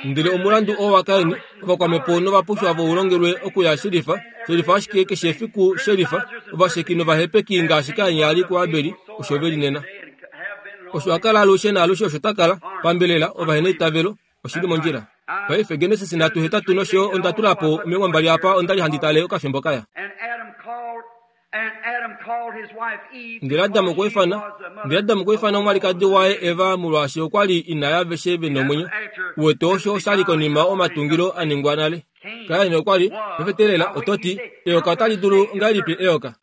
Ndele omulandu oo waKain, ovakwamhepo novapushwa vo u longelwe okuya shelifa, shelifa ashike keshe efiku shelifa, ovasheki novahepeki ngaashi Kain a li kuAbeli, osho ve li nena. Osho a kala alushe naalushe osho ta kala, pambelela, ovaheneitavelo, Oshi li mondjila. Paife, Genesis 3, nosho yo onda tula po 20 apa, onda li handi tale okafimbo kaya. Ndele Adam okwa ifana, ndele Adam okwa ifana omwalikadi waye Eva molwaashi okwa li ina yaaveshe ve nomwenyo. Uwete osho osha li konima omatungilo a ningwa nale. Kain okwa li, pefetelela, oto ti, eyoka otali dulu ngahelipi eyoka?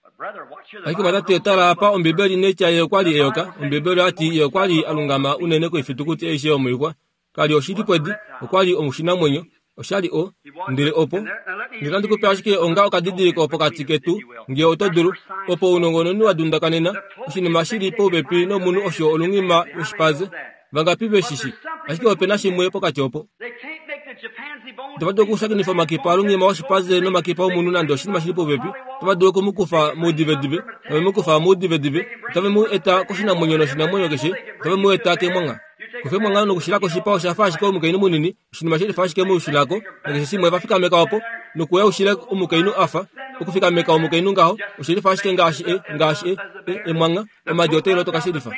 Ashike vatati tala apa Ombibeli netya ye okwa li eyoka. Ombibeli oya ti ye okwa li a lungama unene koifitukuti aishe yomoixwa. Ka li oshilipwedi, okwa li oshinamwenyo. Osha li o. Ndele opo. Ndele ohandi ku pe ashike onga okadidiliko pokati ketu, nge oto dulu. Opo ounongononi wa dundakanena, oshinima shi li popepi nomunhu osho olunghima lwoshipaze. Vangapi ve shi shi? Ashike ope na shimwe pokati opo. Otava dulu okushakenifa omakipa alunghima woshipaze nomakipa omunhu nande oshinima shi li popepi. Otava dulu oku mu kufa moudivedive, tave mu kufa moudivedive, otave mu eta koshinamwenyo noshinamwenyo keshe, otave mu eta kemwangha. Kufa emwangha nokushila koshipa osha fa ashike omukainhu munini, oshinima she lifa ashike muushilako, nakeshe shimwe va fikameka opo, nokuya ushile omukainhu a fa, okufikameka omukainhu ngaho, oshe lifa ashike ngaashi e, ngaashi e, e, emwangha, omadi otai lotoka she lifa.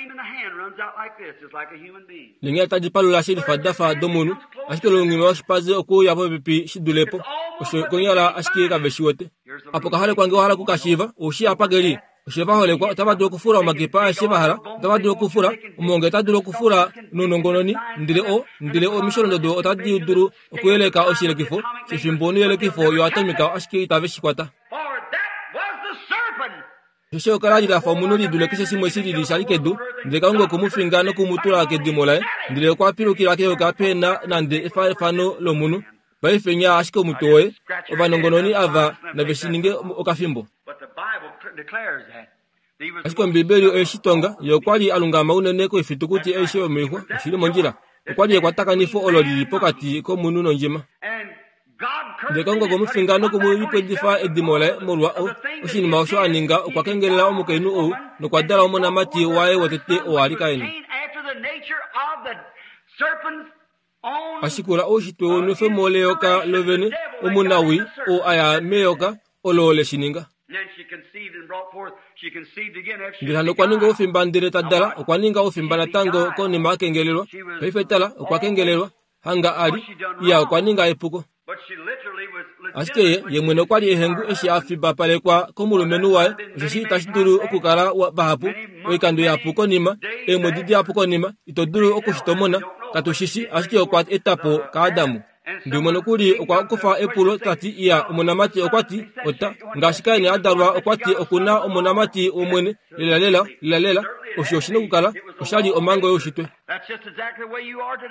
Neenghela tadi palula she lifa da fa domunhu, ashike olungima lwoshipaze okuuya popepi shi dule po. Osho konyala ashike kave shi wete. Apo ka holekwa nge wa hala oku ka shiiva, ou shii apa ke li. Osho va holekwa otava dulu okufula omakipa aeshe va hala, otava dulu okufula, omuhongi ota dulu okufula nounongononi, ndele o, ndele omisholondodo otadi dulu okuyeleka oshiyelekifo shefimbo noiyelekifo yoatomika ashike itave shi kwata. Osheshi eyoka la li la fa omunhu li dule keshe shimwe shi lili sha li kedu, ndele Kalunga okwe mu finga noku mu tula kedimo laye, ndele okwa pilukila keyoka pehe na nande efaafano lomunhu. Paife nyaa ashike omutwe woye. Ovanongononi ava nave shi ninge okafimbo. Ashike Ombibeli oye shi tonga, ye okwa li a lungama unene koifitukuti aishe yomoixwa, oshi li mondjila. Okwa li ekwatakanifo olo li li pokati komunhu nondjima. Ndele Kalunga okwe mu finga noku mu lipwedifa edimo laye molwa o, oshinima osho a ninga. Okwa kengelela omukainhu ou nokwa dala omonamati waye wotete oo a li Kain. A shikula oushitwe wenwefemo leyoka lovene, omunawii oo a ya meyoka olo le shi ninga. Ndele hano okwa ninga oufimba ndele ta dala, okwa ninga oufimba natango konima a kengelelwa. Paife tala, okwa kengelelwa. Hanga a li, iya okwa ninga epuko. Ashike ye, ye mwene okwa li ehengu eshi a fibapalekwa komulumenhu waye, osheshi itashi dulu okukala vahapu, oikando ihapu konima, eemwedi dihapu konima, ito dulu oku shi tomona, katu shi shi, ashike okwa eta po kaAdamu. Ndumwe nokuli okwa kufa epulo ta ti, Iya, omonamati okwa ti, ota, ngaashi Kain a dalwa, okwa ti oku na omonamati wOmwene, lelalela, lelalela, osho oshi nokukala, osha li omhango youshitwe.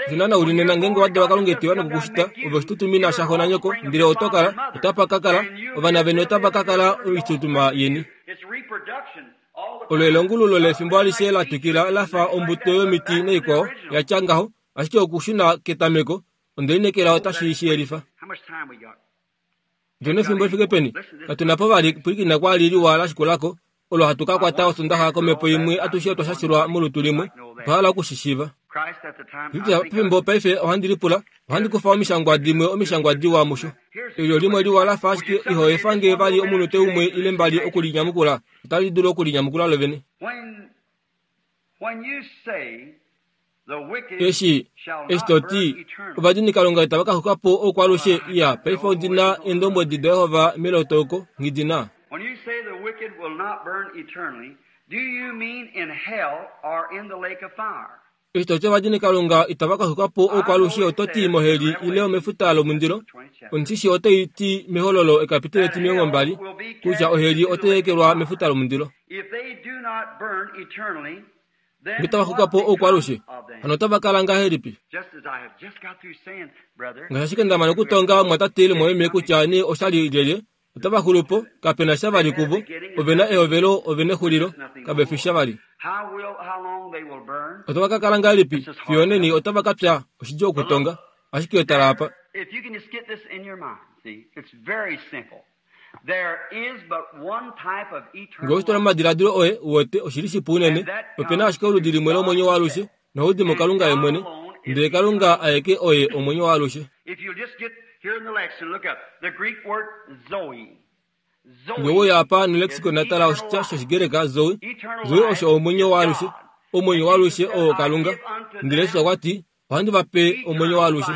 Osho u li nena ngeenge wa dalwa Kalunga etewa nokukushita, ove oshitutumina shaxo nanyoko, ndele oto kala, otapa ka kala, ovana veni otava ka kala oitutuma yeni. Olo elongululo lefimbo alishe la twikila la fa ombuto yomiti naikwao ya tya ngaho, ashike okushuna ketameko, onde lineekela otashi shi yelifa. Otu na efimbo li fike peni? Katu na po vali pwilikina kwaali liwa la shikula ko, olo hatu ka kwata Osondaxa komhepo imwe atushe otwa shashilwa molutu limwe. Otwa hala oku shi shiiva. Kristus pefimbo paife ohandi lipula, ohandi kufa omishangwa dimwe omishangwa diwa musho. Elyo limwe liwa la fa ashike iho efa nge vali omunute umwe ile mbali oku li nyamukula, otali dulu oku linyamukula lovene. Eshi, eshi to ti, ovadinikalunga itava ka xuka po oukwalushe, iya, paife ondi na Eendombwedi daJehova melotoko, nghi di na. Eshi to ti ovadinikalunga itava ka xuka po oukwalushe, oto ti moheli ile omefuta lomundilo? Ondishi otai ti mEhololo ekapitele etimilongombali kutya oheli otai ekelwa mefuta lomundilo. Nge tava xuka po oukwalushe, hano otava kala ngahelipi? Ngaashi ashike nda mana okutonga omumwatate ile omumwameme kutya nee oshali lyelye, otava xulu po, kape na sha vali kuvo. Ove na ehovelo, ove nexulilo, kave fi sha vali. Otava ka kala ngahelipi? Fiyo oneni otava ka pya, oshidjuu okutonga. Ashike tala apa. Nge oshi tula momadiladilo oye, u wete, oshi li shipu unene. Ope na ashike oludi limwe lomwenyo waalushe, nohau di muKalunga Ye mwene. Ndele Kalunga aeke oye omwenyo waalushe. Nge we uya apa nolexicon na tala oshitya shOshigreka zoe, zoe osho omwenyo waalushe. Omwenyo waalushe oo Kalunga. Ndele Jesus okwa ti, Ohandi va pe omwenyo waalushe.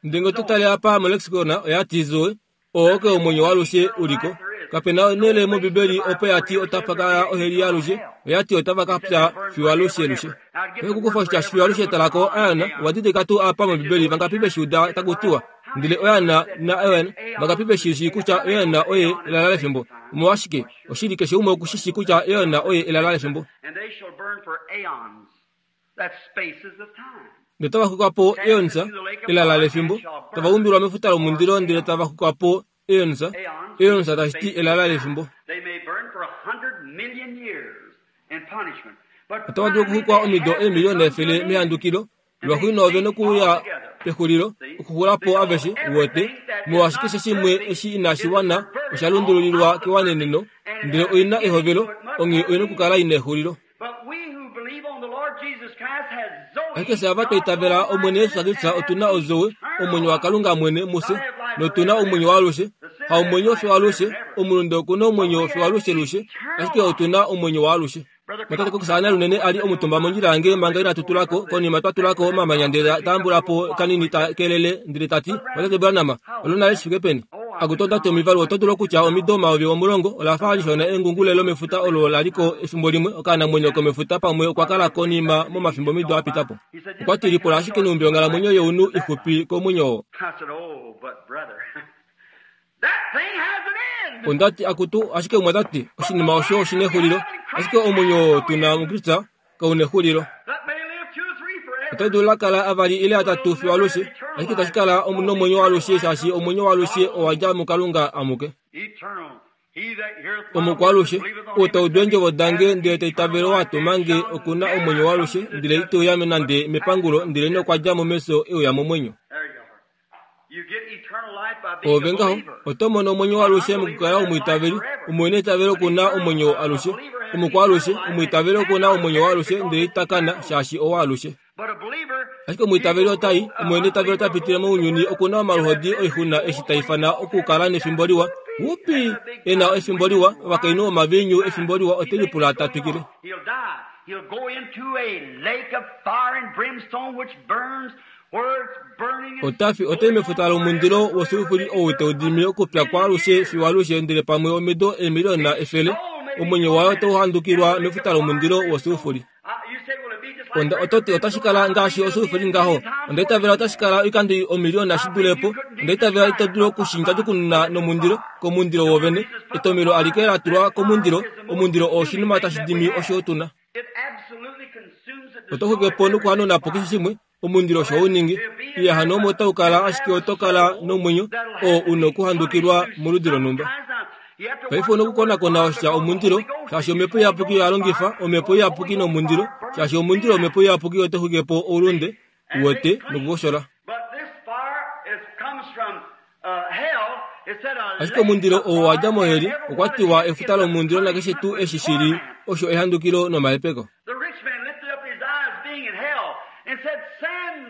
Ndele nge oto tale apa molexicon oya ti Zoe, oo oke omwenyo waalushe u li ko. Kape na onhele mOmbibeli opo ya ti otapa ka ya oheli yaalushe, oya ti otava ka pya fiyo alushelushe. Paife okukufa oshitya fiyo alushe tala ko aeon, owa didilika tuu apa mOmbibeli vangapi ve shi uda taku tiwa, ndele oeon na aeon, vangapi ve shi shii kutya oeon oye elala lefimbo? Omolwashike, oshili keshe umwe oku shi shii kutya eon oye elala lefimbo. Ndele otava xuka po eons, elala lefimbo, tava umbilwa mefuta lomundilo ndele tava xuka po eons, eons tashi ti elala lefimbo. Otava dulu okuxukwa omido eemiliona efele mehandukilo, lwaxuuninwa ove nokuuya pexulilo, okuxula po aveshe, uwete, molwaashi keshe shimwe eshi inashi wana osha lundululilwa kewaneneno, ndele oi na ehovelo, onghee oi nokukala i na exulilo. Ashike fye ava twa itavela Omwene Jesus Kristus otu na ozoe, omwenyo waKalunga mwene mufye, notu na omwenyo waalushe. Haomwenyo fiyo alushe, omulunde oku na omwenyo fiyo alushelushe, ashike otu na omwenyo waalushe. Otate Cox a lunene a li omutumba mondjila yange manga inatu tula ko, konima twa tula ko omamanya ndele ta ambula po kanini ta kelele ndele ta ti, Otate Branham, olo nale shi fike peni? Akutu onda ti omivalu oto dulu okutya omido 10,000 ola fa lishona engungule lomefuta olo la li ko efimbo limwe okaanamwenyo komefuta pamwe okwa kala konima momafimbomido a pita po. Okwa ti lipula ashike nhumbi onghalamwenyo younhu ixupi komwenyo oo. Onda ti, Akutu, ashike umwe ota ti, oshinima osho oshi nexulilo. Ashike omwenyo oo tu na muKristus kau nexulilo. Oto dulu la kala avali ile atatu fiyo alushe, ashike itashi kala nomwenyo waalushe shaashi omwenyo waalushe owa dja muKalunga amuke. Omukwaalushe, ou ta udu eendjovo dange ndele ta itavele ou a tuma nge, oku na omwenyo waalushe, ndele ite uya nande mepangulo, ndelenee okwa dja mo mefyo e uya momwenyo. Oove ngaho, oto mono omwenyo waalushe mokukala omwiitaveli. Omuheneitavelo oku na omwenyo alushe. Omukwaalushe, omwiitaveli oku na omwenyo waalushe ndele ita kana, shaashi owaalushe. Ashike omwiitaveli ota i, omuheneitavelo ota pitile mounyuni oku na omaluhodi oixuna eshi ta ifana okukala nefimbo liwa. Wupi! E na efimbo liwa, ovakainhu vomaviinyu efimbo liwa ote lipula ta twikile. Ota fi, ota i mefuta lomundilo wosulfuri ou tau dimi okupya kwaalushe fiyo alushe ndele pamwe omido eemiliona efele, omwenyo waye otau handukilwa mefuta lomundilo wosulfuri. Onda oto ti otashi kala ngaashi osulfuri ngaho. Onda itavela otashi kala oikando omiliona shi dule po. Onda itavela ito dulu oku shi ndjadjukununa nomundilo, komundilo wovene. Etomelo alike la tulwa komundilo, omundilo oo oshinima tashi dimi osho tu na. Oto xuke po nokuhanuna po keshe shimwe, omundilo osho hau ningi. Iya hano omo otau kala ashike oto kala nomwenyo oo u nokuhandukilwa moludi lonhumba. Paife u nokukonakona oshitya omundilo, shaashi Omhepo Iyapuki oya longifa Omhepo Iyapuki nomundilo, shaashi omundilo wOmhepo Iyapuki oto xwike po oulunde, uwete, nokukoshola. Ashike omundilo oo wa dja moheli okwa tiwa efuta lomundilo nakeshe tuu eshi shi li osho ehandukilo nomahepeko.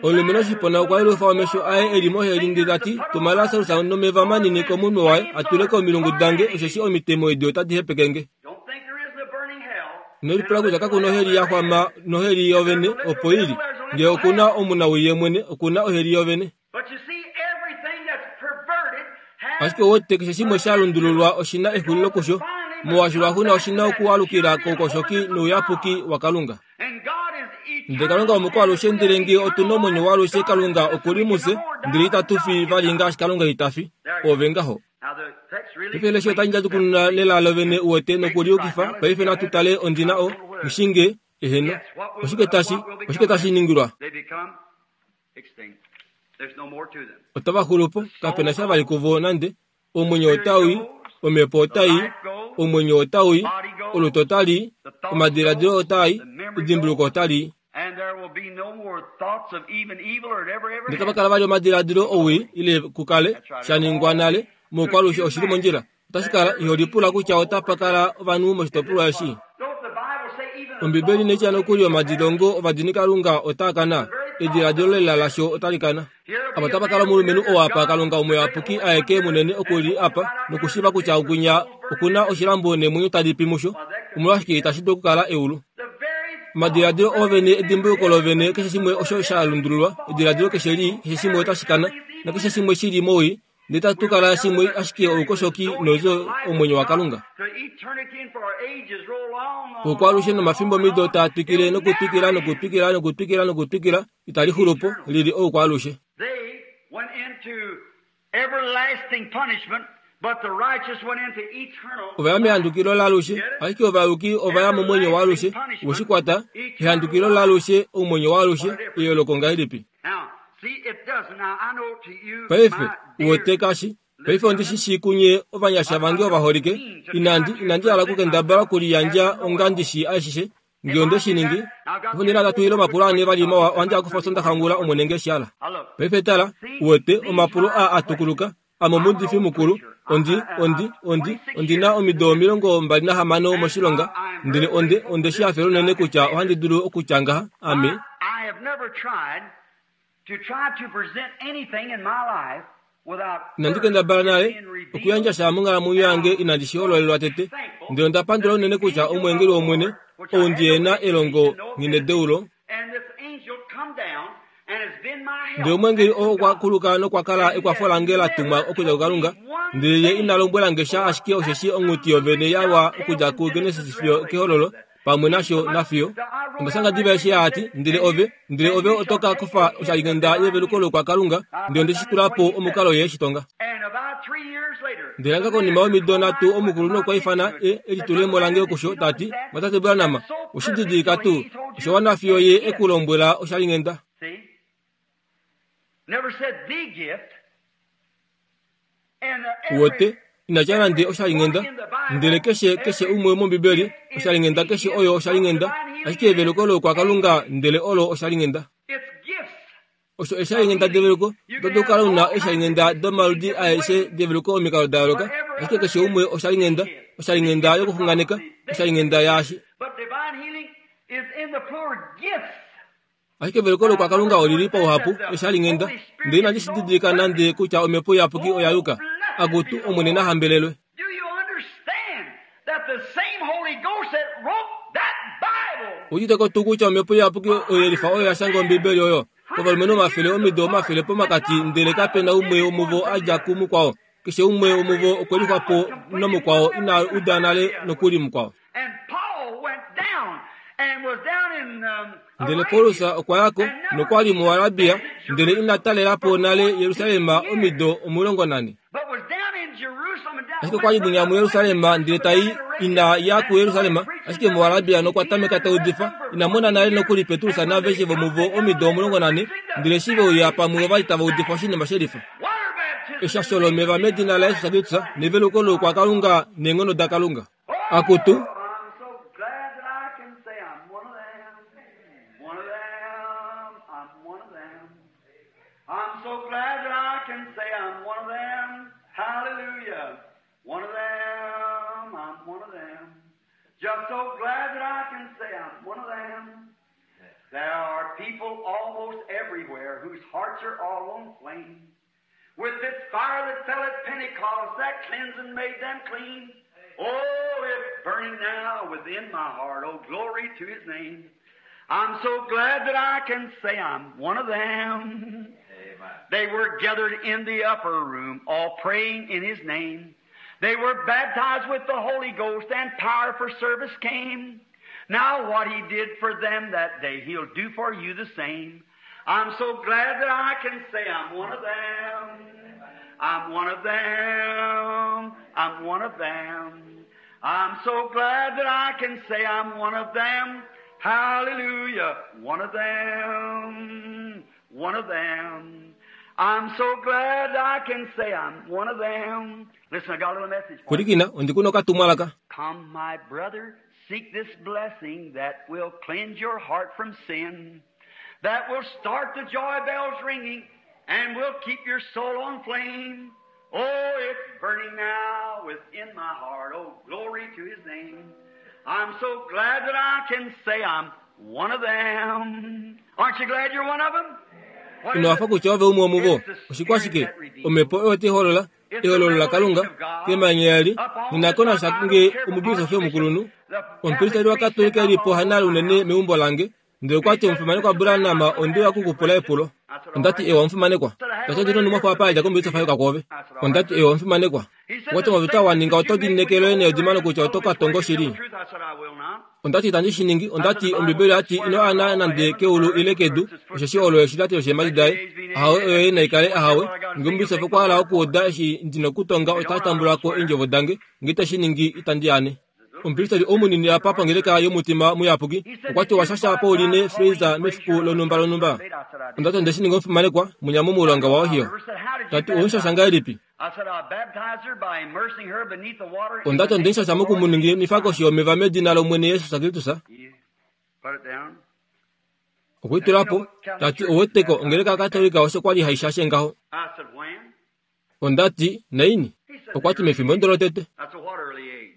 Omulumenhu oshipona okwa yelufa omesho aye e li moheli ndele ta ti, Tuma Lasarus nomeva manini komunwe waye a tule komilungu dange osheshi omitemo edi otadi hepeke nge. Ino lipula kutya kaku na oheli ya xwama noheli yovene opo i li. Ngee oku na omunawii ye mwene, oku na oheli yovene. Ashike wete keshe shimwe sha lundululwa oshi na exulilo kusho, molwaashi lwaxuuninwa oshi na okualukila koukoshoki nouyapuki waKalunga. Ndele Kalunga omukwaalushe ndele ngee otu na omwenyo waalushe Kalunga oku li mufye, ndele itatu fi vali ngaashi Kalunga ita fi. Ove ngaho. Paife lesha otali ndjadjukununa lela lovene uwete nokuliyukifa. Paife natu tale ondina o, ngishinge, eheno. Oshike tashi, oshike tashi ningilwa? Otava xulu po, kape na sha vali kuvo nande. Omwenyo otau i, omhepo otai i, omwenyo otau i, olutu otali i, omadiladilo otaa i, edimbuluko otali i. Ndele tapa kala vali omadiladilo owii ile ku kale sha ningwa nale moukwalushe oshi li mondjila. Otashi kala iho lipula kutya otapa kala ovanhu moshitopolwa eshi. Ombibeli inai tya nokuli omadilongo ovadinikalunga otaa kana, ediladilo lela lasho otali kana. Apa otapa kala omulumenhu oo apa Kalunga Omuyapuki aeke munene oku li apa nokushiiva kutya okwinya oku na oshilambo neemwenyo tadi pi musho. Omolwashike itashi dulu okukala eulu? Omadiladilo oovene, edimbuluko lovene, keshe shimwe osho sha lundululwa, ediladilo keshe lii, keshe shimwe otashi kana, nakeshe shimwe shi li mowii, Ndele tatu kala shimwe ashike oukoshoki noudjo omwenyo waKalunga. Oukwalushe nomafimbo mido taa twikile nokutwikila nokutwikila nokutwikila nokutwikila, itali xulu po, li li oukwaalushe. Ova ya mehandukilo laalushe, ashike ovayuki ova ya momwenyo waalushe. We shi kwata? Ehandukilo laalushe, oumwenyo waalushe, eyooloko ngahelipi? Paife, uwete kashi. Paife ondi shi shii kunye ovanyasha vange ovaholike, inandi, inandi hala okukendabala okuliyandja onga ndi shii ashishe. Nge onde shi ningi, opo nena tatu ile omapulo ane vali mawa, ohandi a kufa Osondaxa ngula, Omwene nge shi hala. Paife tala, uwete, omapulo aa a tukuluka, Ame omuudifi mukulu, ondi, ondi, ondi, ondi na omido 26 moshilonga, ndele onde, onde shi hafela unene kutya ohandi dulu okutya ngaha, ame. Inandi kendabala nale okuyandja sha monghalamwenyo yange inandi shi hololelwa tete, ndele onda pandula unene kutya omweengeli wOmwene, ou ndi e na elongo nghinedeulo, Ndele omweengeli oo okwa kuluka nokwa kala ekwafo lange la tumwa okudja kuKalunga, ndele ye ina lombwela nge sha ashike osheshi onghuti yovene ya wa okudja kuGenesis fiyo kEhololo, pamwe nasho nafiyo. Onda shanga diva eshi a ti, Ndele ove, ndele ove oto ka kufa oshalinghenda yeveluko lokwakalunga, ndele onde shi tula po omukalo ye shi tonga. Ndele hanga konima yomido nhatu omukulunhu okwa ifana e elitulemo lange okusho ta ti, Mwatate Branham, oshi didilika tuu osho wana fiyo ye e ku lombwela oshalinghenda? Uwete, ina tya nande oshalinghenda. Ndele keshe, keshe umwe mOmbibeli, oshalinghenda keshe oyo oshalinghenda, ashike eveluko loukwakalunga ndele olo oshalinghenda. Osho eeshalinghenda develuko. Oto dulu okukala u na eeshalinghenda domaludi aeshe develuko omikalo da yooloka, ashike keshe umwe oshalinghenda, oshalinghenda yokuxunganeka, oshalinghenda yaashi. Ashike eveluko loukwakalunga oli li pauhapu eeshalinghenda, ndele inandi shi didilika nande kutya Omhepo Iyapuki oya yuka. Akutu, Omwene na hambelelwe! Udite ko tuu kutya Omhepo Iyapuki oyelifa oyo ya shanga Ombibeli oyo? Ovalumenhu omafele omido omafele pomakati ndele kape na umwe womuvo a dja kumukwao. Keshe umwe womuvo okwe lixwa po namukwao ina uda nale nokuli mukwao. Ndele Paulus okwa ya ko nokwa li muArabia ndele ina talela po nale Jerusalem omido 14. Ashike okwa li mwinya muJerusalem ndele ta i ina ya kuJerusalem, ashike muArabia nokwa tameka ta udifa. Ina mona nale nokuli Petrus naaveshe vomuvo omido 14, ndele eshi ve uya pamwe ova li tava udifa oshinima shelifa. Eshasho lomeva medina laJesus Kristus neveluko loukwakalunga neenghono daKalunga. Akutu! I'm so glad that I can say I'm one of them. Hallelujah. One of them. I'm one of them. Just so glad that I can say I'm one of them. There are people almost everywhere whose hearts are all on flame. With this fire that fell at Pentecost, that cleansed and made them clean. Oh, it's burning now within my heart. Oh, glory to His name. I'm so glad that I can say I'm one of them. Amen. They were gathered in the upper room, all praying in His name. They were baptized with the Holy Ghost and power for service came. Now what He did for them that day, He'll do for you the same. I'm so glad that I can say I'm one of them. I'm one of them. I'm one of them. I'm so glad that I can say I'm one of them. Hallelujah. One of them. One of them. I'm so glad I can say I'm one of them. Listen, I got a little message for you. Pwilikina, ondi ku na okatumwalaka. Come, my brother, seek this blessing that will cleanse your heart from sin, that will start the joy bells ringing and will keep your soul on flame. Oh, it's burning now within my heart. Oh, glory to His name. I'm so glad that I can say I'm one of them. Aren't you glad you're one of them? What Ino is hafa it? kutya ove umwe womuvo. It's the Oshikwashike? Spirit that redeems. Omhepo oyo tai holola ehololo laKalunga kemanya eli nina ko nasha nge omubisofi omukulunhu omupristeri waKatolika e li po hanale unene meumbo lange. Ndele okwa ti omufimanekwa Branham onde uya okukupula epulo. Onda ti ewa omufimanekwa. Ta ti ondi nonhumwafo apa ya dja komubisofi a yuka kwoove. Onda ti ewa omufimanekwa. Okwa ti omaveta wa ninga oto lineekele oye needimano kutya oto ka tonga oshili. Onda ti itandi shi ningi. Onda ti Ombibeli oya ti ino ana nande keulu ile kedu, osheshi olo eshilati losheemhadi daye. Ahawe oyoye nai kale ahawe. Nge omubisofi okwa hala okuuda eshi ndi nokutonga ota tambula ko eendjovo dange. Nge ite shi ningi itandi ane. Omupristeri ou munini apa pongeleka yomutima muyapuki okwa ti owa shasha Pauline Fraser mefiku lonhumba lonhumba. Onda ti onde shi ninga omufimanekwa, munya momulonga waOhio. Ta ti owe mu shasha ngahelipi? Onda ti onde mu shasha moku mu ninginifa koshi yomeva medina lOmwene Jesus Kristus. Okwe i tula po, ta ti ou weteko ongeleka yaKatolika osho kwa li hai shashe ngaho. Onda ti, Naini? Okwa ti, Mefimbo ndo lotete.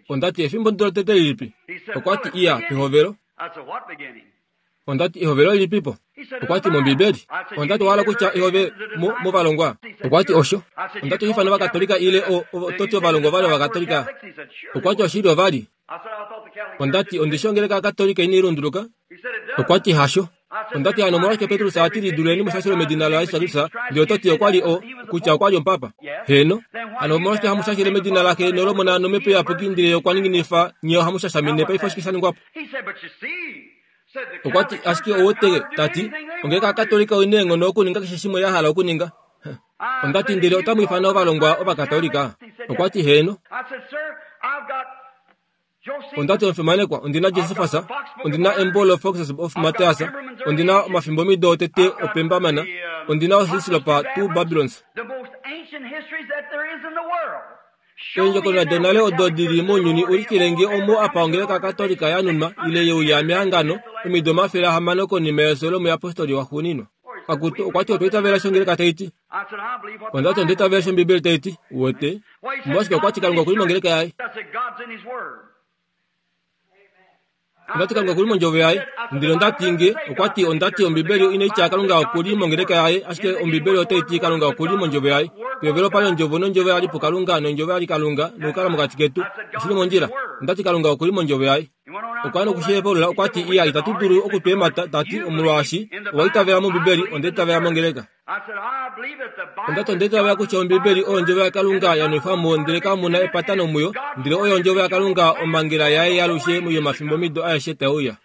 Onda ti, Efimbo ndo lotete lilipi? Okwa ti, Iya, pehovelo. Onda ti, Ehovelo lilipipo? Okwa ti, MOmbibeli. Onda ti, Owa hala kutya ehove mo, movalongwa? Okwa ti, Osho. Onda ti, Oho ifana Ovakatolika ile o, o, to ti ovalongwa ova li Ovakatolika? Okwa ti, Oshili ova li. Onda ti, Ondi shi ongeleka yaKatolika inai lunduluka? Okwa ti, Hasho. Onda ti, Hano omolwashike Petrus a ti liduleni mushashilo medina laJesus Kristus, ndele oto ti okwa li o, kutya okwa li omupapa? Heeno. Hano omolwashike hamu shashile medina laXe nolOmona nOmhepo Iyapuki ndele ye okwa ninginifa nye ohamu shashamine paife oshike sha ningwa po? Okwa ti, Ashike ou weteke, ta ti, ongeleka yaKatolika oi na eenghono okuninga keshe shimwe ya hala okuninga. Onda ti, Ndele otamu ifana ovalongwa Ovakatolika? Okwa ti, Heeno. Onda ti, Omufimanekwa, ondi na Josephus, ondi na embo loFoxes of Matthias, ondi na omafimbomido otete opembamana, ondi na oHislop Two Babylons. Eendjokonona donale odo di li mounyuni ulikile nge omo apa ongeleka Katolika ya nunwa ile ye uya mehangano omido 600 konima yefyo lomuyapostoli waxuuninwa. Akutu, okwa ti otwa itavela eshi ongeleka tai ti. Onda ti onda itavela eshi Ombibeli tai ti. Uwete? Omolwashike okwa ti Kalunga oku li mongeleka yaye. Onda ti Kalunga okuli mondjovo yaye. Ndele onda ti nge, okwa ti, onda ti Ombibeli inai tya Kalunga okuli mongeleka yaye, ashike Ombibeli otai ti Kalunga okuli mondjovo yaye. Pehovelo opali Ondjovo, nOndjovo oya li puKalunga, nOndjovo oya li Kalunga, nokukala mokati ketu. Oshi li mondjila. Onda ti Kalunga okuli mondjovo yaye. Okwa ya noku shi hepaulula, okwa ti, Iya, itatu dulu okutweemata, ta ti, omolwaashi owa itavela mOmbibeli, onda itavela mongeleka. Onda ti onda itavela kutya Ombibeli oyo Ondjovo yaKalunga ya nwefwa mo ndele kamu na epatano muyo, ndele oyo Ondjovo yaKalunga omhangela yaye yaalushe yomafimbomido aeshe tae uya.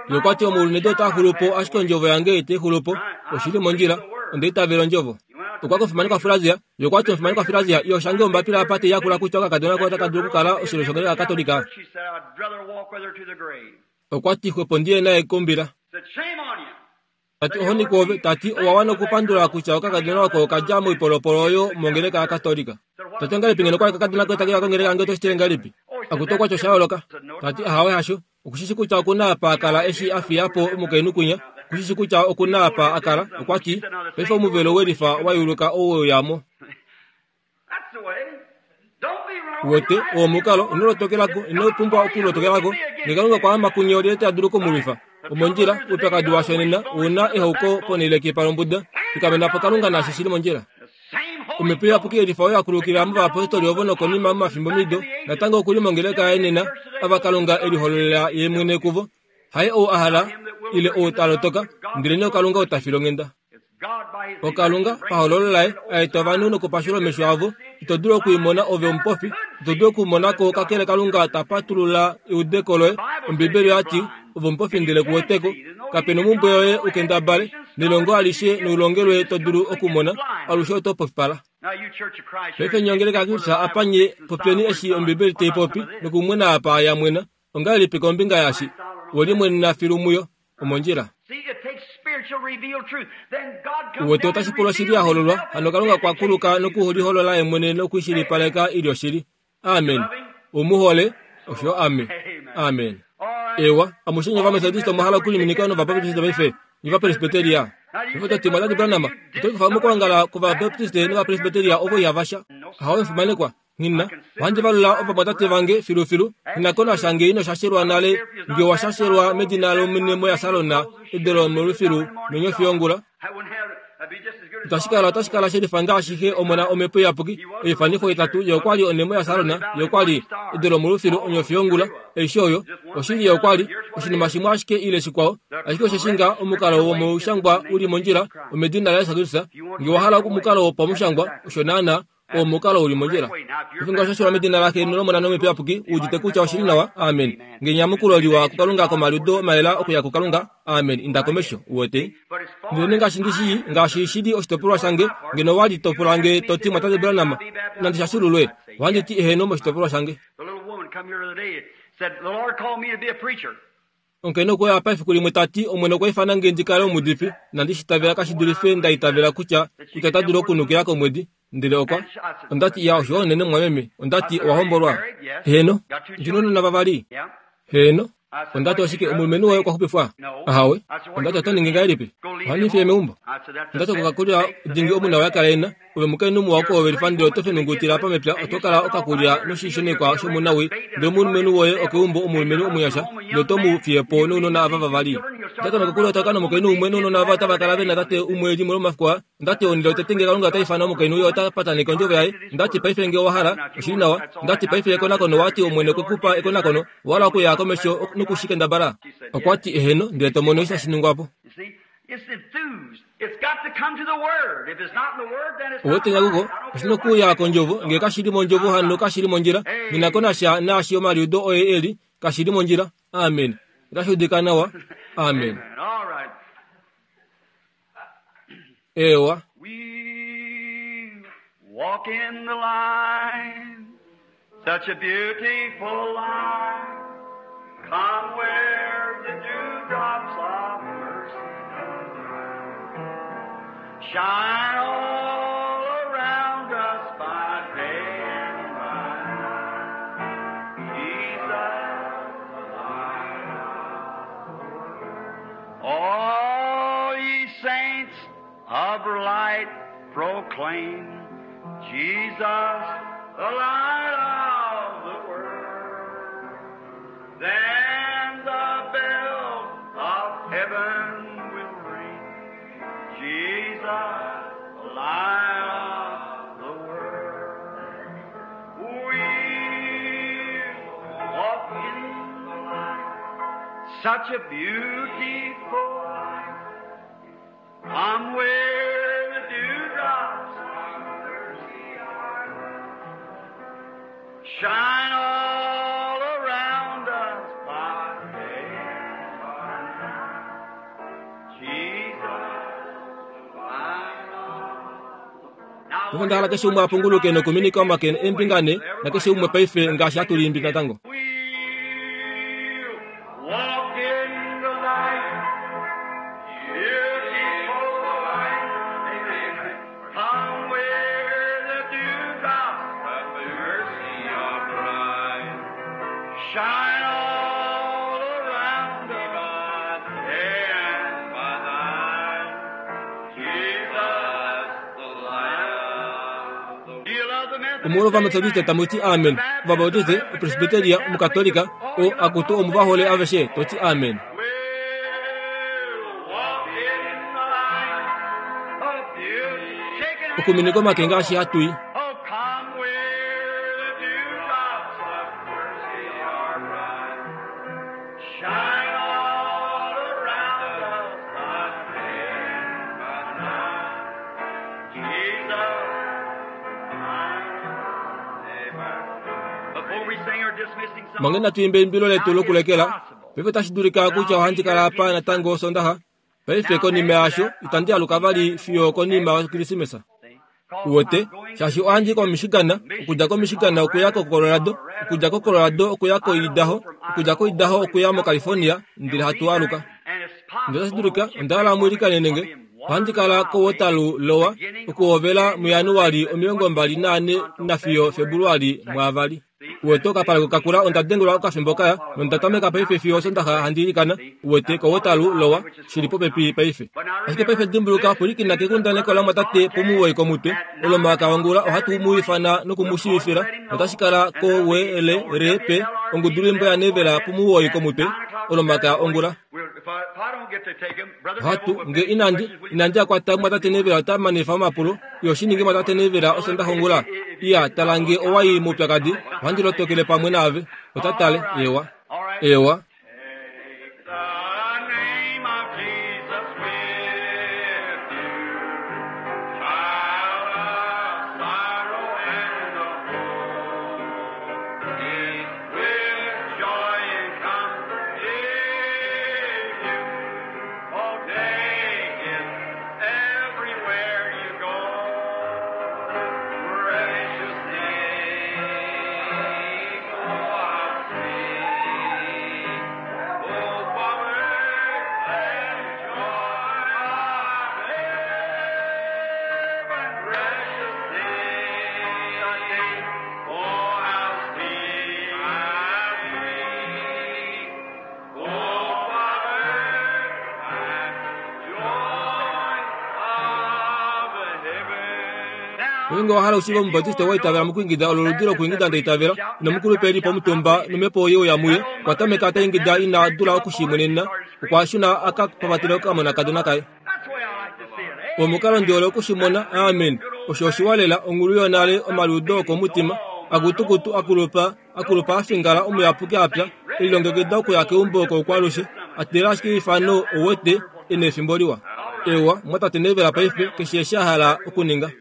Ye okwa ti omaulu nedu otaa xulu po, ashike Ondjovo yange itai xulu po. Oshi li mondjila. Onda itavela Ondjovo. Okwa kofimanekwa Frazia. Ye okwa ti omufimanekwa Frazia, iyo shange ombapila apa tai yakula kutya okakadona koye otaka dulu okukala oshilyo shongeleka yaKatolika. Okwa ti xwepo ndi ye naye kombila. Ta ti ohoni kwoove, ta ti owa wana okupandula kutya okakadona oko oka dja moipolopolo oyo mongeleka yaKatolika. Ta ti ongahelipi ngeno okwali okakadona koye take uya kongeleka yange oto shi tile ngahelipi? Akutu okwa ti osha yooloka. Ta ti ahawe hasho. Oku shi shi kutya oku na apa a kala eshi a fiya po omukainhu kwinya. Oku shi shi kutya oku na apa a kala. Okwa ti, Paife omuvelo welifa wa yuluka ou we uya mo. Uwete, oo omukalo, ino lotokela ko, ino pumbwa okulotokela ko. Nge Kalunga okwa ama kunye olyelye ta dulu oku mu lwifa? Omondjila, oupyakadi washo nena, ou na ehauko ponhele kepa lombuda. Fikamena po Kalunga naashi shi li mondjila. Omhepo Iyapuki yelifa oyo ya kulukila movayapostoli ovo nokonima momafimbomido, natango oku li mongeleka yaye nena, ava Kalunga e lihololela Ye mwene kuvo. Haye ou a hala, ile ou ta lotoka, ndelenee oKalunga ou ta filonghenda. OKalunga, pahololo laye, a eta ovanhu nokupashula omesho avo. Ito dulu oku i mona ove omupofi, ito dulu oku mona ko kakele Kalunga ta patulula eudeko loye. Ombibeli oya ti, Ove omupofi ndele ku wete ko. Kape nomumbwe yoye u kendabale, nelongo alishe noulongelwe to dulu okumona, alushe oto pofipala. Paife nye ongeleka yaKristus apa nye popyeni eshi Ombibeli tai popi nokumwena apa ya mwena. Ongahelipi kombinga yashi? We limwenena filu muyo. Omondjila. Uwete otashi pula oshili ya hololwa, hano Kalunga okwa kuluka noku liholola ye mwene noku shilipaleka i li oshili. Amen. U mu hole? Osho ame. Amen. Ewa, amushe nye Ovametodista omwa hala okuliminika nOvabaptiste paife, nye Ovapresbiteria. Paife oto ti, Mwatate Branham, oto likufa mokwoongala kwOvabaptiste nOvapresbiteria ovo ihava sha. Ahawe, omufimanekwa. Nghi na. Ohandi valula ovamwatate vange filufilu. Nghi na ko nasha nge ino shashelwa nale, nge owa shashelwa medina lOmwene moyaSalona, edo lomolufilu, nonyofi yongula. Itashi kala, otashi kala shelifa ngaashi xe Omona Omhepo Iyapuki, oifanifo itatu, Ye okwa li onhemo yaSalona, Ye okwa li edo lomolufilu, onyofi yongula, aishe oyo. Oshili, Ye okwa li oshinima shimwe ashike ile shikwao. Ashike osheshi nga omukalo womushangwa u li mondjila, omedina laJesus Kristus. Nge wa hala omukalo wopamushangwa, osho naanaa. Oo omukalo u li mondjila. Ofingo osho shilwa medina laXe nolOmona nOmhepo Iyapuki, u udite kutya oshi li nawa. Amen. Nge enyamukulo liwa kuKalunga komaliudo mayela okuya kuKalunga. Amen. Inda komesho. Uwete? Ndelenee ngaashi ndi shii, ngaashi shi li oshitopolwa shange, ngeno owa li to pula nge to ti, Mwatate Branham, nandi shashululwe? Ohandi ti eheno moshitopolwa shange. Omukainhu okwe uya apa efiku limwe ta ti, Omwene okwa ifana nge ndi kale omuudifi. Inandi shi itavela kashi dulife nda itavela kutya, kutya ota dulu okunukila komwedi. Ndele okwa. Onda ti, Iya, oshiwa unene, mumwameme. Onda ti, Owa hombolwa? Heeno. Ndi nounona vavali? Heeno. Onda ti, Oshike, omulumenhu woye okwa xupifwa? Ahawe. Onda ti, Oto ningi ngahelipi? Ohandi fiye meumbo. Onda ti, Okokakulya dingi omunawii a kala e na. Ove omukainhu muwa kwoove lifa ndele oto fenungutila apa mepya oto kala okakulya noshishonekwa shomunawii ndele omulumenhu woye okeumbo omulumenhu omunyasha ndele oto mu fiye po nounona ava vavali. Onda tameka okulya otaka nomukainhu umwe nounona ava otava kala ve na tate umwe limwe lomomafiku aa. Onda ti onhele yotete nge Kalunga ota ifana omukainhu ye ota pataneke ondjovo yaye. Onda ti paife nge owa hala, oshi li nawa. Onda ti paife ekonakono owa ti Omwene okwe ku pa ekonakono, owa hala okuya komesho noku shi kendabala? Okwa ti eheno ndele to mono eshi tashi ningwa po. Uwete nyakuko, oshi nokuuya kOndjovo. Nge kashi li mOndjovo, hano kashi li mondjila. Nghi na ko nasha naashi omaliudo oye e li, kashi li mondjila. Amen. Otashi udika nawa. Amen. Eewa. We walk in the light, such a beautiful light. Come where the dewdrops of mercy shine all around us by day and by night. Jesus, the light. All ye saints of light proclaim Jesus, the light of the world. Then the bell of heaven will ring. Jesus, the light of the world. We walk in the light, such a beautiful light. Come where the dewdrops of mercy are. Shine all around us by day and by night. Jesus, the light of the Paife onda hala keshe umwe a punguluke nokuminika omake eembinga ne nakeshe umwe paife ngaashi hatu liimbi natango. We'll walk in the light, beautiful light. Amen. Come where the dewdrops of mercy are bright. Shine all around us, day and by night. Jesus, the light of the Do you love the Methodist? Omolwovametodiste tamu ti amen, Ovabautiste, Opresbiteria, Omukatolika, o akutu omuvahole aveshe toti amen. We'll walk in the light of beauty. Shaking hands. Okuminika omake ngaashi hatu i. Oh, come where the dewdrops of mercy are bright. Shine all around us by day and by night. Jesus, Amen. Before we sing our dismissing song, Mange natu imbe eimbilo letu lokulekela. Paife otashi dulika kutya ohandi kala apa natango Osondaxa. Paife konima yaasho itandi aluka vali fiyo konima yOkilisimesa. Uwete, shaashi ohandi i koMichigan, okudja koMichigan okuya koColorado, okudja koColorado okuya koIdaho, okudja koIdaho okuya moCalifornia, ndele hatu aluka. Ndele otashi dulika onda hala mu ilikanene nge ohandi kala koWaterloo Lower okuhovela muJanuali 24 nafiyo Febuluali 2. Uwete okapaleko kakula onda dengelwa okafimbo kaya nonda tameka paife fiyo Osondaxa handi ilikana, uwete koWaterloo Lower, shili popepi paife. Ashike paife dimbuluka pwilikina kekundaneko lamwatate pomuwoi komutwe, Olomakaya ongula ohatu mu ifana noku mu shiivifila, notashi kala koWLRP ongudulwimbo yaNevela pomuwoi komutwe, Olomakaya ongula. Ohatu, nge inandi, inandi akwata mwatate Nevela ota manifa omapulo, iyo shi ninge mwatate Nevela Osondaxa ongula. Iya, tala nge owa i moupyakadi, ohandi lotokele pamwe naave. Ota tale, ewa. Ewa. Take the name of Jesus with you, child of sorrow and of woe. It will joy and comfort give you. Oh, take it everywhere you go. Precious name, oh, how sweet. Oh, power and joy of heaven, precious name, oh, how sweet, how sweet. Oh, power and joy of heaven. Ngeenge owa hala okushiiva Omubatiste wa itavela mokuingida olo oludi lokuingida nda itavela, nomukulupe e li pomutumba nomhepo ye uya muye, okwa tameka ta ingida ina dula okushimwenena, okwa shuna a ka papatele okamonakadona kaye. That's the way I like to see it. eh? Omukalo ndi hole okushimona, amen. Osho oshiwa lela, onghulu yonale, omaliudo okomutima, akutukutu akulupa, akulupa a fingala omuyapuki apya, elilongekida okuya keumbo koukwalushe, a teelela ashike eifano, ouwete, e na efimbo liwa. Ewa, mwatate Nevela paife, keshe eshi a hala okuninga.